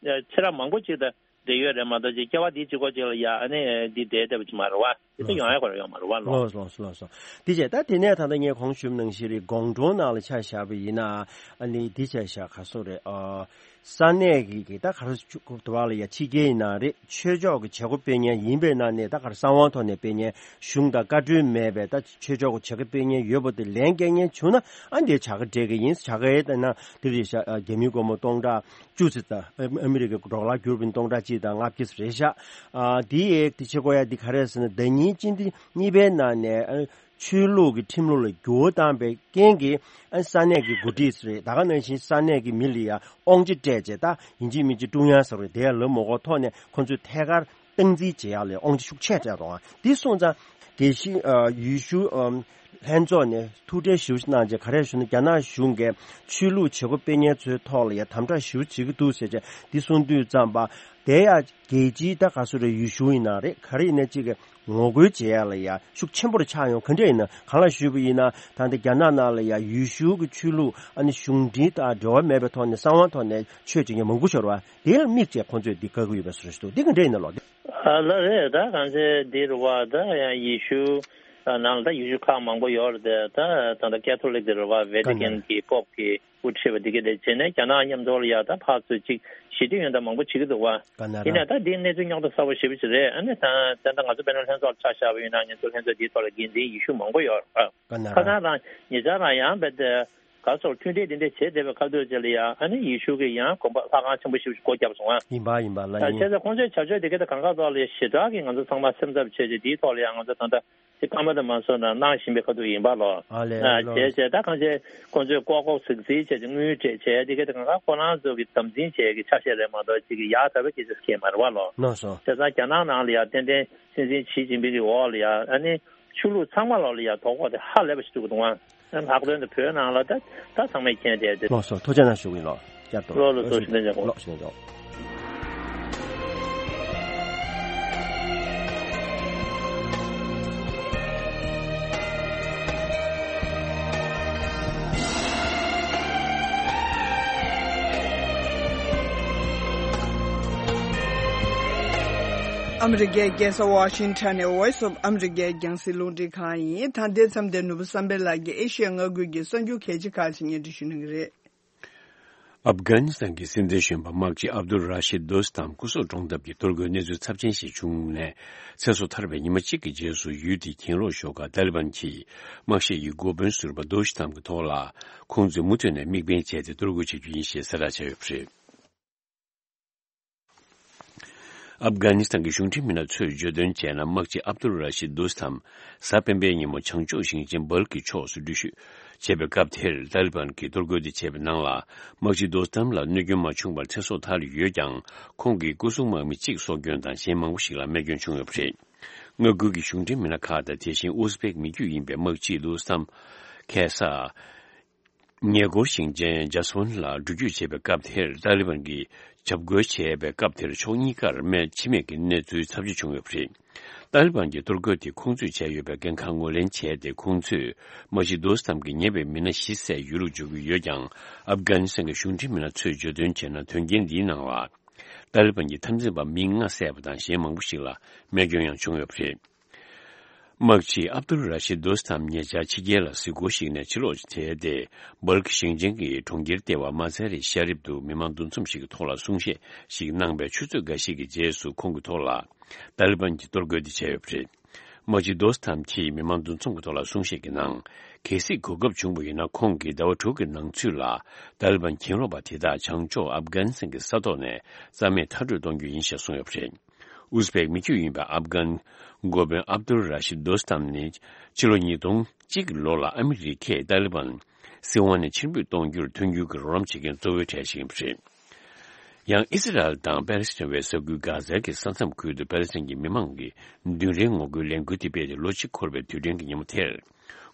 ཚེ་རབས་མང་པོ་ཅིག་ད་བསྡད་ཡོད་རེད་མ་གཏོགས་ཅིག་སྐྱེ་བ་འདི་གཅིག་པོ་ཅིག་ལ་ཡ་ཨ་ནི་འདི་བསྡད་བསྡད་པ་ཅིག་མ་རེད་བ། དེ་ད་ཡོང་ཡ་གོ་ར་ཡོད་མ་རེད་བ། ལོ། ལགས་སོ། ལགས་སོ། ལགས་སོ། དེ་བྱས་ད་དེ་ནས་ད་ལྟ་ངས་གོང་ཞུས་པ་ནང་བཞིན་རེད། དགོང་དྲོ་ནང་ལ་ཆ་བཞག་པ་ཡིན་ན། ཨ་ནི་འདི་བྱས་བཞག་ག་སོ་རེད། ཨ། ས་གནས་ཀྱི་གི་ད་ག་རེ་ཞུ་དགོས་འདུག་བ་ལ་ཡ། ཕྱི་རྒྱལ་ཡིན་ན་རེད། ཆོས་ཕྱོགས་ཀྱི་བྱེད་སྒོ་སྤེལ་མཁན་ཡིན་པའི་ནང་ནས་ད་ག་རེ་གསང་བའི་ཐོག་ནས་སྤེལ་མཁན། གཞུང་དང་བཀའ་འཁྲོལ་མེད་པའི་ད་ཆོས་ཕྱོགས་ཀྱི་བྱེད་སྒོ་སྤེལ་མཁན་ཡོད་པ་དེ་ལན་སྐྱེལ་མཁན་བྱུང་ན། ཨ། འདིར་བྱ་དགའ་སྤྲད་ཀྱི་ཡིན། བྱ་དགའི་ད་ན་དེ་རེད་ཤག། ཨ། རྒྱ་མིའི་སྒོར་མོ་སྟོང་ཕྲག་བཅུ་ཙམ་དང་། ཨ། ཨ་མི་རི་ཀའི་ཌོ་ལར་བསྒྱུར་བ་ཡིན་སྟོང་ཕྲག་གཅིག་དང་ལྔ་བརྒྱ་ཙམ་རེད་ཤག། ཨ། འདི་ཡས་དེ་བྱེད་དགོས་ཡ་འདི་ག་རེ་ཟེར་ན། ཟླ་ཉིན་སྤྱི་ཟླ་གཉིས་པའི་ནང་ནས། ཨ། ཆོས་ལུགས་ཀྱི་ཁྲིམས་ལུགས་ལ་འགྱུར་བ་བཏང་པའི་རྐྱེན་གྱིས། ཨ། ས་གནས་ཀྱི་འགོ་ཁྲིད་རེད། ད་ག་ནང་བཞིན་ས་གནས་ཀྱི་མི་ལ་ཡ་དབང་ཆ་སྤྲད་བྱས། ད་ཡིན་གཅིག་མིན་གཅིག་ཀྲུང་དབྱང་ཟེར་བ་རེད། དེ་ཡ་ལབ་མ་དགོས་ཐོག་ནས་ཁོང་ཚོས་ཐད་ཀར་སྟངས་འཛིན་བྱེད་ཡག་ལ་དབང་ཆ་ཤུགས་ཆེ་སྤྲད་རོགས་ཨང་། འདི་སོང་ཙང་དགེ་བཤེས། ཨ། ཡེ་ཤུ། ཨམ། ལྷན་ཚོགས་ནས་ཐུགས་ཁྲལ་ཞེ་པོ་ཅིག་གནང་བྱས། ག་རེ་ཞུ་ན། རྒྱ་ནག་གཞུང་གིས་ཆོས་ལུགས་བྱེད་སྒོ་སྤེལ་མཁན་ཚོའི་ཐོག་ལ་ཡ་དམ་དྲག་ཞེ་པོ་བྱེད་ཀྱི་འདུག་ཟེར་བྱས་འདི་གསུང་དུས་ཙམ་པ། དེ་ཡ་རྒྱལ་སྤྱིའི་ད་ག་སོ་རེད། ཡེ་ཤུ་ཡིན་ན་རེད། ག་རེ་ཡིན་ན་གཅིག་གི་ངོ་རྒོལ་བྱེད་ཡ་ལ་ཡ་ཤུགས་ཆེན་པོ་རུ་ཆགས་ཡོང་། ག་འདྲ་ཡིན་ན། གང་ལ་ཞུས་པ་ཡིན་ན། ད་ལྟ་རྒྱ་ནག་ནང་ལ་ཡ་ཡེ་ཤུ་གི་ཆོས་ལུགས། ཨ་ནི་གཞུང་འབྲེལ་དང་འབྲེལ་བ་མེད་པའི་ཐོག་ནས་གསང་བའི་ཐོག་ནས་ཆོས་བྱེད་མཁན་མང་པོ་ཤོར་བ། དེ་ལ་དམིགས་བྱས་ཁོང་ཚོས་འདི་བཀག་གི་ཡོད་པའི་བཟོ་འདྲ་ཞིག་འདུག། འདི་ག་འདྲ་ཡིན་ན་ལོ། ཨ། ལགས་རེད། ད་གང་ཚེ་འདི་རུ་བ་ད་ཡང་ཡེ་ཤུ་ནང་ལ་ད་ཡེ་ཤུ་ཁག་མང་པོ་ཡོད་རེད་དེ། ད་ད་ལྟ་ཀེ་ཐོ་ལིག་དེ་རུ་བ་ཝེ་ཏི་ཀན་གྱི་པོབ་ཀྱི་དབུ་ཁྲིད་པ་འདི་ག་དེ་བྱས་ནས་རྒྱ་ནག་མཉམ་དུ་ལ་ཡ་ད་ཕར་ཚུར་ཅིག་ཞི་བདེ་ཡོན་ད་མང་པོ་བྱེད་ཀྱི་འདུག་བ། ཡིན་ན་ད་འདི་གནས་ཚུལ་རྙོག་དྲ་ཚ་པོ་ཞེ་པོ་ཅིག་རེད། ཨ་ནི་ད་ད་ལྟ་ང་ཚོ་དཔེར་ན་ལྷན་ཚོགས་ལ་ཆ་བཞག་པ་ཡིན་ན། ང་ཚོ་ལྷན་ཚོགས་འདིའི་ཐོག་ལ་འགན་འཛིན་ཡེ་ཤུ་མང་པོ་ཡོད་རེད། ཁ་སང་རང་ཉེ་ཆར་རང་ཡང་རྦད་དེ་ག་སོར་མཐུན་སྒྲིལ་འདི་འདྲ་བྱས་བསྡད་པའི་ཁ་ཐུག་ཅིག་ལ་ཡ། ཨ་ནི་ཡེ་ཤུ་གི་ཡང་དགོན་པ་ལྷ་ཁང་ཆེན་པོ་ཞིག་སྒོ་བརྒྱབ་སོང་ཨ། ཡིན་པ་ཡིན་པ་ལ་ཡིན། བྱས་ཙང་ཁོང་ཚོའི་བྱ་སྤྱོད་དེ་ག་ད་གང་ག་ཐོག་ལ་ཞེ་དྲག་གི་ང་ཚོ་ཚང་མ་སེམས་འཚབ་བྱས་ཏེ། དེའི་ཐོག་ལ་ཡང་ང་ཚོ་ད་ལྟ་དེ་སྐར་མ་དང་མ་སོང་ན་གནང་བཞིན་པའི་ཁ་ཐུག་ཡིན་པ་ལོ། ཨ་ལས། ཨ་ལོ། བྱས་བྱས་ད་གང་བྱས་ཁོང་ཚོས་ལྐོག་ལྐོག་ཟིག་ཟིག་བྱས་ཏེ་དངུལ་སྤྲད་བྱས། དེ་ག་ད་གང་ག་ཁོ་རང་ཚོ་གི་དམ་འཛིན་བྱས་ཀྱི་ཆ་ཤས་རེད་མ་གཏོགས་ཅིག་གི་ཡག་དག་པའི་སྐད་ཆ་སྐད་མ་རེད་བ་ལོ། ལགས་སོ། བྱས་ཙང་རྒྱ་ནག་ནང་ལ་ཡ་ཏན་ཏན་སྲིད་འཛིན་ཞི་ཅིན་ཕིང་གི་འོག་ལ་ཡ། ཨ་ནི་ཆོས་ལུགས་ཚང་མ་ལོག་ལ་ཡ་དོ་ཕོག་དེ་ཧ་ལས་པ་ཞིག་འགྲོ་གི་འདུག་ཨང་། ལྷག་དོན་དུ་བོད་ནང་ལ་ད་ད་ཚང་མས་མཁྱེན་བསྡད་དེ། ལགས་སོ། ཐུགས་རྗེ་གནང་ཞུ་གི་ཡིན་ལགས། བསྐྱར་དུ་ལགས། ལགས་ལགས་སོ། ཞུ་ལན་ཆེན་པོ། ལགས་ཞུ་ལན་ཆེན་པོ། ཨ་མི་རི་ཀའི་རྒྱལ་ས་ཝ་ཤིང་ཊོན་ནས་Voice of America རྒྱང་སྲིང་རླུང་འཕྲིན་ཁང་ཡིན། ད་ལྟའི་མཚམས་དེར་ནོར་བུ་བསམ་འཕེལ་ལགས་ཀྱིས་ཨེ་ཤི་ཡ་མངའ་ཁུལ་གྱི་གསར་འགྱུར་གལ་ཆེ་ཁག་ཅིག་སྙན་སྒྲོན་ཞུ་གནང་གི་རེད། ཨབ་གྷ་ནི་སི་ཐན་གྱི་སྲིད་འཛིན་གཞོན་པ་དམག་སྤྱི་ཨབ་དུལ་ར་ཤིད་དོ་སི་ཐམ་སྐུ་སྲོག་བཀྲོངས་ཐབས་ཀྱི་གཏོར་རྒོལ་གནས་ཚུལ་ཚབས་ཆེན་ཞིག་བྱུང་ནས་ཚེ་སྲོག་ཐར་བའི་ཉི་མ་གཅིག་གི་རྗེས་སུ། ཡུལ་དེའི་གྱེན་ལོག་ཤོག་ཁག་ཏཱ་ལི་བན་གྱིས་དམག་ཤེད་ཀྱི་འགོ་དཔོན་ཟུར་པ་དོ་ཤི་ཐམ་གྱི་ཐོག་ལ་ཁོང་ཚོས་མུ་མཐུད་ནས་དམིགས་འབེན་བྱས་ཏེ་གཏོར་རྒོལ་བྱེད་རྒྱུ་ཡིན་ཞེས་གསལ་བསྒྲགས་བྱས་ཡོད་པ་རེད། ཨབ་གྷ་ནི་སི་ཐན་གྱི་གཞུང་འབྲེལ་མི་སྣ་ཚོས་བརྗོད་དོན་བྱས་ན། དམག་སྤྱི་ཨབ་དུལ་ར་ཤིད་དོ་སི་ཐམ་གཟའ་སྤེན་པའི་ཉིན་མོ་བྱང་ཕྱོགས་ཞིང་ཆེན་སྦལ་གྱི་ཕྱོགས་སུ་འགྲུལ་བཞུད་བྱས་པའི་སྐབས་དེར། ཏཱ་ལི་བན་གྱིས་གཏོར་རྒོལ་དེ་བྱས་པའི་ནང་ལ། དམག་སྤྱི་དོ་སི་ཐམ་ལ་གནོད་སྐྱོན་མ་བྱུང་བར་ཚེ་སྲོག་ཐར་ཡོད་ཀྱང་། ཁོང་གི་སྐུ་སྲུང་དམག་མི་གཅིག་སྲོག་སྐྱོན་དང་། གཞན་མང་པོ་ཞིག་ལ་རྨས་སྐྱོན་བྱུང་ཡོད་པ་རེད། མངའ་ཁུལ་གྱི་གཞུང་འབྲེལ་མི་སྣ་ཁག་དང་། དེ་བཞིན་ཨུ་ཟི་བེག་མི་རྒྱུད་ཡིན་པའི་དམག་སྤྱི་དོ་སི་ཐམ་ཁ་སང་ཉེ་འཁོར་ཞིང་ཆེན་ཇཱ་སི་ཝན་ལ་འགྲུལ་སྐྱོད་བྱས་པའི་སྐབས་དེར། ཏཱ་ལི་བན་གྱིས་འཇབ་རྒོལ་བྱས་པའི་སྐབས་དེར། ཕྱོགས་གཉིས་ཀར་རྨས་འཆི་རྨས་ཀྱི་གནས་ཚུལ་ཚབས་ཆེ་བྱུང་ཡོད་པ་རེད། ཏཱ་ལི་བན་གྱིས་གཏོར་རྒོལ་དེ་ཁོང་ཚོས་བྱས་ཡོད་པའི་འགན་ཁག་ངོས་ལེན་བྱས་ཏེ། ཁོང་ཚོས་དམག་སྤྱི་དོ་སི་ཐམ་གྱི་ཉེ་བའི་མི་སྣ་བཞི་བཙལ་ཡུལ་ལ་འབྱོར་གྱི་ཡོད་ཀྱང་། ཨབ་གྷ་ནི་སི་ཐན་གྱི་གཞུང་འབྲེལ་མི་སྣ་ཚོས་བརྗོད་དོན་བྱས་ན། དོན་རྐྱེན་འདིའི་ནང་ལ་ཏཱ་ལི་བན་གྱི་འཐབ་འཛིང་པ་མི་ལྔ་བསད་པ་དང་། གཞན་མང་པོ་ཞིག་ལ་རྨས་སྐྱོན་ཡང་བྱུང་ཡོད་པ་རེད། དམག་སྤྱི་ཨབ་དུལ་ར་ཤིད་དོ་སི་ཐམ་ཉེ་ཆར་ཕྱི་རྒྱལ་ལ་གཟིགས་སྐོར་ཞིག་ནས་ཕྱིར་ལོག་བྱས་ཏེ། སྦལ་ཁི་ཞིང་ཆེན་གྱི་གྲོང་ཁྱེར་ལྟེ་བ་མ་ཛ་རི་ཤ་རིབ་ཏུ་མི་མང་འདུ་འཛོམས་ཤིག་གི་ཐོག་ལ་གསུང་བཤད་ཞིག་གནང་པའི་ཆུ་ཚོད་འགའ་ཞིག་གི་རྗེས་སུ། ཁོང་གི་ཐོག་ལ་ཏཱ་ལི་བན་གྱིས་གཏོར་རྒོལ་དེ་བྱས་ཡོད་པ་རེད། དམག་སྤྱི་དོ་སི་ཐམ་གྱིས་མི་མང་འདུ་འཛོམས་ཀྱི་ཐོག་ལ་གསུང་བཤད་ཀྱི་ནང་། གལ་སྲིད་གོ་སྐབས་བྱུང་བ་ཡིན་ན། ཁོང་གིས་ཟླ་བ་དྲུག་གི་ནང་ཚུད་ལ་ཏཱ་ལི་བན་གྱེན་ལོག་པ་དེ་དག་བྱང་ཕྱོགས་ཨབ་གྷ་ནི་སི་ཐན་གྱི་ས་ཐོག་ནས་རྩ་མེད་མཐར་སྐྲོད་གཏོང་རྒྱུ་ཡིན་ཞེས་གསུངས་ཡོད་པ་རེད། ཨུ་ཛི་བེག་མི་རྒྱུད་ཡིན་པའི་ཨབ་གྷན་འགོ་དཔོན་ཨབ་དུལ་ར་ཤིད་དོ་སྟམ་ནི་ཕྱི་ལོ་ཉིས་སྟོང་གཅིག་ལོ་ལ་ཨ་མི་རི་ཀས་ཏཱ་ལི་བན་སྲིད་དབང་ནས་ཕྱིར་འབུད་གཏོང་རྒྱུར་མཐུན་འགྱུར་གྱི་རོགས་རམ་བྱེད་མཁན་གཙོ་བོའི་གྲས་ཤིག་ཡིན་པ་རེད། ཡང་ཨི་སི་རལ་དང་པེ་ལེ་སི་ཐན་བའི་ས་ཁུལ་གྷ་ཛའི་གི་ས་མཚམས་ཁུལ་དུ་པེ་ལེ་སི་ཐན་གྱི་མི་མང་གི་མདུན་རིལ་ངོ་རྒོལ་ལས་འགུལ་དེ་སྤེལ་ཏེ་ལོ་གཅིག་འཁོར་བའི་དུས་དྲན་གྱི་ཉིན་མོ་དེར།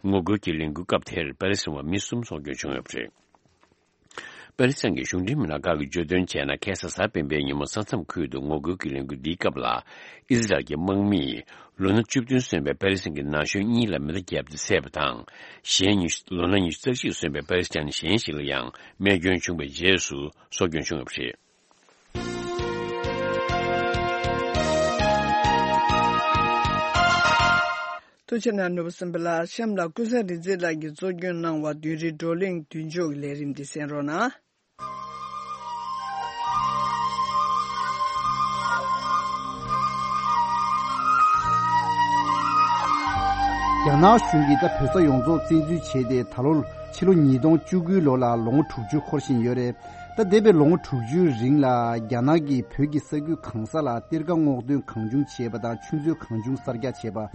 ངོ་རྒོལ་གྱི་ལས་འགུལ་སྐབས་དེར་པེ་ལེ་སི་ཐན་བ་མི་གསུམ་སྲོག་སྐྱོན་བྱུང་ཡོད་པ་རེད། པེ་ལེ་སི་ཐན་གྱི་གཞུང་འབྲེལ་མི་སྣ་ཁག་གིས་བརྗོད་དོན་བྱས་ན། ཁ་སང་གཟའ་སྤེན་པའི་ཉིན་མོ་ས་མཚམས་ཁུལ་དུ་ངོ་རྒོལ་གྱི་ལས་འགུལ་འདིའི་སྐབས་ལ། ཨི་སི་རལ་གྱི་དམག་མིས་ལོ་ན་བཅུ་བདུན་སོན་པའི་པེ་ལེ་སི་ཐན་གྱི་ན་གཞོན་གཉིས་ལ་མེ་མདའ་བརྒྱབ་སྟེ་བསད་པ་དང་། གཞན་ཉི་ལོ་ན་ཉི་ཤུ་རྩ་གཅིག་སོན་པའི་པེ་ལེ་སི་ཐན་གཞན་ཞིག་ལ་ཡང་རྨས་སྐྱོན་བྱུང་བའི་རྗེས་སུ་སྲོག་སྐྱོན་བྱུང་ཡོད་པ་རེད། ཐུགས་རྗེ་གནང་། ནོར་བུ་སེམས་པ་ལགས། གཤམ་ལ་ཀུན་བཟང་རིག་འཛིན་ལགས་ཀྱིས་གཙོ་སྐྱོང་གནང་བ་བདུན་རེའི་བགྲོ་གླེང་མདུན་ལྕོག་གི་ལས་རིམ་འདི་གསན་རོགས་གནང་། རྒྱ་ནག་གཞུང་གིས་ད་བོད་ས་ཡོངས་རྫོགས་བཙན་འཛུལ་བྱས་ཏེ། ད་ལོ་ཕྱི་ལོ་ཉིས་སྟོང་བཅུ་དགུའི་ལོ་ལ་ལོ་ངོ་དྲུག་ཅུ་འཁོར་བཞིན་ཡོད་རེད། ད་འདས་པའི་ལོ་ངོ་དྲུག་ཅུའི་རིང་ལ་རྒྱ་ནག་གིས་བོད་ཀྱི་ས་ཁུལ་གང་ས་ལ་གཏེར་ཁ་སྔོག་འདོན་གང་བྱུང་བྱས་པ་དང་། ཆུ་མཛོད་གང་བྱུང་གསར་རྒྱག་བྱས་པ།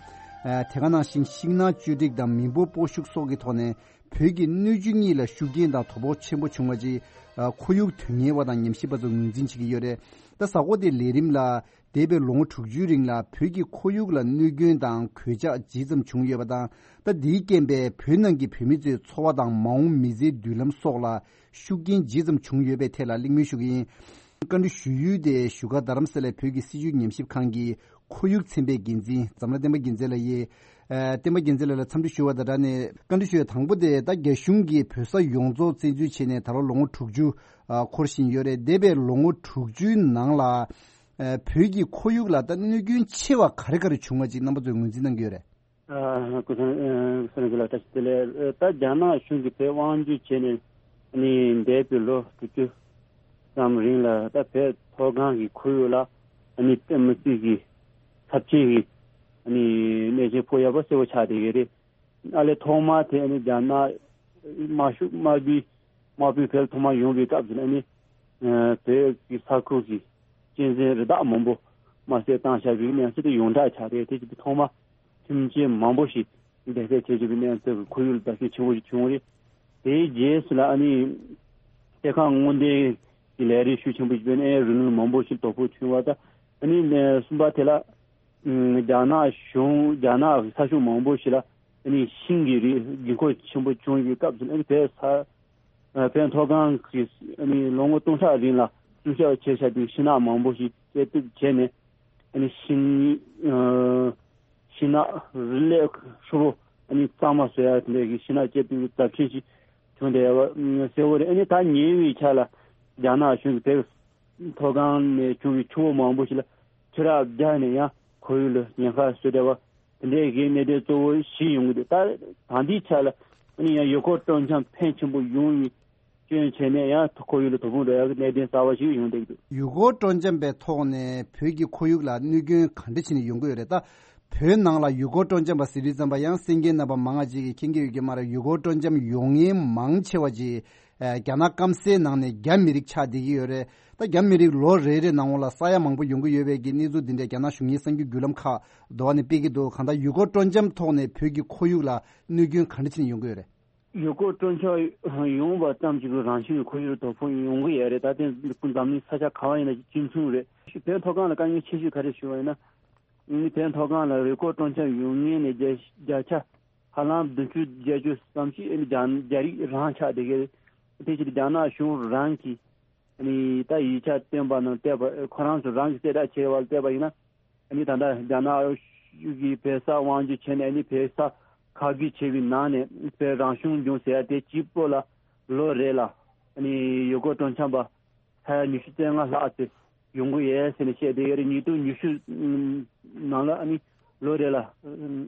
ཨ། དེ་ག་ནང་བཞིན་ཤིང་ནགས་གཅོད་འབྲེག་དང་མི་འབོར་སྤོ་བཤུག་སོགས་ཀྱི་ཐོག་ནས་བོད་ཀྱི་སྣོད་བཅུད་གཉིས་ལ་ཤུགས་རྐྱེན་དང་དོ་ཕོག་ཆེན་པོ་བྱུང་བ་ཅིག་ཨ། ཁོར་ཡུག་དོན་གཉེར་བ་དང་ཉམས་ཞིབ་པ་ཚོ་ངོས་འཛིན་བྱེད་ཀྱི་ཡོད་རེད། ད་གཟའ་འཁོར་དེའི་ལས་རིམ་ལ་འདས་པའི་ལོ་ངོ་དྲུག་ཅུའི་རིང་ལ་བོད་ཀྱི་ཁོར་ཡུག་ལ་གནོད་སྐྱོན་དང་གོད་ཆག་ཇི་ཙམ་བྱུང་ཡོད་པ་དང་། ད་འདིའི་རྐྱེན་པས་བོད་ནང་གི་བོད་མི་ཚོའི་འཚོ་བ་དང་མ་འོངས་མི་ཚེའི་མདུན་ལམ་སོགས་ལ་ཤུགས་རྐྱེན་ཇི་ཙམ་བྱུང་ཡོད་པའི་ཐད་ལ་གླེང་མོལ་ཞུ་གི་ཡིན། བཀའ་འདྲི་ཞུ་ཡུལ་དེ་བཞུགས་སྒར་རྡ་རམ་ས་ལའི་བོད་ཀྱི་སྲིད་བྱུས་ཉམས་ཞིབ་ཁང་གི་ཁོར་ཡུག་ཚན་པའི་འགན་འཛིན་འཛམ་ལྷ་བསྟན་པ་རྒྱལ་མཚན་ལགས་ཡིན། ཨ། བསྟན་པ་རྒྱལ་མཚན་ལགས་ལ་འཚམས་འདྲི་ཞུ་བ་དང་སྦྲགས་ནས། བཀའ་འདྲི་ཞུ་ཡ་དང་པོ་དེ། ད་རྒྱ་གཞུང་གིས་བོད་ས་ཡོངས་རྫོགས་བཙན་འཛུལ་བྱས་ནས་ད་ལོ་ལོ་ངོ་དྲུག་ཅུ་ཨ། འཁོར་བཞིན་ཡོད་རེད། འདས་པའི་ལོ་ངོ་དྲུག་ཅུའི་ནང་ལ། ཨ། བོད་ཀྱི་ཁོར་ཡུག་ལ་ད་གནོད་སྐྱོན་ཆེ་བ་ག་རེ་ག་རེ་བྱུང་བ་ཅིག་རྣམ་པ་ཚོས་ངོས་འཛིན་གནང་གི་ཡོད་རེད། ཨ། སྐུ་ཚེ་ཨ། སྐུ་ཚེ་ལགས་བཀྲ་ཤིས་བདེ་ལེགས། ད་རྒྱ་ནག་གཞུང་གིས་བོད་དབང་སྒྱུར་བྱས་ནས་ནི་འདས་པའི་ལོ་དྲུག་ཅུ་ཙམ་རིང་ལ་ད་བོད་མཐོ་སྒང་གི་ཁོར་ཡུག་ལ་ནི་དཔེ་མི་སྲིད་ཀྱི་ཚབས་ཆེན་གྱི་ནི་གནོད་སྐྱོན་ཕོག་ཡག་པོ་གསལ་པོ་ཆགས་བསྡད་ཡོད་རེད། ཨ་ལས་ཐོག་མར་དེ་ནི་རྒྱ་ནག་དམར་ཤོག་དམར་པོའི་དམག་དཔུང་བོད་ཐོག་མར་ཡོང་བའི་སྐབས་སུ་ནི་ཨ་ནི་བོད་ཀྱི་ས་ཁུལ་གྱི་གཅན་གཟན་རི་དྭགས་མང་པོ་དམར་གསོད་བཏང་བཞག་པའི་གནས་ཚུལ་དེ་ཡོངས་གྲགས་ཆགས་རེད། དེ་བཞིན་དུ་ཐོག་མར་ཁྱིམ་ཆས་མང་པོ་ཞིག་བདེ་ཚད་ཆེ་ཆེ་བའི་གནས་ཚུལ་གྱི་ཁོར་ཡུག་ལ་བརྡབ་གསིག་ཆེན་པོ་ཞིག་བྱུང་བ་རེད། དེའི་རྗེས་སུ་ལ་ཨ་ནི་གཏེར་ཁ་སྔོག་འདོན་གྱི་ལས་རིགས་ཤུགས་ཆེན་པོ་ཞིག་སྤེལ་ནས་ཨེ་རི་ལུང་མང་པོ་ཞིག་དོ་ཕོག་བྱུང་བ་དང་། ཨ་ནི་གསུམ་པ་དེ་ལ་རྒྱ་ནག་གཞུང་རྒྱ་ནག་ས་ཕྱོགས་མང་པོ་ཞིག་ལ་ཨ་ནི་ཤིང་གི་རིགས་རྒྱུན་འཁོར་ཆེན་པོ་བྱུང་བའི་སྐབས་སུ་ཨ་ནི་བོད་ས་བོད་མཐོ་སྒང་གི་ཨ་ནི་ལོ་ངོ་སྟོང་ཕྲག་རིང་ལ་སྲུང་སྐྱོབ་བྱས་བཞག་པའི་ཤིང་ནགས་མང་པོ་ཞིག་བཅད་གཏུབ་བྱས་ནས། ཨ་ནི་ཤིང་ཨ་ཤིང་ནགས་རི་ལས་ཧྲིལ་པོ་ཨ་ནི་གཙང་མ་བཟོ་ཡ་དེ་འདྲའི་གི་ཤིང་ནགས་བཅད་གཏུབ་ཀྱི་རྫབ་ཆེན་ཞིག་བྱུང་བསྡད་ཡོད་པ་གསལ་པོ་རེད། ཨ་ནི་ད་ཉེ་བའི་ཆར་ལ་རྒྱ་ནག་གཞུང་གིས་བོད་མཐོ་སྒང་ནས་བྱུང་བའི་ཆུ་བོ་མང་པོ་ཞིག་ལ་ཆུ་རགས་བརྒྱབ་ནས་ཡང་ཁོར་ཡུག་ལ་ཉེན་ཁ་བཟོས་བསྡད་པ་དེ་འདྲའི་གི་གནད་དོན་གཙོ་བོ་བཞི་ཡོང་གི་འདུག་ད་ད་ལྟའི་ཆར་ལ་ཨ་ནི་ཡང་ཡུལ་སྐོར་སྤྲོ་འཆམ་ཕོན་ཆེན་པོ་ཡོང་བའི་སྐྱོན་བྱས་ནས་ཡང་ཁོར་ཡུག་ལ་དོ་ཕོག་འགྲོ་ཡག་གི་གནད་དོན་གསར་པ་ཞིག་ཡོང་བསྡད་ཀྱི་འདུག་ཡུལ་སྐོར་སྤྲོ་འཆམ་པའི་ཐོག་ནས་བོད་ཀྱི་ཁོར་ཡུག་ལ་གནོད་སྐྱོན་ག་འདྲ་བྱས་ནས་ཡོང་གི་ཡོད་རེད། ད་བོད་ནང་ལ་ཡུལ་སྐོར་སྤྲོ་འཆམ་པ་ཟེར་དུས་ཙམ་པ་ཡང་གསན་མཁན་རྣམ་པ་མང་ང་ཅིག་གིས་མཁྱེན་གྱི་ཡོད་ཀྱི་མ་རེད། ཡུལ་སྐོར་སྤྲོ་འཆམ་ཡོང་མཁན་མང་ཆེ་བ་ཅིག་ཨ་རྒྱ་ནག་སྐམ་སའི་ནང་ནས་རྒྱ་མི་རིགས་ཆགས་བསྡད་ཀྱི་ཡོད་རེད། ད་རྒྱ་མི་རིགས་ལོ་རེ་རེ་ནང་ལ་ས་ཡ་མང་པོ་ཡོང་གི་ཡོད་པའི་གི་གནས་ཚུལ་འདི་འདྲ་རྒྱ་ནག་གཞུང་གིས་གསར་འགྱུར་བརྒྱུད་ལམ་ཁག་འདྲ་བ་ནས་སྤེལ་གྱི་འདུག་གང་ལྟར་ཡུལ་སྐོར་སྤྲོ་འཆམ་ཐོག་ནས་བོད་ཀྱི་ཁོར་ཡུག་ལ་གནོད་སྐྱོན་ག་འདྲ་བྱས་ནས་ཡོང་གི་ཡོད་རེད། ཡུལ་སྐོར་སྤྲོ་འཆམ་ཡོང་བ་ཙམ་གྱིས་རང་བཞིན་གྱི་ཁོར་ཡུག་ལ་དོ་ཕོག་ཡོང་གི་ཡོད་རེད། ད་ཐེངས་འཛམ་གླིང་ས་ཆ་ག་བ་ཡིན་ན་གཅིག་མཚུངས་རེད། བོད་མཐོ་སྒང་ལ་དཀའ་ངལ་ཆེ་ཤོས་ག་རེ་ཞུ་བ་ཡིན་ན། ཨ་ནི་བོད་མཐོ་སྒང་ལ་ཡུལ་སྐོར་སྤྲོ་འཆམ་ཡོང་མཁན་ནི་བརྒྱ་བརྒྱ་ཆ་ཧ་ལམ་བདུན་ཅུ་བརྒྱད་ཅུ་ཙམ་ཞིག་ཨ་ནི་རྒྱ་རྒྱ་རིགས་རང་ཆགས་བསྡད་ཀྱི་རེད། དེ་ཕྱིར་རྒྱ་ནག་གཞུང་རང་གིས་ཨ་ནི་ད་ཡིག་ཆ་བཏོན་པ་ནང་བལྟས་པ། ཁོ་རང་ཚོ་རང་གིས་གསལ་བསྒྲགས་བྱས་པ་ལ་བལྟས་པ་ཡིན་ན། ཨ་ནི་ད་ལྟ་རྒྱ་ནག་གཞུང་གིས་བོད་ས་དབང་སྒྱུར་བྱས་ནས་ཨ་ནི་བོད་ས་ཁ་བསྒྱུར་བྱས་པའི་ནང་ནས་བོད་རང་སྐྱོང་ལྗོངས་ཟེར་ཡ་དེ་གཅིག་པོ་ལ་ལོ་རེ་ལ་ཨ་ནི་ཡུལ་སྐོར་སྤྲོ་འཆམ་པ་ས་ཡ་ཉི་ཤུ་རྩ་ལྔ་ལྷག་ཙམ་ཡོང་གི་ཡོད་ཟེར་ནས་བཤད་བསྡད་ཡོད་རེད། ཉིས་སྟོང་ཉི་ཤུ་ནང་ལ་ཨ་ནི་ལོ་རེ་ལ་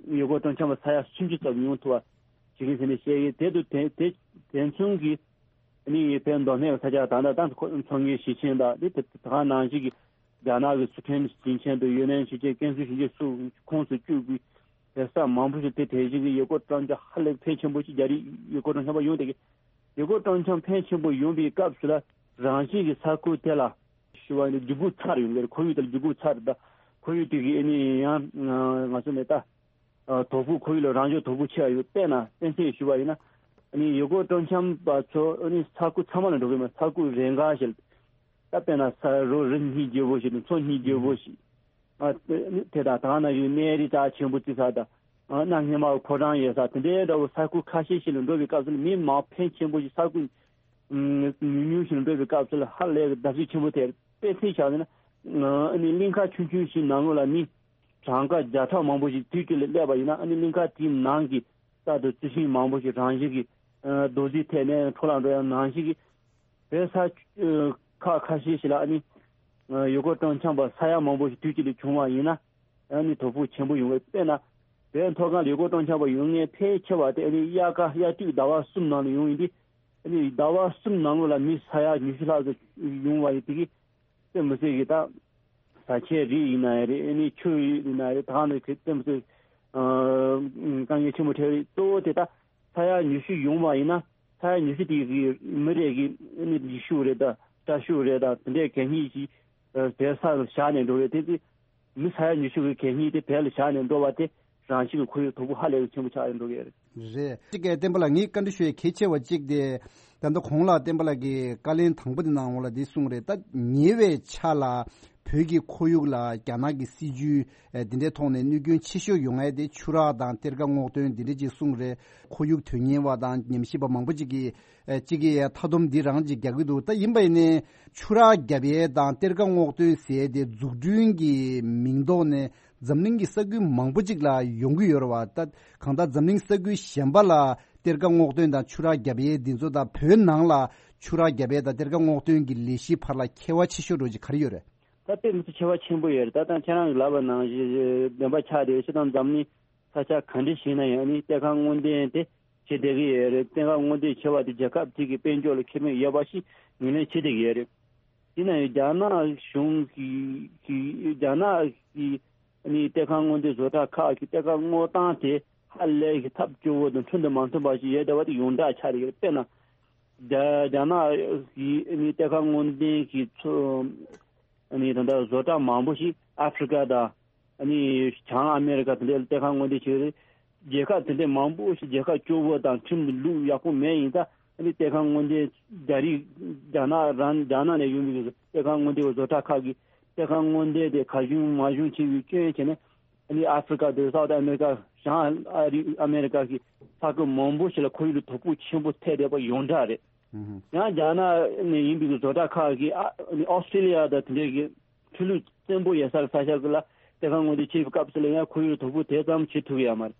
ཡུལ་སྐོར་སྤྲོ་འཆམ་པ་ས་ཡ་སུམ་ཅུ་ཙམ་ཡོང་ཐུབ་པ་བྱེད་ཀྱི་ཟེར་ནས་བཤད་ཡོད། དེ་དུ་དེ་དེ་དེ་མཚུངས་ཀྱི་ཨ་ནི་བོད་མདོ་སྨད་ཀྱི་ས་ཆ་ད་ལྟ་ད་མཚོ་སྔོན་ཞིང་ཆེན་དང་དེ་དེ་དེ་ག་ནང་བཞིན་གྱི་རྒྱ་ནག་གི་སི་ཁྲོན་ཞིང་ཆེན་དང་ཡུན་ནན་ཞིང་ཆེན། ཀན་སུའུ་ཞིང་ཆེན་སོགས་ཁོངས་སུ་བཅུག་པའི་བོད་ས་མང་པོ་ཞིག་དེ་དེ་བཞིན་གྱི་ཡུལ་སྐོར་སྤྲོ་འཆམ་ཧ་ལས་ཕོན་ཆེན་པོ་ཞིག་རྒྱ་རིགས་ཡུལ་སྐོར་སྤྲོ་འཆམ་པ་ཡོང་བསྡད་ཀྱི། ཡུལ་སྐོར་སྤྲོ་འཆམ་ཕོན་ཆེན་པོ་ཡོང་བའི་སྐབས་སུ་ལ་རང་བཞིན་གྱི་ས་ཁུལ་དེ་ལ་ཞུ་བ་ཡིན་ན་འཇུག་སྒོ་ཚར་ཡོང་གི་རེད། ཁོར་ཡུག་དེ་ལ་འཇུག་སྒོ་ཚར་རེད། ད་ ཁོར་ཡུག་དེ་གི་ཨ་ནི་ཡང་ང་ཚོ་ནས་ད་དོ་ཕོག་ཁོར་ཡུག་ལ་རང་བཞིན་དོ་ཕོག་ཆེ་བ་ཡོད། དཔེར་ན་དཔེ་མཚོན་ཞུ་བ་ཡིན་ན། ཨ་ནི་ཡུལ་སྐོར་སྤྲོ་འཆམ་པ་ཚོ་ཨ་ནི་ས་ཁུལ་ཚང་མ་ལ་འགྲོ་གི་མ། ས་ཁུལ་རེ་འགའ་ཞིག་ད་དཔེར་ན་ས་རོ་རི་སྙིང་རྗེ་བོ་ཞིག་དང་མཚོ་སྙིང་རྗེ་བོ་ཞིག་ཨ་དེ་དང་ད་ན་ཡུལ་གནས་རི་རྩ་ཆེན་པོ་བརྩི་ས་དང་། ཨ་གནའ་སྔ་མ་ཕོ་བྲང་ཡོད་ས་དེ་འདྲའི་འདྲ་བོ་ས་ཁུལ་ཁ་ཤས་ཤིག་ལ་འགྲོ་བའི་སྐབས་སུ་ནི་མི་མང་ཕོན་ཆེན་པོ་ཞིག་ས་ཁུལ་ཉུང་ཉུང་ཞིག་ལ་འགྲོ་བའི་སྐབས་སུ་ལ་ཧ་ལས་གི་བརྡབ་གསིག་ཆེན་པོ་ཐེབས། དཔེ་མཚོན་བཞག་ན་ཨ་ནི་གླིང་ཁ་ཆུང་ཆུང་ཞིག་ནང་ལོགས་ལ་མི་གྲངས་ཀ་བརྒྱ་ཕྲག་མང་པོ་ཞིག་དུས་གཅིག་ལ་སླེབས་པ་ཡིན་ན། ཨ་ནི་གླིང་ཁ་དེའི་ནང་གི་རྩྭ་དང་རྩི་ཤིང་མང་པོ་ཞིག་རང་བཞིན་གྱིས་རྡོ་རྫིས་ཐད་ནས་འཕྲོ་བརླག་འགྲོ་ཡ་ནང་བཞིན་གྱི་བོད་ས་ཁག་ཁ་ཤས་ཤིག་ལ་ཨ་ནི་ཡུལ་སྐོར་སྤྲོ་འཆམ་པ་ས་ཡ་མང་པོ་ཞིག་དུས་གཅིག་ལ་བྱུང་བ་ཡིན་ན། ཨ་ནི་དོ་ཕོག་ཆེན་པོ་ཡོང་བས། དཔེར་ན་བོད་མཐོ་སྒང་ལ་ཡུལ་སྐོར་སྤྲོ་འཆམ་པ་ཡོང་མཁན་ཕལ་ཆེ་བ་དེ་ཨ་ནི་དབྱར་ཁ་དབྱར་དུས་ཟླ་བ་གསུམ་ནང་ལ་ཡོང་ཡིན་དུས། ཨ་ནི་ཟླ་བ་གསུམ་ནང་ལོགས་ལ་མི་ས་ཡ་ཉི་ཤུ་ལྷག་ཙམ་ཡོང་བ་ཡིན་དེ་གི་དཔེ་མི་སྲིད་གི་ད་བཟའ་ཆས་རིགས་ཡིན་ན་རེད། ཨ་ནི་ཆུ་ཡིན་ན་རེད། ད་ནི་དེ་དཔེ་མི་སྲིད་དཀའ་ངལ་ཆེན་པོ་འཕྲད་རེད། གཙོ་བོ་དེ་ད་ས་ཡ་ཉི་ཤུ་ཡོང་བ་ཡིན་ན། ས་ཡ་ཉི་ཤུ་དེ་གི་མི་རེ་གི་ཨ་ནི་རྗེས་ཤུལ་རེད་ད། སྐྲ་ཤུལ་རེད་ད། དེ་འདྲའི་གད་སྙིགས་ཤིག་བོད་ས་ལ་བཞག་ནས་འགྲོ་རེད། དེ་དེ་མི་ས་ཡ་ཉི་ཤུ་གི་གད་སྙིགས་དེ་བོད་ལ་བཞག་ནས་འགྲོ་བ་དེ་རང་བཞིན་གྱི་ཁོར་ཡུག་དོ་ཕོག་ཧ་ལས་པའི་ཆེན་པོ་ཆགས་ཡོད་འགྲོ་གི་རེད། རེད། གཅིག་གི་བསྟན་པ་ལགས་ངས་བཀའ་འདྲི་ཞུ་ཡས་གལ་ཆེ་བ་གཅིག་དེ། ད་ལྟ་གོང་ལ་བསྟན་པ་ལགས་ཀྱིས་བཀའ་ལན་དང་པོ་དེ་གནང་འོང་ལ་འདི་གསུངས་རེད། ད་ཉེ་བའི་ཆར་ལ་བོད་ཀྱི་ཁོར་ཡུག་ལ་རྒྱ་ནག་གི་སྲིད་ཇུས་འདི་འདྲའི་ཐོག་ནས་གནོད་སྐྱོན་ཆེ་ཤོས་ཡོང་ཡས་དེ་ཆུ་རགས་དང་གཏེར་ཁ་སྔོག་འདོན་འདི་འདྲ་ཅིག་གསུངས་རེད། ཁོར་ཡུག་དོན་གཉེར་བ་དང་ཉམས་ཞིབ་པ་མང་པོ་ཅིག་གིས་ཨ་གཅིག་གིས་མཐའ་སྡོམ་འདི་རང་ཅིག་རྒྱག་གི་འདུག་ད་ཡིན་པ་ཡིན་ནའི་ཆུ་རགས་བརྒྱབ་ཡས་དང་གཏེར་ཁ་སྔོག་འདོན་ཟེར་ཡས་དེ་འཛུགས་སྐྲུན་གྱི་མིང་ཐོག་ནས་འཛམ་གླིང་གི་ས་ཁུལ་མང་པོ་ཅིག་ལ་ཡོང་གི་ཡོད་རེད་བ། ད་གང་ལྟར་འཛམ་གླིང་ས་ཁུལ་གཞན་པ་ལ་གཏེར་ཁ་སྔོག་འདོན་དང་ཆུ་རགས་བརྒྱབ་ཡས་འདི་ཚོ་དང་བོད་ནང་ལ་ཆུ་རགས་བརྒྱབ་ཡས་དང་གཏེར་ཁ་སྔོག་འདོན་གྱི་ལས་གཞིའི་བར་ལ་ཁྱད་པར་ཆེ་ཤོས་འདྲ་ཅིག་ག་རེ་ཡོད་རེད། ད་དཔེ་མི་སྲིད་ཁྱད་པར་ཆེན་པོ་ཡོད་རེད། ད་ལྟ་ཁྱེད་རང་གིས་ལབ་པ་ནང་བཞིན་བདེན་པ་ཆགས་བསྡད་ཡོད། སྤྱིར་བཏང་འཛམ་གླིང་ས་ཆ་ག་འདྲ་ཞིག་ན་ཡང་ནི་གཏེར་ཁ་སྔོག་འདོན་དེ་བྱེད་བསྡད་ཀྱི་ཡོད་རེད། གཏེར་ཁ་སྔོག་འདོན་བྱེད་པ་དེ་རྒྱལ་ཁབ་དེ་གི་དཔལ་འབྱོར་ལ་ཁེ་ཕན་ཡོད་པ་ཞིག་ངོས་ལེན་བྱེད་བསྡད་ཀྱི་ཡོད་རེད། ཡིན་ན་ཡང་རྒྱ་ནག་གཞུང་གི་གི་རྒྱ་ནག་གི་ནི་གཏེར་ཁ་སྔོག་འདོན་བཟོ་གྲྭ་ཁག་གི་གཏེར་ཁ་སྔོག་སྟངས་དེ་ཧ་ལས་ཀྱི་ཐབས་སྐྱོ་བོ་དང་འཕྲོད་དུ་མ་མཐུན་པ་ཞིག་ཡོད་བསྡད་པ་དེ་ཡོངས་གྲགས་ཆགས་བསྡད་ཀྱི་རེད། དཔེར་ན། རྒྱ་རྒྱ་ནག་གི་ནི་གཏེར་ཁ་སྔོག་འདོན་གྱི་ཚོ་ནི་ད་ལྟ་བཟོ་གྲྭ་མང་པོ་ཞིག་ཨ་ཧྥི་རི་ཀ་དང་ནི་བྱང་ཨ་མེ་རི་ཀ་དེ་འདྲའི་གཏེར་ཁ་སྔོག་འདོན་བྱེད་ཀྱི་རེད། རྒྱལ་ཁབ་དེ་འདྲའི་མང་པོ་ཞིག་རྒྱལ་ཁབ་སྐྱོ་བོ་དང་ཁྲིམས་ལུགས་ཡག་པོ་མེད་ཡིན་ཙང་ནི་གཏེར་ཁ་སྔོག་འདོན་རྒྱ་རིགས་རྒྱ་ནག་རང་རྒྱ་ནག་ནས་ཡོང་བའི་གཏེར་ཁ་སྔོག་འདོན་བཟོ་གྲྭ་ཁག་གིས་གཏེར་ཁ་སྔོག་འདོན་དེ་གར་བྱུང་མར་བྱུང་བྱེད་པའི་སྐྱོན་བྱས་ནས། ཨ་ནི་ཨ་ཧྥི་རི་ཀ་དང་སའུ་ཐི་ཨ་མེ་རི་ཀ། བྱང་ཨ་རི་ཨ་མེ་རི་ཀ་གི་ས་ཁུལ་མང་པོ་ཞིག་ལ་ཁོར་ཡུག་ལ་དོ་ཕོག་ཆེན་པོ་ཐེབས་བསྡད་པ་ཡོངས་གྲགས་རེད། ཨུ་ཧུ། ཡང་རྒྱ་ནག་ནས་ཡིན་པའི་བཟོ་གྲྭ་ཁག་གིས་ཨ་ཨ་ནི་ཨོ་སི་ཀྲི་ལི་ཡ་དང་དེ་འདྲའི་གི་ཆུ་ལུད་བཙན་པོ་ཡོད་ས་ས་ཆ་ཁུལ་ལ་གཏེར་ཁ་སྔོག་འདོན་བྱེད་པའི་སྐབས་སུ་ལ་ཡང་ཁོར་ཡུག་ལ་དོ་ཕོག་དེ་ཙམ་བྱེད་ཐུབ་ཀྱི་ཡོད་མ་རེད།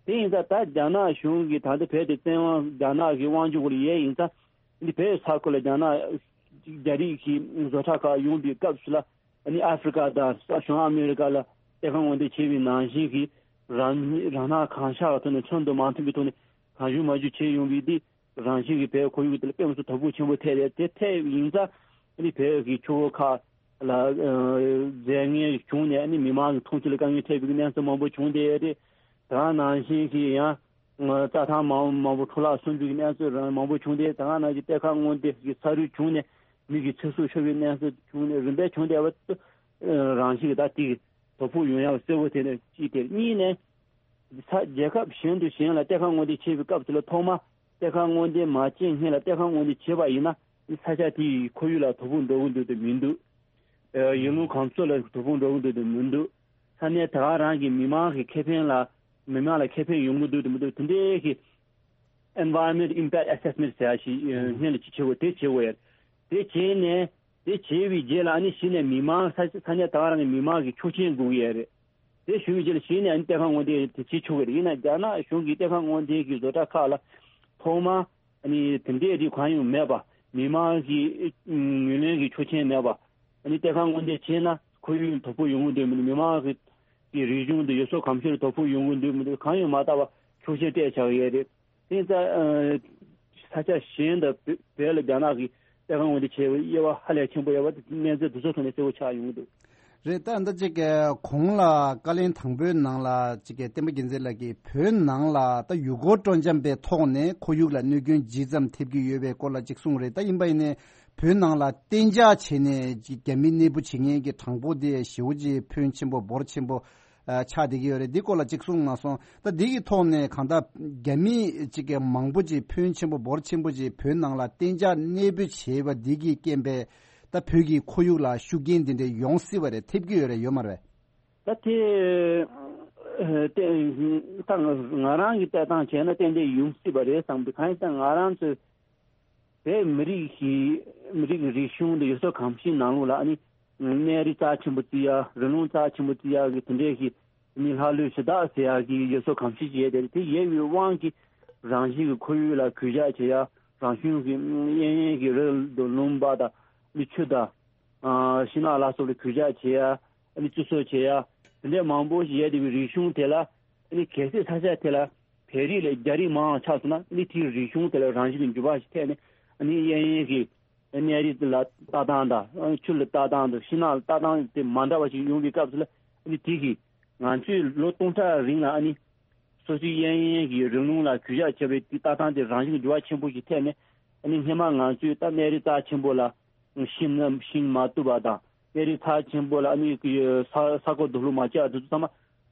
དེ་ཡིན་ཙང་ད་རྒྱ་ནག་གཞུང་གིས་ད་ལྟ་བོད་དེ་བཙན་དབང་རྒྱ་ནག་གི་དབང་སྒྱུར་འོག་ལ་ཡོད་ཡིན་ཙང་། ཨ་ནི་བོད་ས་ཁུལ་ལ་རྒྱ་ནག་རྒྱ་རིགས་ཀྱི་བཟོ་གྲྭ་ཁག་ཡོང་པའི་སྐབས་སུ་ལ། ཨ་ནི་ཨ་ཧྥི་རི་ཀ་དང་བྱང་ཨ་མེ་རི་ཀ་ལ་གཏེར་ཁ་སྔོག་འདོན་བྱས་པའི་ནང་བཞིན་གྱི་རང་རང་སྣང་གང་ཤར་བའི་ཐོག་ནས་འཕྲོད་དུ་མ་མཐུན་པའི་ཐོག་ནས་གང་བྱུང་མང་བྱུང་བྱས་ཡོང་བའི་དེ་རང་བཞིན་གྱི་བོད་ཁོར་ཡུག་དེ་ལ་དཔེ་མི་སྲིད་དོ་ཕོག་ཆེན་པོ་ཐེབས་རེད། དེ་ཐེབས་ཡིན་ཙང་ཨ་ནི་བོད་ཀྱི་ཆུ་བོ་ཁག་ལ་ཨ་རྫས་ངན་བྱུང་ནས་ཨ་ནི་མི་མང་གི་འཐུང་ཆུ་ལ་དཀའ་ངལ་འཕྲད་པའི་གནས་ཚུལ་མང་པོ་བྱུང་བསྡད་ཡོད་རེད། དེ་ག་ནང་བཞིན་གྱི་ཡང་། རྩྭ་ཐང་མང་མང་པོ་འཕྲོ་བརླག་སོང་རྒྱུ་གི་གནས་ཚུལ་རང་མང་པོ་བྱུང་སྟེ། དེ་ག་ནང་བཞིན་གཏེར་ཁ་སྔོག་འདོན་གྱི་ས་རུད་བྱུང་ནས་མི་གི་ཚེ་སྲོག་ཤོར་བའི་གནས་ཚུལ་བྱུང་ནས་རིམ་པས་བྱུང་བསྡད་པ་རང་བཞིན་གྱི་ད་དེ་གི་དོ་ཕོག་ཡོང་ཡག་གསལ་པོ་དེ་ནས་གཅིག་དེ་གཉིས་ནས། ས་རྒྱལ་ཁབ་གཞན་དུ་གཞན་ལ་གཏེར་ཁ་སྔོག་འདོན་བྱེད་པའི་སྐབས་སུ་ལ་ཐོག་མ་གཏེར་ཁ་སྔོག་འདོན་མ་བྱས་སྔོན་ལ་གཏེར་ཁ་སྔོག་འདོན་བྱས་པ་ཡིན་ན་ས་ཆ་དེ་ཡི་ཁོར་ཡུག་ལ་དོ་ཕོག་འགྲོ་གི་འདུག་དེ་མི་འདུག་ཡུལ་ལུང་གང་ཚོ་ལ་དོ་ཕོག་འགྲོ་གི་འདུག་དེ་མི་འདུག་ས་གནས་ད་ག་རང་གི་མི་མང་གི་ཁེ་ཕན་ལ་མི་མང་ལ་ཁེ་ཕན་ཡོང་གི་འདུག་དེ་མི་འདུག་དེ་འདྲའི་གི་Environment Impact Assessment ཟེར་ཡ་ཞིག་སྔོན་ལ་ཅིག་བྱེད་དགོས། དེ་བྱེད་དགོས་ཡ། དེ་བྱས་ནས་དེ་བྱས་པའི་རྗེས་ལ་ཨ་ནི་གཞི་ནས་མི་མང་ས་ས་གནས་ད་ག་རང་གི་མི་མང་གི་ཆོག་མཆན་དགོས་ཀྱི་ཡ་རེད། དེ་ཞུ་བའི་རྗེས་ལ་གཞི་ནས་ཨ་ནི་གཏེར་ཁ་སྔོག་འདོན་དེ་བྱེད་ཆོག་གི་རེད། ཡིན་ན་རྒྱ་ནག་གཞུང་གིས་གཏེར་ཁ་སྔོག་འདོན་གྱི་བཟོ་གྲྭ་ཁག་ལ་ཐོག་མ་ཨ་ནི་དེ་འདྲའི་རིགས་གང་ཡང་མེད་པ། མི་མང་གི་ངོས་ལེན་གྱི་ཆོག་མཆན་མེད་པ། ཨ་ནི་གཏེར་ཁ་སྔོག་འདོན་བྱས་ན་ཁོར་ཡུག་དོ་ཕོག་ཡོང་གི་འདུག་མི་འདུག་མི་མང་གི་གི་རིག་གཞུང་དང་ཡུལ་སྲོལ་གོམས་གཤིས་ལ་དོ་ཕོག་ཡོང་གི་འདུག་མི་འདུག་གང་ཡང་མ་བལྟ་བར་ཆོག་མཆན་སྤྲད་བཞག་ཡོད་རེད། དེ་ཡིན་ཙང་ས་ཆ་གཞན་དང་བོད་ལ་རྒྱ་ནག་གིས་གཏེར་ཁ་སྔོག་འདོན་བྱས་པའི་དབྱེ་བ་ཧ་ལས་ཆེན་པོ་ཡོད་པ་དེ་གནས་ཚུལ་འདི་ཚོ་ཐོག་ནས་གསལ་པོ་ཆགས་ཡོང་གི་འདུག་རེད། ད་ལྟ་ཅིག་གོང་ལ་བཀའ་ལན་དང་པོའི་ནང་ལ་ཅིག་བསྟན་པ་རྒྱལ་མཚན་ལགས་ཀྱིས་བོད་ནང་ལ་ད་ཡུལ་སྐོར་སྤྲོ་འཆམ་པའི་ཐོག་ནས་ཁོར་ཡུག་ལ་གནོད་སྐྱོན་ཇི་ཙམ་ཐེབས་ཀྱི་ཡོད་པའི་སྐོར་ལ་ཅིག་གསུངས་རེད། ད་ཡིན་པ་ཡིན་ནའི་བོད་ནང་ལ་གཏན་འཇགས་བྱས་ནས་ཅིག་རྒྱ་མི་གནས་སྤོ་བྱེད་མཁན་གྱི་གྲངས་འབོར་དེ་ཞེ་པོ་ཅིག་ཕོན་ཆེན་པོ་འབོར་ཆེན་པོ་ཨ་ཆགས་བསྡད་ཀྱི་ཡོད་རེད། འདི་སྐོར་ལ་ཅིག་གསུངས་གནང་སོང་། ད་འདི་གི་ཐོག་ནས་གང་ལྟར་རྒྱ་མི་ཅིག་གི་མང་པོ་ཅིག་ཕོན་ཆེན་པོ་འབོར་ཆེན་པོ་ཅིག་བོད་ནང་ལ་གཏན་འཇགས་གནས་སྤོ་བྱས་པ་འདི་གི་རྐྱེན་པས། ད་བོད་ཀྱི་ཁོར་ཡུག་ལ་ཤུགས་རྐྱེན་འདི་འདྲ་ཡོང་སྲིད་པ་རེད། ཐེབས་ཀྱི་ཡོད་རེད། ཡོད་མ་རེད་པས། ད་དེ་ད་ང་རང་གི་ལྟ་སྟངས་བྱས་ན་ཏན་ཏན་ཡོང་སྲིད་པ་རེད་བསམ་གི། གང་ཡིན་ཟེར་ན་ང་རང་ཚོའི་བོད་མི་རིགས་ཀྱི་མི་རིགས་ཀྱི་རིག་གཞུང་དེ་ཡུལ་སྲོལ་གོམས་གཤིས་ནང་ལོགས་ལ་ཨ་ནི་གནས་རི་རྩ་ཆེན་པོ་བརྩི་ཡ། རི་ལུང་རྩ་ཆེན་པོ་བརྩི་ཡ་གི་དེ་འདྲའི་གི་ཨ་ནི་ལྷ་ལུས་ཞེ་དྲག་ཟེར་ཡ་གི་ཡུལ་སྲོལ་གོམས་གཤིས་ཅིག་ཡོད་དེ་རེད། དེ་ཡོད་པའི་དབང་གིས་རང་བཞིན་གྱི་ཁོར་ཡུག་ལ་གུས་ཞབས་བྱེད་ཡ། རང་བྱུང་གི་གཡས་གཡོན་གྱི་རི་དང་ལུང་པ་དང་ནི་ཆུ་དང་ཨ་ཤིང་ནགས་ལ་སོགས་ལ་གུས་ཞབས་བྱེད་ཡ། ཨ་ནི་བརྩི་སྲུང་བྱེད་ཡ། དེ་འདྲའི་མང་པོ་ཞིག་ཡོད་དེ་བའི་རིག་གཞུང་དེ་ལ་ཨ་ནི་གལ་སྲིད་ས་ཆ་དེ་ལ་བོད་རིགས་ལས་རྒྱ་རིགས་མང་བ་ཆགས་སོང་ན་ཨ་ནི་དེའི་རིག་གཞུང་དེ་ལ་རང་བཞིན་གྱི་འགྱུར་བ་ཞིག་ཐེབས་ནས་ཨ་ནི་གཡས་གཡོན་གྱི་གནས་རི་ལ་ལྟ་སྟངས་དང་ཆུ་ལ་ལྟ་སྟངས་དང་ཤིང་ནགས་ལ་ལྟ་སྟངས་དེ་མ་འདྲ་བ་ཞིག་ཡོང་བའི་སྐབས་སུ་ལ་ཨ་ནི་དེ་གིས་ང་ཚོས་ལོ་སྟོང་ཕྲག་རིང་ལ་ཨ་ནི་སོ་སོའི་གཡས་གཡོན་གྱི་རི་ལུང་ལ་གུས་ཞབས་བྱེད་པའི་དེ་ལྟ་སྟངས་དེ་རང་བཞིན་གྱི་འགྱུར་བ་ཆེན་པོ་ཞིག་ཐེབས་ནས་ཨ་ནི་སྔོན་མ་ང་ཚོས་ད་གནས་རི་རྩ་ཆེན་པོ་ལ་ཤིང་ཤིང་མ་བཏུབ་པ་དང་གནས་རི་རྩ་ཆེན་པོ་ལ་ཨ་ནི་ས་ས་རྐོ་རྡོ་སློག་མ་བྱས་པ་དེ་ཚོ་ཚང་མ་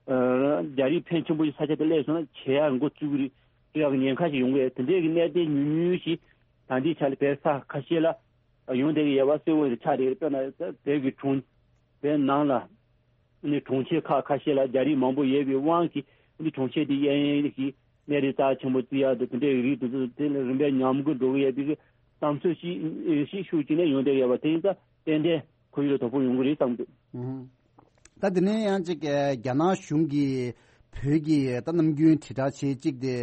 རྒྱ་རིགས་ཕོན་ཆེན་པོ་ཞིག་ས་ཆ་དེ་སླེབས་སོང་ན་བྱེད་ཡག་འགོ་བཙུགས་ཀྱི་རེད། བཙུགས་ཡག་གི་ཉེན་ཁ་ཞིག་ཡོང་གི་རེད། དེ་འདྲའི་གི་གནད་དོན་ཉུང་ཉུང་ཞིག་ད་ལྟའི་ཆ་ལ་བོད་ས་ཁ་ཤས་ལ་ཡོང་བསྡད་ཀྱི་ཡོད་པ་གསལ་བོ་ཆགས་བསྡད་ཀྱི་རེད། དཔེར་ན་བོད་ཀྱི་གྲོང་བོད་ནང་ལ་ནི་གྲོང་ཁྱེར་ཁག་ཁ་ཤས་ལ་རྒྱ་རིགས་མང་པོ་ཡོད་པའི་དབང་གིས་ནི་གྲོང་ཁྱེར་དེ་གཡས་གཡོན་གྱི་གནས་རི་རྩ་ཆེན་པོ་བརྩི་ཡག་དང་དེ་འདྲའི་རིགས་དེ་ཚོ་དེ་ལ་རིམ་པས་ཉམས་རྒུད་འགྲོ་གི་ཡོད་པའི་བསམ་ཚུལ་ཞིག་ཞིག་ཤུགས་ཅིག་ནས་ཡོང་བསྡད་ཡོད་པ་དེ་ཡིན་ཙང་ཏན་ཏན་ཁོར་ཡུག་ལ་དོ་ཕོག་ཡོང་གི་རེད་བསམ་འདུག་ད་དེ་ནས་ཡང་ཅིག་རྒྱ་ནག་གཞུང་གིས་བོད་ཀྱི་ད་ནམ་རྒྱུན་དྲིལ་བསྒྲགས་བྱེད་ཅིག་དེ་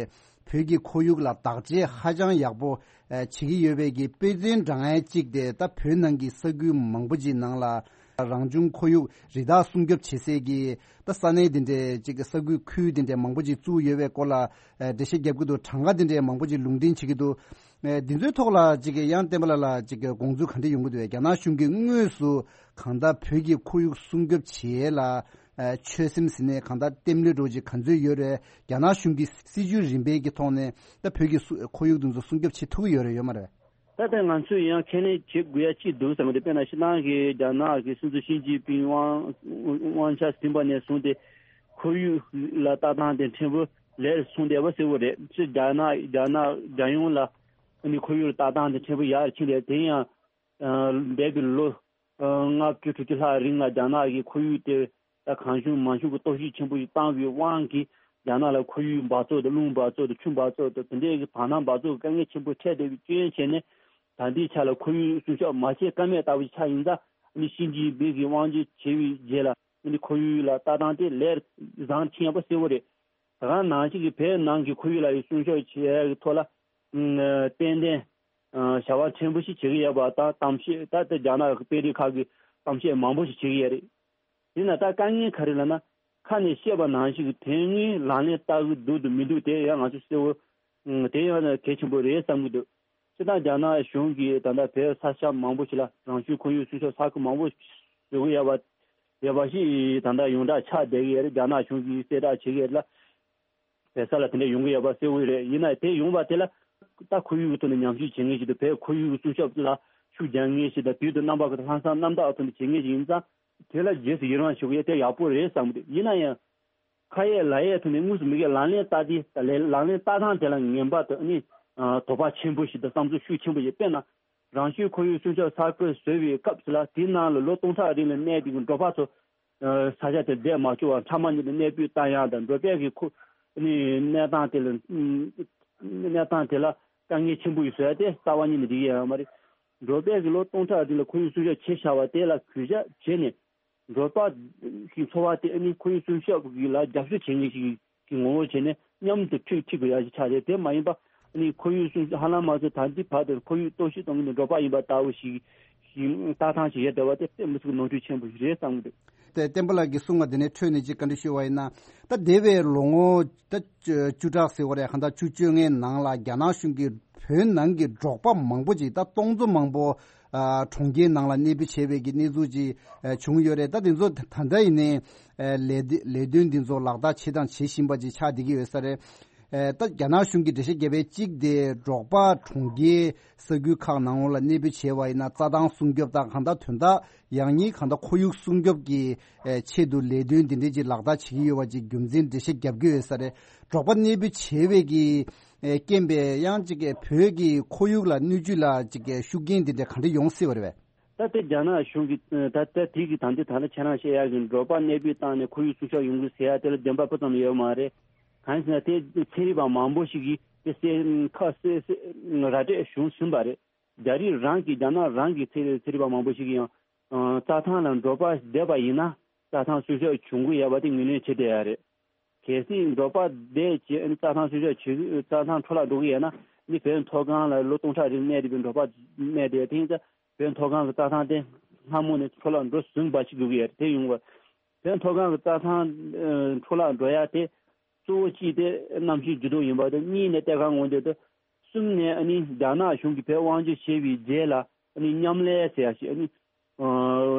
བོད་ཀྱི་ཁོར་ཡུག་ལ་བདག་གཅེས་ཧ་ཅང་ཡག་པོ་བྱེད་ཀྱི་ཡོད་པའི་གི་དཔེ་མཚོན་དྲངས་ཡ་ཅིག་དེ་ད་བོད་ནང་གི་ས་ཁུལ་མང་པོ་ཅིག་ནང་ལ་རང་བྱུང་ཁོར་ཡུག་རི་དྭགས་སྲུང་སྐྱོབ་བྱེད་སའི་གི་ད་ས་གནས་དེ་འདྲའི་ཅིག་ས་ཁུལ་ཁུལ་དེ་འདྲའི་མང་པོ་ཅིག་བཙུགས་ཡོད་པའི་སྐོར་ལ་འགྲེལ་བཤད་རྒྱབ་ཀྱི་འདུག་གྲངས་ཀ་དེ་འདྲའི་མང་པོ་ཅིག་ལུང་འདྲེན་བྱེད་ཀྱི་འདུག་འདི་ཚོའི་ཐོག་ལ་ཅིག་ཡང་བསྟན་པ་ལགས་ལ་ཅིག་དགོངས་ཚུལ་ག་འདྲ་ཡོང་གི་འདུག་རྒྱ་ནག་གཞུང་གིས་དངོས་སུ་གང་ལྟར་བོད་ཀྱི་ཁོར་ཡུག་སྲུང་སྐྱོབ་བྱེད་ཡས་ལ་ཆོད་སེམས་ཟིན་ནས་གང་ལྟར་རྟེན་འབྲེལ་འགྲོ་ཅིག་ག་ཚོད་ཡོད་རེད། རྒྱ་ནག་གཞུང་གི་སྲིད་ཇུས་རིམ་པའི་གི་ཐོག་ནས་ད་བོད་ཀྱི་སུ་ཁོར་ཡུག་དེ་ཚོ་སྲུང་སྐྱོབ་བྱེད་ཐུབ་ཀྱི་ཡོད་རེད་ཡོད་མ་རེད། ད་ལྟ་ང་ཚོས་ཡང་ཁས་ལེན་བྱེད་དགོས་ཡ་ཅིག་འདུག་བསམ་གི་འདུག་དཔེར་ན་ཕྱི་ནང་གི་རྒྱ་ནག་གི་སྲིད་འཛིན་ཞི་ཅིན་ཕིང་དབང་དབང་ཆ་ཟིན་པ་ནས་བཟུང་སྟེ་ཁོར་ཡུག་ལ་ལྟ་སྟངས་དེ་ཕྲན་བུ་ལེགས་སོང་བསྡད་པ་གསལ་བོ་རེད། ཕྱི་རྒྱ་ནག་རྒྱ་ནག་རྒྱལ་ཡོངས་ལ་ནི་ཁོར་ཡུག་ལ་ལྟ་སྟངས་དེ་ཕྲན་བུ་ཡར་ཕྱིན་རེད། དེ་ཡང་འདས་པའི་ལོ་ལྔ་བཅུ་དྲུག་ཅུ་ལྷག་རིང་ལ་རྒྱ་ནག་གི་ཁོར་ཡུག་དེ་ད་གང་བྱུང་མང་བྱུང་གི་གཏོར་བཤིག་ཆེན་པོ་ཞིག་བཏང་བའི་དབང་གིས་རྒྱ་ནག་ལ་ཁོར་ཡུག་འབག་བཙོག་དང་རླུང་འབག་བཙོག་དང་ཆུ་འབག་བཙོག་དང་དེ་འདྲའི་གི་བར་སྣང་འབག་བཙོག་གི་དཀའ་ངལ་ཆེན་པོ་འཕྲད་བསྡད་པའི་རྐྱེན་བྱས་ནས་ད་ལྟའི་ཆ་ལ་ཁོར་ཡུག་སྲུང་སྐྱོབ་མ་བྱེད་ཀ་མེད་ལྟ་བུ་ཆགས་ཡིན་ཙང་ཨ་ནི་ཞི་ཅིན་ཕིང་གིས་དབང་སྒྱུར་བྱས་པའི་རྗེས་ལ་ཨ་ནི་ཁོར་ཡུག་ལ་ལྟ་སྟངས་དེ་ལས་བཟང་ཕྱིན་ཡོད་པ་གསལ་བོ་རེད། ད་ག་ནང་བཞིན་གྱི་བོད་ནང་གི་ཁོར་ཡུག་ལ་ཡི་སྲུང་སྐྱོབ་བྱེད་ཡག་གི་ཐོག་ལ་ཨ་ཏན་ཏན་ཨ་བྱ་བ་ཕྲན་བུ་ཞིག་བྱེད་ཀྱི་ཡོད་པ་དང་གཏམ་བཤད་ད་ལྟ་རྒྱ་ནག་གི་དཔོན་རིགས་ཁག་གིས་གཏམ་བཤད་མང་པོ་ཞིག་བྱེད་ཀྱི་ཡོད་རེད། ཡིན་ན་ད་དཀའ་ངལ་ག་རེ་ལབ་ན་ཁ་ནས་བཤད་པ་ནང་བཞིན་གྱི་དོན་དངོས་ལག་ལེན་བསྟར་གྱི་འདུག་འདུག་མི་འདུག་དེ་ཡང་ང་ཚོ་གསལ་བོ་དེ་ཡང་གལ་ཆེན་པོ་རེད་བསམ་གྱི་འདུག་སྤྱིར་བཏང་རྒྱ་ནག་གཞུང་གིས་ད་ལྟ་བོད་ས་ཆ་མང་པོ་ཞིག་ལ་རང་བྱུང་ཁོར་ཡུག་སྲུང་སྐྱོབ་ས་ཁུལ་མང་པོ་བཟོ་གི་ཡོད་པ་ཡོད་པ་ཞིག་ད་ལྟ་ཡོངས་གྲགས་ཆགས་བསྡད་ཀྱི་ཡོད་རེད། རྒྱ་ནག་གཞུང་གིས་གསལ་བསྒྲགས་བྱེད་ཀྱི་ཡོད་རེད་ལ། བོད་ས་ལ་དེ་འདྲ་ཡོང་གི་ཡོད་པ་གསལ་བོ་རེད། ཡིན་ན་དེ་ཡོང་བ་དེ་ལ་ད་ཁོར་ཡུག་གི་ཐོག་ནས་ཉམས་ཞིབ་བྱེད་མཁན་ཞིག་དང་བོད་ཁོར་ཡུག་གི་སྲུང་སྐྱོབ་ལ་ཤུགས་རྒྱག་མཁན་ཞིག་དང་དུས་དང་རྣམ་པ་ཀུན་ཏུ་ལྷག་བསམ་རྣམ་དག་ཐོག་ནས་བྱེད་མཁན་ཞིག་ཡིན་ཙང་དེ་ལ་རྗེས་སུ་ཡི་རང་ཞུ་གི་ཡོད། དེ་ཡག་པོ་རེད་བསམ་གི་འདུག་ཡིན་ན་ཡང་ཁ་ཡས་ལག་ཡས་ཐོག་ནས་དངོས་སུ་མི་སྒེར་ལག་ལེན་བསྟར་དེ་ལག་ལེན་བསྟར་སྟངས་དེ་ལ་ངན་པ་དང་ནི་དོགས་པ་ཆེན་པོ་ཞིག་དང་བསམ་ཚུལ་ཤུགས་ཆེན་པོ་ཞིག་དཔེར་ན། རང་བྱུང་ཁོར་ཡུག་སྲུང་སྐྱོབ་ས་ཁུལ་བཟོས་པའི་སྐབས་སུ་ལ་དེའི་ནང་ལ་ལོ་སྟོང་ཕྲག་རིང་ལ་གནས་པའི་འབྲོག་པ་ཚོ་ས་ཆ་དེར་བསྡད་མ་བཅུག་པར་ཕྲ་མ་ཉིད་དུ་གནས་སྤོས་བཏང་ཡག་དང་འབྲོག་པའི་གི་ཁོ་ནི་གནས་སྟངས་དེ་ལ་གནས་སྟངས་དེ་ལ་དཀའ་ངལ་ཆེན་པོ་ཞིག་བཟོ་ཡ་དེ་རྩ་བ་ཉིད་ནས་འགྲིག་ཡ་ཡོད་མ་རེད། འབྲོག་པའི་གི་ལོ་སྟོང་ཕྲག་རིང་ལ་ཁོར་ཡུག་སྲུང་སྐྱོབ་བྱས་བཞག་པ་དེ་ལ་གུས་ཞབས་བྱས་ནས། འབྲོག་པ་གི་འཚོ་བ་དེ་ཨ་ནི་ཁོར་ཡུག་སྲུང་སྐྱོབ་ཀྱི་ལ་རྒྱབ་སྐྱོར་བྱེད་མཁན་ཞིག་གི་ངོ་བོ་བྱས་ནས་མཉམ་དུ་འཁྲིད་འཁྲིད་དགོས་ཡ་ཞིག་ཆགས་རེད། དེ་མ་ཡིན་པ་ཨ་ནི་ཁོར་ཡུག་སྲུང་སྐྱོབ་ཧ་ལམ་མ་བཟོ་ད་ལྟའི་བར་དུ་ཁོར་ཡུག་གཏོར་བཤིག་གཏོང་མཁན་དེ་འབྲོག་པ་ཡིན་པ་ལྟ་བུ་ཞིག་ཞིག་ལྟ་སྟངས་ཤིག་ཡོད་བསྡད་པ་དེ་དཔེ་མི་སྲིད་ཀྱི་ནོར་འཁྲུལ་ཆེན་པོ་ཞིག་རེད་བསམ་གྱི་འདུག་ཏེ་བསྟན་པ་ལགས་ཀྱིས་གསུངས་པ་དེ་ནས་འཕྲོས་ནས་ཅིག་བཀའ་འདྲི་ཞུ་བ་ཡིན་ན། ད་འདས་པའི་ལོ་ངོ་ད་བཅུ་བཅུ་ཕྲག་ཟེར་བ་རེད། གང་ལྟར་བཅུ་བཅོ་ལྔའི་ནང་ལ་རྒྱ་ནག་གཞུང་གིས་བོད་ནང་གི་འབྲོག་པ་མང་པོ་ཅིག་ད་སྟོང་ཚོ་མང་པོ་ཨ་གྲོང་ཁྱེར་ནང་ལ་གནས་སྤོས་བྱས་པའི་གི་གནས་ཚུལ་ཅིག་ཨ་བྱུང་ཡོད་རེད། ད་དེ་ཚོ་ད་ལྟ་ཡིན་ནའི་ཨ་ལས་དེ་ལས་དོན་འདི་ཚོ་ལག་བསྟར་བྱེད་དང་བྱེད་བཞིན་པ་ཅིག་ཆགས་བསྡད་ཀྱི་ཡོད་ས་རེད། ཨ་ད་རྒྱ་ནག་གཞུང་གིས་འགྲེལ་བཤད་བརྒྱབ་པའི་གཅིག་དེ་འབྲོག་པ་གྲོང་ཁྱེར་ས་ཁུལ་ཁག་ནང་ལ་གནས་སྤོས་བྱས་པ་ཡིན་ན་རྩྭ་ཐང་སྲུང་སྐྱོབ་དང་གང་ལྟར་དོན་དག་ཡང་སྙིང་གང་ལྟར་ཁོར་ཡུག་སྲུང་སྐྱོབ་ཀྱི་ཨེ་ཆེད་དུ་ལས་དོན་འདི་འདྲའི་ཅིག་ལག་བསྟར་བྱེད་ཀྱི་ཡོད་པ་ཅིག་རྒྱུ་མཚན་འགྲེལ་བཤད་རྒྱབ་ཀྱི་ཡོད་ས་རེད། འབྲོག་པ་གནས་སྤོས་བྱས་པའི་གི་ཨེ་རྐྱེན་པས་ཡང་ཅིག་གི་བོད་ཀྱི་ཁོར་ཡུག་ལ་སྣོད་བཅུད་ལ་ཅིག་གི་ཤུགས་རྐྱེན་འདི་འདྲ་ག་འདྲ་ཡོང་སྲིད་པ་རེད་པས། ད་ལྟ་རྒྱ་ནག་གཞུང་གིས་ད་ལྟ་དེ་གི་ད་ལྟ་ད་ལྟ་ཁྱེད་རང་བཤད་ཡག་གི་འབྲོག་པ་གནས་སྤོས་བཏང་ནས་ཁོར་ཡུག་སྲུང་སྐྱོབ་ཡོང་གི་ཟེར་ཡ་དེ་ལ་བདེན་པ་སྤུ་ཙམ་ཡོད་མ་རེད། གང་ཡིན་ཟེར་ན་དེ་ཚན་རིག་པ་མང་པོ་ཞིག་གིས་དེ་གསལ་ཁ་གསལ་གསལ་ར་སྤྲོད་བྱུང་ཟིན་པ་རེད། རྒྱ་རིགས་རང་གི་རྒྱ་ནག་རང་གི་ཚན་རིག་ཚན་རིག་པ་མང་པོ་ཞིག་གིས་ཡང་ཨ་རྩྭ་ཐང་ལ་འབྲོག་པ་བསྡད་པ་ཡིན་ན་རྩྭ་ཐང་སྲུང་སྐྱོབ་བྱུང་གི་ཡོད་པ་དེ་ངོས་ལེན་བྱེད་བསྡད་ཡ་རེད། གལ་སྲིད་འབྲོག་པ་བསྡད་བྱས་ཨ་ནི་རྩྭ་ཐང་སྲུང་སྐྱོབ་བྱེད་རྩྭ་ཐང་འཕྲོ་བརླག་འགྲོ་གི་ཡོད་ན་ཨ་ནི་བོད་མཐོ་སྒང་ལ་ལོ་སྟོང་ཕྲག་རིང་གནས་བསྡད་པའི་འབྲོག་པ་གནས་བསྡད་དེ་ཡིན་ཙང་བོད་མཐོ་སྒང་གི་རྩྭ་ཐང་དེ་སྔ་མོ་ནས་འཕྲོ་བརླག་འགྲོ་ཟིན་པ་ཞིག་འགྲོ་གི་ཡོད་རེད། དེ་ཡོང་བ་བོད་མཐོ་སྒང་གི་རྩྭ་ཐང་ཨ་འཕྲོ་བརླག་འགྲོ་ཡ་དེ། གཙོ་བོ་གཅིག་དེ་གནམ་གཤིས་འགྱུར་ལྡོག་ཡིན་པ་དང་གཉིས་ནས་གཏེར་ཁ་སྔོག་འདོན་དང་གསུམ་ནས་ཨ་ནི་རྒྱ་ནག་གཞུང་གིས་བོད་དབང་སྒྱུར་བྱས་པའི་རྗེས་ལ་ཨ་ནི་མཉམ་ལས་ཟེར་ཡ་ཞིག་ཨ་ནི་ཨ་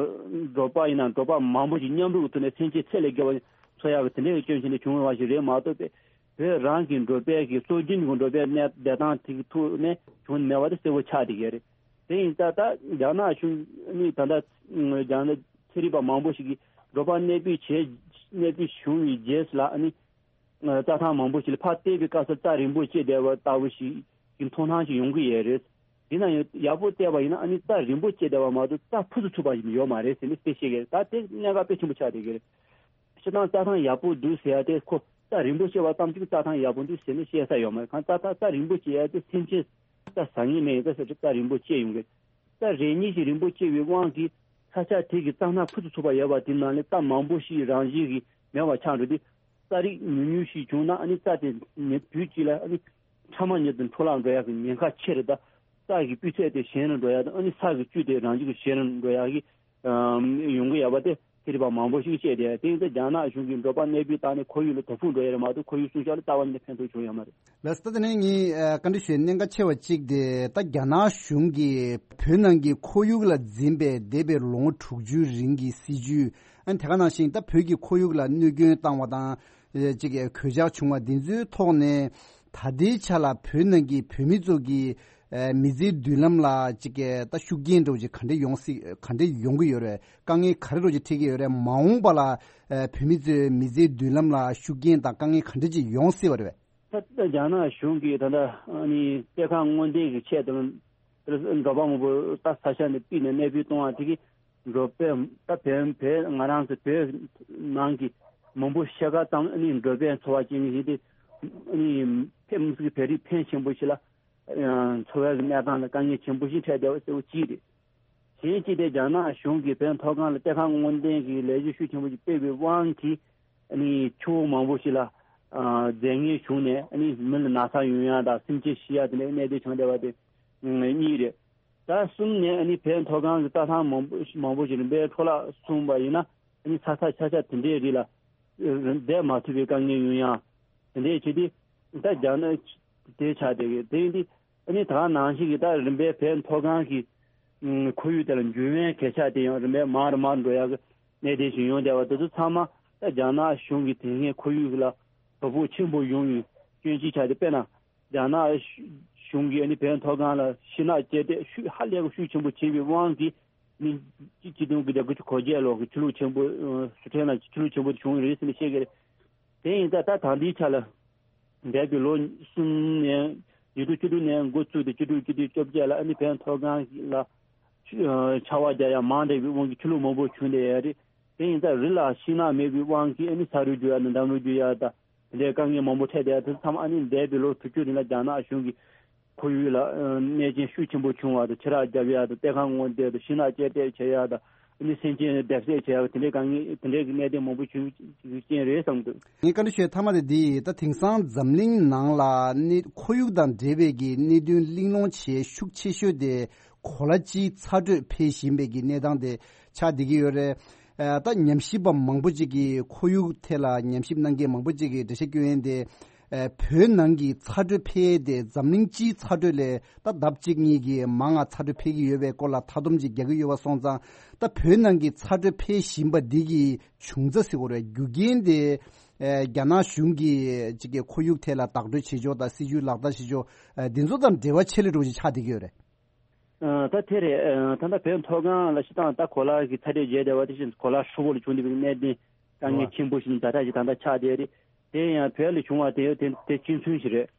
འབྲོག་པ་ཡིན་ན་འབྲོག་པ་མང་པོ་ཞིག་མཉམ་རུབ་ཀྱི་ཐོག་ནས་སེམས་ཅན་ཚད་ལས་བརྒལ་བ་འཚོ་ཡག་གི་དེ་འདྲའི་སྐྱོན་བྱས་ནས་བྱུང་བ་ཞིག་རེད་མ་གཏོགས་པས་བོད་རང་གི་འབྲོག་པའི་གི་སྲོལ་རྒྱུན་གྱི་འབྲོག་པའི་གནས་བསྡད་སྟངས་དེ་གི་ཐོག་ནས་བྱུང་མེད་པ་དེ་གསལ་པོ་ཆགས་བསྡད་ཡོད་རེད། དེ་ཡིན་ཙང་ད་རྒྱ་ནག་གཞུང་ཨ་ནི་ད་ལྟ་རྒྱ་ནག་ཚན་རིག་པ་མང་པོ་ཞིག་གིས་འབྲོག་པ་གནས་སྤོས་བྱས་གནས་སྤོས་བྱུང་བའི་རྗེས་ལ་ཨ་ནི། རྩྭ་ཐང་མང་པོ་ཞིག་ལ་ཕར་བལྟས་པའི་སྐབས་སུ་རྩྭ་རིང་པོ་བཅད་བསྡད་པ་ལྟ་བུ་ཞིག་གི་མཐོང་སྣང་ཞིག་ཡོང་གི་ཡོད་རེད། དེ་ན་ཡང་ཡག་པོ་བལྟས་པ་ཡིན་ན་ཨ་ནི་རྩྭ་རིང་པོ་བཅད་བསྡད་པ་མ་གཏོགས་རྩྭ་ཕུ་ཚུགས་ཚུགས་པ་ཞིག་ཡོད་མ་རེད་ཟེར་ནས་དེ་བཤད་ཀྱི་རེད། ད་དེ་གནད་འགག་དཔེ་ཆེན་པོ་ཆགས་བསྡད་ཀྱི་རེད། སྤྱིར་བཏང་རྩྭ་ཐང་ཡག་པོ་འདུག་ཟེར་ཡ་དེ་ཁོ་རྩྭ་རིང་པོ་བཅད་པ་ཙམ་གྱིས་རྩྭ་ཐང་ཡག་པོ་འདུག་ཟེར་ནས་བཤད་ས་ཡོད་མ་རེད། གང་རྩྭ་ཐང་རྩྭ་རིང་པོ་བཅད་ཡ་དེ་སེམས་ཅན་རྩྭ་ཟ་མཁན་མེད་ཡིན་ཙང་ཟེར་རྩྭ་རིང་པོ་བཅད་ཡོང་གི་རེད། རྩྭ་རེ་གཉིས་ཤིག་རིང་པོ་བཅད་པའི་དབང་གིས་ས་ཆ་དེ་གི་རྩྭ་སྣ་ཕུ་ཚུགས་ཚུགས་པ་ཡོད་པ་དེ་ནང་ལས་རྩྭ་མང་པོ་ཞིག་རང་བཞིན་གྱིས་མེད་པ་ཆགས་འགྲོ་དུས་རྩྭ་རིགས་ཉུང་ཉུང་ཞིག་བྱུང་ན་ཨ་ནི་རྩྭ་དེ་ཉིན་དུས་གཅིག་ལ་ཨ་ནི་ཕྲ་མ་ཉིད་དུ་འཕྲོ་བརླག་འགྲོ་ཡག་གི་ཉེན་ཁ་ཆེ་རེད། ད་རྩྭ་གི་སྤུས་ཚད་དེ་ཞན་རུ་འགྲོ་ཡག་དང་ཨ་ནི་ས་གི་བཅུད་དེ་རང་བཞིན་གྱིས་ཞན་རུ་འགྲོ་ཡག་གི་ཨམ་ཡོང་གི་ཡོད་པ་དེ་ཚན་རིག་པ་མང་པོ་ཞིག་བཤད་དེ་དེ་ཡིན་ཙང་རྒྱ་ནག་གཞུང་གིས་འབྲོག་པ་གནས་སྤོས་བཏང་ནས་ཁོར་ཡུག་ལ་དོ་ཕོག་འགྲོ་ཡ་རེད་མ་གཏོགས་ཁོར་ཡུག་སྲུང་སྐྱོབ་ལ་རྩ་བ་ཉིད་ནས་ཕན་ཐོགས་བྱུང་ཡོད་མ་རེད། ལགས་སོ། ད་དེ་ནས་ངས་ཨ་བཀའ་འདྲི་ཞུ་ཡའི་གནད་འགག་ཆེ་བ་གཅིག་དེ་ད་རྒྱ་ནག་གཞུང་གིས་བོད་ནང་གི་ཁོར་ཡུག་ལ་འཛིན་པའི་འདས་པའི་ལོ་ངོ་དྲུག་ཅུའི་རིང་གི་སྲིད་བྱུས་ཨ་ནི་དེ་ག་ནང་བཞིན་ད་བོད་ཀྱི་ཁོར་ཡུག་ལ་གནོད་སྐྱོན་བཏང་བ་དང་ཨ་ཅིག་གོད་ཆག་བྱུང་བ་འདི་ཚོའི་ཐོག་ནས་ད་ལྟའི་ཆ་ལ་བོད་ནང་གི་བོད་མི་ཚོ་གི་ཨ་མི་ཚེའི་མདུན་ལམ་ལ་ཅིག་གི་ད་ཤུགས་རྐྱེན་འདྲ་བོ་ཅིག་ག་འདྲ་ཡོང་སྲིད་ག་འདྲ་ཡོང་གི་ཡོད་རེད། དཀའ་ངལ་ག་རེ་འདྲ་བོ་ཅིག་འཕྲད་ཀྱི་ཡོད་རེད། མ་འོངས་པ་ལ་ཨ་བོད་མི་ཚོའི་མི་ཚེའི་མདུན་ལམ་ལ་ཤུགས་རྐྱེན་དང་དཀའ་ངལ་ག་འདྲ་ཅིག་ཡོང་སྲིད་པ་རེད། ད་ལྟ་རྒྱ་ནག་གཞུང་གིས་ད་ལྟ་ཨ་ནི་གཏེར་ཁ་སྔོག་འདོན་གྱི་ཆེད་དུ་འབྲོག་པ་མང་པོ་ད་ས་ཆ་ནས་ཕུད་ནས་གནས་སྤོས་གཏོང་བ་དེ་གིས་འབྲོག་པའི་ད་བོད་བོད་ང་རང་ཚོ་བོད་ནང་གི་མང་པོ་ཤ་ཁ་ཙམ་ཨ་ནི་འབྲོག་པའི་འཚོ་བ་སྐྱེལ་མཁན་ཞིག་དེ་ཨ་ནི་ཕེབས་མི་སྲིད་ཀྱི་བོད་རིགས་ཕོན་ཆེན་པོ་ཞིག་ལ་འཚོ་བའི་གནས་སྟངས་ལ་དཀའ་ངལ་ཆེན་པོ་ཞིག་འཕྲད་བསྡད་པ་གཙོ་བོ་གཅིག་རེད། གཞན་གཅིག་དེ་རྒྱ་ནག་གཞུང་གིས་བོད་མཐོ་སྒང་ལ་གཏེར་ཁ་སྔོག་འདོན་གྱི་ལས་གཞི་ཤུགས་ཆེན་པོ་ཞིག་སྤེལ་བའི་དབང་གིས་ཨ་ནི་ཆུ་བོ་མང་པོ་ཞིག་ལ་ཨ་རྫས་ངན་བྱུང་ནས་ཨ་ནི་མི་ལ་ན་ཚ་ཡོང་ཡ་དང་སེམས་ཅན་ཤི་ཡ་དེ་འདྲའི་གནད་དོན་བྱུང་བསྡད་པ་དེ་གཉིས་རེད། ད་གསུམ་ནས་ཨ་ནི་བོད་མཐོ་སྒང་གི་རྩྭ་ཐང་མང་པོ་མང་པོ་ཞིག་རིམ་པས་འཕྲོ་བརླག་སོང་བ་ཡིན་ན་ཨ་ནི་ས་ཆ་ཆ་ཆ་དེ་འདྲའི་རིགས་ལ་བསྡད་མ་ཐུབ་པའི་དཀའ་ངལ་ཡོང་ཡ་དེ་འདྲའི་བྱེད་དུས་ད་རྒྱ་ནག་དེ་ཆགས་བསྡད་ཡོད། དེ་ཡིན་དུས་ཨ་ནི་ད་ག་ནང་བཞིན་གྱི་ད་རིམ་པས་བོད་མཐོ་སྒང་གི་ཨུམ་ཁོར་ཡུག་དེ་ལ་འགྱུར་བའི་གོད་ཆག་དེ་ཡང་རིམ་པས་མར་མར་འགྲོ་ཡག་གི་གནད་དོན་ཞིག་ཡོང་བསྡད་པ་དེ་ཚོ་ཚང་མ་ད་རྒྱ་ནག་གཞུང་གིས་དེ་སྔའི་ཁོར་ཡུག་ལ་དོ་ཕོག་ཆེན་པོ་ཡོང་བའི་སྐྱོན་གཅིག་ཆགས་ཏེ། དཔེར་ན་རྒྱ་ནག་གཞུང་གིས་ཨ་ནི་བོད་མཐོ་སྒང་ལ་ཤིང་ནགས་བཅད་དེ་ཤུགས་ཧ་ལས་པའི་ཤུགས་ཆེན་པོ་བྱས་པའི་དབང་གིས་ནི་གཅིག་གཅིག་སྟོང་དགུ་བརྒྱ་དགུ་བཅུ་གོ་བརྒྱད་ལོ་གི་ཆུ་ལོག་ཆེན་པོ་ཨ་སི་ཁྲོན་ལ་ཆུ་ལོག་ཆེན་པོ་དེ་བྱུང་བ་རེད་ཟེར་ནས་བཤད་ཀྱི་རེད། དེ་ཡིན་ཙང་ད་ད་ལྟའི་ཆ་ལ་འདས་པའི་ལོ་གསུམ་ནས་ཉིས་སྟོང་བཅུ་དྲུག་ནས་འགོ་བཙུགས་ཏེ་བཅུ་དྲུག་བཅུ་དྲུག་བཅོ་བརྒྱད་ལ་ཨ་ནི་བོད་མཐོ་སྒང་ལ་ཆུ་ཆར་པ་རྒྱག་ཡ་མང་དྲགས་པའི་དབང་གིས་ཆུ་ལོག་མང་པོ་བྱུང་བསྡད་ཡོད་རེད། དེ་ཡིན་ཙང་རི་ལ་ཤིང་ནགས་མེད་པའི་དབང་གིས་ཨ་ནི་ས་རུད་རྒྱུག་ཡ་དང་འདམ་རུད་རྒྱུག་ཡ་དང་དེ་འདྲའི་དཀའ་ངལ་མང་པོ་འཕྲད་བསྡད་ཡ་དེ་ཚོ་ཚང་མ་ཨ་ནི་འདས་པའི་ལོ་དྲུག་ཅུ་རིང་ལ་རྒྱ་ནག་གཞུང་གིས་ཁོར་ཡུག་ལ་ཨ་གནོད་སྐྱོན་ཤུགས་ཆེན་པོ་བྱུང་བ་དང་ཆུ་རགས་རྒྱབ་ཡ་དང་གཏེར་ཁ་སྔོག་འདོན་དང་ཤིང་ནགས་བཅད་བསྡད་བྱེད་ཡ་དང་ཨ་ནི་སེམས་ཅན་བརྡབ་གསིག་བྱེད་ཡ་དེ་འདྲའི་དཀའ་ངལ་དེ་འདྲའི་གི་གནད་དོན་མང་པོ་བྱུང་རྐྱེན་རེད་བསམ་འདུག་ངས་བཀའ་འདྲི་ཞུ་ཡ་མཐའ་མ་དེ་འདི་ཡིན། ད་དེང་སང་འཛམ་གླིང་ནང་ལ་གནས་ཁོར་ཡུག་དང་འབྲེལ་བའི་གི་གནད་དོན་གླེང་སློང་བྱེད་ཤུགས་ཆེ་ཤོས་དེ་གོ་ལ་སྤྱིའི་ཚ་དྲོད་འཕེལ་བཞིན་པའི་གི་གནས་སྟངས་དེ་ཆགས་བསྡད་ཀྱི་ཡོད་རེད། ཨ། ད་ཉམས་ཞིབ་པ་མང་པོ་ཅིག་གིས་ཁོར་ཡུག་ཐད་ལ་ཉམས་ཞིབ་གནང་མཁན་མང་པོ་ཅིག་གིས་འགྲེལ་བཤད་སྐྱོན་ཡན་དེ། ཨ། བོད་ནང་གི་ཚ་དྲོད་འཕེལ་ཡས་དེ་འཛམ་གླིང་སྤྱིའི་ཚ་དྲོད་ལས་ད་ལྡབ་གཅིག་གཉིས་ཀྱིས་མང་ང་ཚ་དྲོད་འཕེལ་གྱི་ཡོད་པའི་སྐོར་ལ་མཐའ་སྡོམ་ཅིག་རྒྱག་གི་ཡོད་པ་སོང་ཙང་། ད་བོད་ནང་གི་ཚ་དྲོད་འཕེལ་བཞིན་པ་འདི་གི་བྱུང་རྩ་ཟེར་དགོས་རེད། རྒྱུ་རྐྱེན་དེ། ཨ། རྒྱ་ནག་གཞུང་གིས་ཅིག་གི་ཁོར་ཡུག་ཐད་ལ་བདག་སྤྲོད་བྱེད་ཕྱོགས་དང་སྲིད་ཇུས་ལག་བསྟར་བྱེད་ཕྱོགས། ཨ། འདི་ཚོ་དང་འབྲེལ་བ་ཆེ་ལོས་འགྲོ་ཅིག་ཆགས་བསྡད་ཀྱི་ཡོད་རེད། ཨ། ད་དེ་རེད། ཨ། ད་ལྟ་བོད་མཐོ་སྒང་ལ་སྤྱིར་བཏང་ད་གོ་ལ་གི་ཚ་དྲོད་རྒྱས་བསྡད་པ་དེ་བཞིན་གོ་ལ་ཧྲིལ་པོ་ལ་བྱུང་བསྡད་པའི་གནད་དོན་དཀའ་ངལ་ཆེན་པོ་ཞིག་ད་ལྟ་ཞིག་ད་ལྟ་ཆགས་བསྡད་རེད། དེ་ཡང་བོད་ལ་བྱུང་བ་དེ་དེ་དེ་གཅིག་མཚུངས་ཤིག་རེད།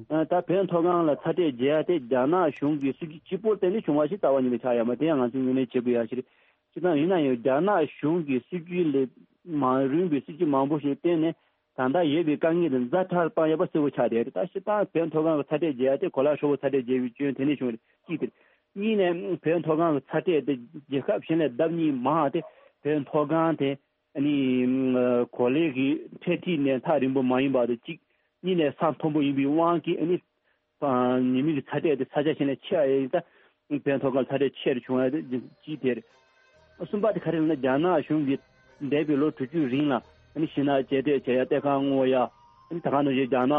ཨ། ད་བོད་མཐོ་སྒང་ལ་ཚ་དྲོད་རྒྱས་ཡ་དེ་རྒྱ་ནག་གཞུང་གི་སྲིད་ཇུས་གཅིག་པོར་བརྟེན་ནས་བྱུང་བ་ཞིག་རྩ་བ་ཉིད་ནས་ཆགས་ཡོད་མ་རེད། དེ་ཡང་ང་ཚོས་ངོས་ལེན་བྱེད་དགོས་ཡ་ཞིག་རེད། སྤྱིར་བཏང་ཡིན་ན་ཡང་རྒྱ་ནག་གཞུང་གི་སྲིད་ཇུས་ལས་མ་རུང་བའི་སྲིད་ཇུས་མང་པོ་ཞིག་བརྟེན་ནས། ད་ལྟ་ཡོད་པའི་དཀའ་ངལ་དེ་ཛ་དྲག་བཏང་ཡོད་པ་གསལ་པོ་ཆགས་བསྡད་རེད། ད་སྤྱིར་བཏང་བོད་མཐོ་སྒང་གི་ཚ་དྲོད་རྒྱས་ཡ་དེ་གོ་ལ་ཧྲིལ་པོ་ཚ་དྲོད་རྒྱས་པའི་རྐྱེན་དེ་ནས་བྱུང་བ་རེད། གཅིག་དེ་རེད། གཉིས་ནས་བོད་མཐོ་སྒང་གི་ཚ་དྲོད་དེ་རྒྱལ་ཁབ་གཞན་ལས་ལྡབ་གཉིས་མང་བ་དེ་བོད་མཐོ་སྒང་དེ་ཨ་ནི་གོ་ལའི་གི་འཕྲེད་འཁྲིས་ནས་ཐག་རིང་པོ་མ་ཡིན་པ་དེ་གཅིག་གཉིས་ནས་ས་མཐོན་པོ་ཡིན་པའི་དབང་གིས་ཨ་ནི། ཨ། ཉི་མའི་གི་ཚ་དྲོད་དེ་ས་ཆ་གཞན་ལས་ཆེ་བ་ཡིན་ད། བོད་མཐོ་སྒང་ཚ་དྲོད་ཆེ་རུ་བྱུང་བ་དེ་གཅིག་དེ་རེད། གསུམ་པ་དེ་ག་རེ་ལབ་ན་རྒྱ་ནག་གཞུང་གིས་འདས་པའི་ལོ་དྲུག་ཅུའི་རིང་ལ་ཨ་ནི་ཤིང་ནགས་བཅད་འདེད་བྱས་ཡ་གཏེར་ཁ་སྔོག་ཡ། ཨ་ནི་ད་ག་ནང་བཞིན་རྒྱ་ནག་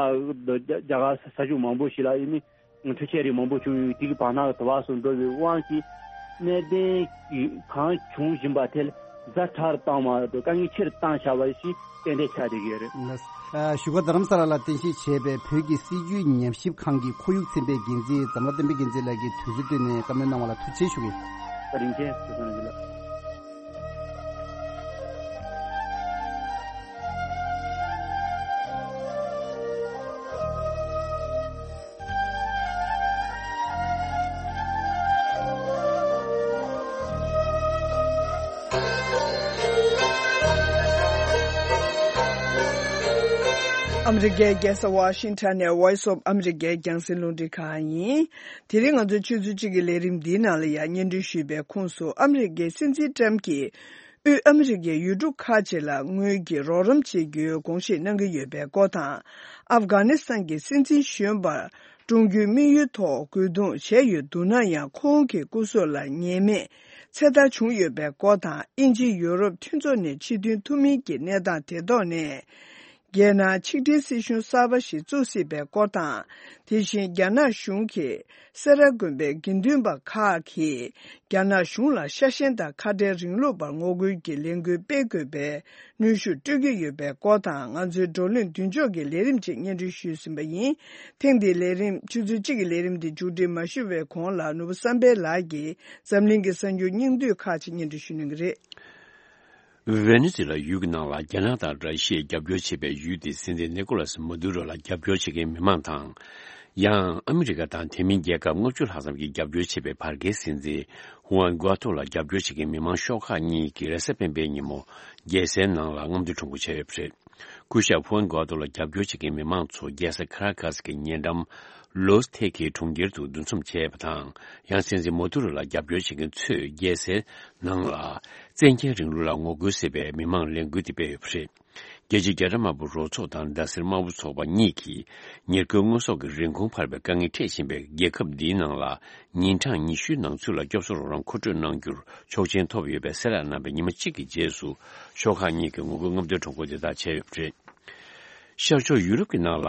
རྒྱ་གར་ས་ཆ་མང་པོ་ཞིག་ལ་ཨ་ནི་འཕྲུལ་ཆས་རིགས་མང་པོ་བྱུང་ཡོད། དེ་གི་བར་ན་དུ་བ་སོགས་འགྲོ་བའི་དབང་གིས་གནད་དོན་གང་བྱུང་བཞིན་པ་དེ་ལ། ཛ་དྲག་བཏང་བ་དང་དཀའ་ངལ་ཆེ་རུ་བཏང་བཞག་པ་ཞིག་ཏན་ཏན་ཆགས་བསྡད་ཀྱི་ཡོད་རེད། ལགས། ཨ། བཞུགས་སྒར་རྡ་རམ་ས་ལ་ལ་རྟེན་གཞི་བྱས་པའི་བོད་ཀྱི་སྲིད་བྱུས་ཉམས་ཞིབ་ཁང་གི་ཁོར་ཡུག་ཚན་པའི་འགན་འཛིན་འཛམ་ལྷ་བསྟན་འཕེལ་རྒྱལ་མཚན་ལགས་ཀྱིས་དུས་ཚོད་བཏོན་ནས་བཀའ་མོལ་གནང་བ་ལ་ཐུགས་རྗེ་ཆེ་ཞུ་གི་ཡིན། བཀའ་དྲིན་ཆེ། བཀའ་དྲིན་ཆེ་ལགས། ཨ་མི་རི་ཀའི་རྒྱལ་ས་ཝ་ཤིང་ཊོན་ནས་Voice of America རྒྱང་སྲིང་རླུང་འཕྲིན་ཁང་ཡིན། དེ་རིང་ང་ཚོའི་ཆུ་ཚོད་གཅིག་གི་ལས་རིམ་འདིའི་ནང་ལ་ཡང་སྙན་སྒྲོན་ཞུས་པའི་ཁོངས་སུ་ཨ་མི་རི་ཀའི་སྲིད་འཛིན་ཏྲམ་གྱིས། དབུས་ཨ་མི་རི་ཀའི་ཡུལ་གྲུ་ཁག་ཅིག་ལ་དངུལ་གྱི་རོགས་རམ་བྱེད་རྒྱུའི་དགོངས་བཞེས་གནང་གི་ཡོད་པའི་སྐོར་དང་། ཨབ་གྷ་ནི་སི་ཐན་གྱི་སྲིད་འཛིན་གཞོན་པར་གྲོངས་རྒྱུའི་དམིགས་ཡུལ་ཐོག་རྒོལ་རྡུང་བྱས་ཡོད་འདུག་ན་ཡང་། ཁོང་གི་སྐུ་སྲོག་ལ་ཉེས་མེད་ཚེ་ཐར་བྱུང་ཡོད་པའི་སྐོར་དང་། དབྱིན་ཇི་ཡུ་རོབ་མཐུན་ཚོགས་ནས་ཕྱིར་ཐོན་ཐུབ་མིན་གྱི་གནས་སྟངས་དེ་ཐོག་ནས། རྒྱལ་ནང་ཆིག་སྒྲིལ་སྲིད་གཞུང་གསར་པ་ཞིག་བཙུགས་སྲིད་པའི་སྐོར་དང་། དེ་བཞིན་རྒྱ་ནག་གཞུང་གིས་སེ་ར་དགོན་པའི་དགེ་འདུན་པ་ཁག་གིས་རྒྱ་ནག་གཞུང་ལ་ཤ་ཞེན་དང་ཁ་བྲལ་རིང་ལུགས་པར་ངོ་རྒོལ་གྱི་ལས་འགུལ་སྤེལ་དགོས་པའི་གནོན་ཤུགས་སྤྲོད་ཀྱི་ཡོད་པའི་སྐོར་དང་། ང་ཚོའི་བགྲོ་གླེང་མདུན་ལྕོག་གི་ལས་རིམ་ཅིག་སྙན་སྒྲོན་ཞུས་ཟིན་པ་ཡིན། ཐེངས་འདིའི་ལས་རིམ་ཆུ་ཚོད་གཅིག་གི་ལས་རིམ་འདི་མཇུག་སྒྲིལ་མ་ཞུ་བའི་གོང་ལ། ནོར་བུ་བསམ་འཕེལ་ལགས་ཀྱིས་འཛམ་གླིང་གི་གསར་འགྱུར་སྙིང་བསྡུས་ཁག་ཅིག་སྙན་སྒྲོན་ཞུ་གནང་གི་རེད། ཝེ་ནེ་ཛུ་ལ་ཡུལ་གྱི་ནང་ལ་རྒྱ་ནག་དང་ར་ཤི་ཡས་རྒྱབ་སྐྱོར་བྱེད་པའི་ཡུལ་དེའི་སྲིད་འཛིན་ནི་ཀོ་ལ་སི་མ་དུ་རོ་ལ་རྒྱབ་སྐྱོར་བྱེད་མཁན་མི་མང་དང་། ཡང་ཨ་མི་རི་ཀ་དང་དེ་མིན་རྒྱལ་ཁབ་ལྔ་བཅུ་ལྷག་ཙམ་གྱིས་རྒྱབ་སྐྱོར་བྱེད་པའི་བར་བརྒལ་སྲིད་འཛིན་ཧུའན་གོ་ཐོ་ལ་རྒྱབ་སྐྱོར་བྱེད་མཁན་མི་མང་ཤོག་ཁག་གཉིས་ཀྱིས་རེས་གཟའ་སྤེན་པའི་ཉིན་མོ་རྒྱལ་སའི་ནང་ལ་རྔམ་སྟོན་ཁྲོམ་སྐོར་བྱས་ཡོད་པ་རེད། སྐུ་ཞབས་ཧུའན་གོ་ཐོ་ལ་རྒྱབ་སྐྱོར་བྱེད་མཁན་མི་མང་ཚོ་རྒྱལ་ས་ཁ་ར་ཀ་སི་ཀྱི་ཉེ་འགྲམ་ལོས་ཐེ་ཁེའི་གྲོང་ཁྱེར་དུ་འདུ་འཛོམས་བྱས་པ་དང་། ཡང་སྲིད་འཛིན་མོ་དུ་རོ་ལ་རྒྱབ་སྐྱོར་བྱེད་མཁན་ཚོས་རྒྱལ་སའི་ནང་ལ་བཙན་རྒྱལ་རིང་ལུགས་ལ་ངོ་རྒོལ་ཟེར་བའི་མི་མང་ལས་འགུལ་དེ་སྤེལ་ཡོད་པ་རེད། རྒྱལ་སྤྱིའི་རྒྱ་ར་དམར་པོ་རོགས་ཚོགས་དང་ཟླ་ཟེར་དམར་པོ་ཚོགས་པ་གཉིས་ཀྱིས་ཉེར་མཁོའི་དངོས་ཟོག་གི་རིན་གོང་འཕར་བའི་དཀའ་ངལ་འཕྲད་བཞིན་པའི་རྒྱལ་ཁབ་འདིའི་ནང་ལ་ཉིན་གྲངས་ཉི་ཤུའི་ནང་ཚུད་ལ་སྐྱོབ་གསོ་རོགས་རམ་མཁོ་སྤྲོད་གནང་རྒྱུར་ཆོག་མཆན་ཐོབ་ཡོད་པའི་གསལ་བསྒྲགས་གནང་བའི་ཉི་མ་གཅིག་གི་རྗེས་སུ། ཤོག་ཁག་གཉིས་ཀྱི་ངོ་རྒོལ་རྔམ་སྟོན་ཁྲོམ་སྐོར་དེ་དག་བྱས་ཡོད་པ་རེད། ཤར་ཕྱོགས་ཡུ་རོབ་ཀྱི་ནང་ལ།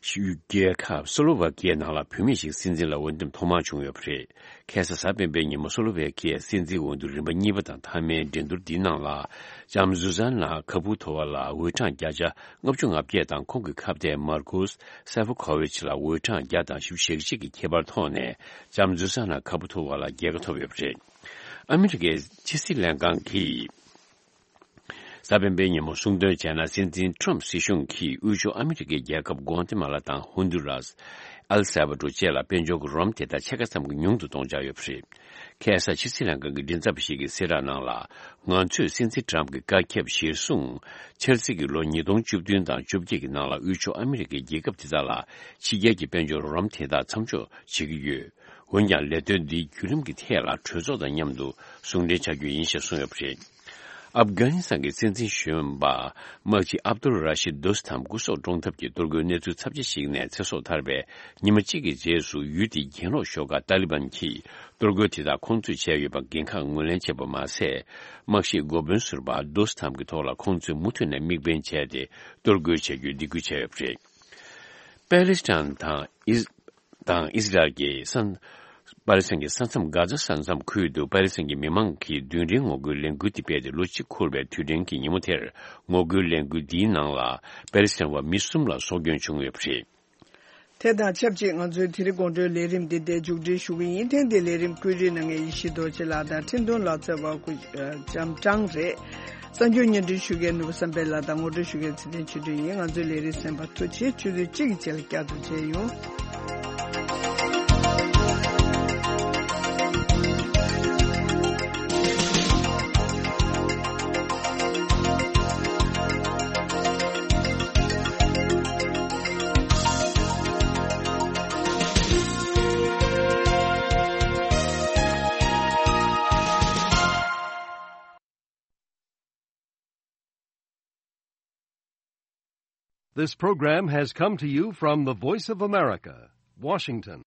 རྒྱལ་ཁབ་སོ་ལོ་ཝ་ཀི་ཡའི་ནང་ལ་བུད་མེད་ཞིག་སྲིད་འཛིན་ལ་འོས་འདེམས་ཐོག་མར་བྱུང་ཡོད་པ་རེད། ཁ་སང་གཟའ་སྤེན་པའི་ཉིན་མོ་སོ་ལོ་ཝ་ཀི་ཡའི་སྲིད་འཛིན་འོས་བསྡུ་རིམ་པ་གཉིས་པ་དང་མཐའ་མའི་འགྲན་བསྡུར་འདིའི་ནང་ལ། ལྕམ་ཟུ་ཟན་ན་ཁ་པུ་ཐོ་བ་ལ་འོས་གྲངས་བརྒྱ་ཆ་ལྔ་བཅུ་ང་བརྒྱད་དང་། ཁོང་གི་ཁ་གཏད་མར་ཀུས་སེ་ཕོ་ཁོ་ཝི་ཆི་ལ་འོས་གྲངས་བརྒྱ་དང་བཞི་བཅུ་ཞེ་གཅིག་གི་ཁྱད་པར་ཐོག་ནས་ལྕམ་ཟུ་ཟན་ན་ཁ་པུ་ཐོ་བ་ལ་རྒྱལ་ཁ་ཐོབ་ཡོད་པ་རེད། ཨ་མི་རི་ཀའི་ཕྱི་སྲིད་ལྷན་ཁང་གིས། གཟའ་སྤེན་པའི་ཉིན་མོ་གསུང་དོན་བྱས་ན། སྲིད་འཛིན་ཁྲོམ་སྲིད་གཞུང་གིས་དབུས་ཕྱོགས་ཨ་མི་རི་ཀའི་རྒྱལ་ཁབ་གོ་ཏེ་མ་ལ་དང་ཧོན་དུ་རཱས། ཨེལ་སལ་བ་ཌོར་བཅས་ལ་དཔལ་འབྱོར་གྱི་རོགས་རམ་དེ་དག་ཕྱེད་ཀ་ཙམ་གྱིས་ཉུང་དུ་གཏོང་འཆར་ཡོད་པ་རེད། ཁ་སང་ཕྱི་སྲིད་ལྷན་ཁང་གི་མགྲིན་ཚབ་པ་ཞིག་གིས་གསལ་བསྒྲགས་ནང་ལ། ང་ཚོས་སྲིད་འཛིན་ཁྲོམ་གྱི་བཀའ་ཁྱབ་གཞིར་བཟུང་། འཆར་ཚིག་གི་ལོ་ཉིས་སྟོང་བཅུ་བདུན་དང་བཅོ་བརྒྱད་ཀྱི་ནང་ལ་དབུས་ཕྱོགས་ཨ་མི་རི་ཀའི་རྒྱལ་ཁབ་དེ་དག་ལ་ཕྱི་རྒྱལ་གྱི་དཔལ་འབྱོར་རོགས་རམ་དེ་དག་མཚམས་འཇོག་བྱེད་ཀྱི་ཡོད། འོན་ཀྱང་ལས་དོན་འདིའི་བརྒྱུད་རིམ་གྱི་ཐད་ལ་གྲོས་ཚོགས་དང་མཉམ་དུ་ཟུང་འབྲེལ་བྱ་རྒྱུ་ཡིན་ཞེས་གསུངས་ཡོད་པ་རེད། ཨབ་གྷ་ནི་སི་ཐན་གྱི་སྲིད་འཛིན་གཞོན་པ་དམག་སྤྱི་ཨབ་དུལ་ར་ཤིད་དོ་སི་ཐམ་སྐུ་སྲོག་བཀྲོངས་ཐབས་ཀྱི་གཏོར་རྒོལ་གནས་ཚུལ་ཚབས་ཆེ་ཞིག་ནས་ཚེ་སྲོག་ཐར་བའི་ཉི་མ་གཅིག་གི་རྗེས་སུ། ཡུལ་དེའི་གྱེན་ལོག་ཤོག་ཁག་ཏཱ་ལི་བན་གྱིས་གཏོར་རྒོལ་དེ་དག་ཁོང་ཚོས་བྱས་ཡོད་པ་འགན་ཁག་ངོས་ལེན་བྱས་པ་མ་ཟད། དམག་ཞིབ་འགོ་དཔོན་ཟུར་པ་དོ་སི་ཐམ་གྱི་ཐོག་ལ་ཁོང་ཚོས་མུ་མཐུད་ནས་དམིགས་འབེན་བྱས་ཏེ་གཏོར་རྒོལ་བྱ་རྒྱུའི་སྡིགས་སྐུལ་བྱས་ཡོད་པ་རེད། པེ་ལེ་སི་ཐན་དང་ཨིས། དང་ཨིས་ར་ཨེལ་གྱི་ས། པ་ལེ་སི་ཐན་གྱི་ས་མཚམས། གྷ་ཛ་ས་མཚམས་ཁུལ་དུ་པ་ལེ་སི་ཐན་གྱི་མི་མང་གིས་རྡུལ་ཕྲན་ངོ་རྒོལ་ལས་འགུལ་དེ་སྤེལ་ཏེ་ལོ་གཅིག་འཁོར་བའི་དུས་དྲན་གྱི་ཉིན་མོ་དེར། ངོ་རྒོལ་ལས་འགུལ་འདིའི་ནང་ལ་པ་ལེ་སི་ཐན་བ་མི་གསུམ་ལ་སྲོག་སྐྱོན་བྱུང་ཡོད་པ་རེད། དེ་དང་ཆབས་ཅིག་ང་ཚོའི་དེ་རིང་དགོང་དྲོའི་ལས་རིམ་འདི་འདིར་མཇུག་སྒྲིལ་ཞུ་གི་ཡིན། ཐེངས་འདིའི་ལས་རིམ་བཀོད་སྒྲིག་གནང་མཁན་ཡེ་ཤེས་རྡོ་རྗེ་ལགས་དང་འཕྲིན་གཏོང་ལག་རྩལ་བ་སྐུ། ལྕམ་ཀྲང་རེད། གསར་འགྱུར་སྙན་སྒྲོན་ཞུ་མཁན་ནོར་བུ་བསམ་འཕེལ་ལགས་དང་ངོ་སྤྲོད་ཞུ་མཁན་ཚེ་བརྟན་ཆོས་སྒྲོན་ཡིན། ང་ཚོའི་ལས་རིམ་གསན་པར་ཐུགས་རྗེ་ཆེ། ཆུ་ཚོད་གཅིག་གི་རྗེས་ལ་བསྐྱར་དུ་མཇལ་ཡོང་། This program has come to you from the Voice of America, Washington.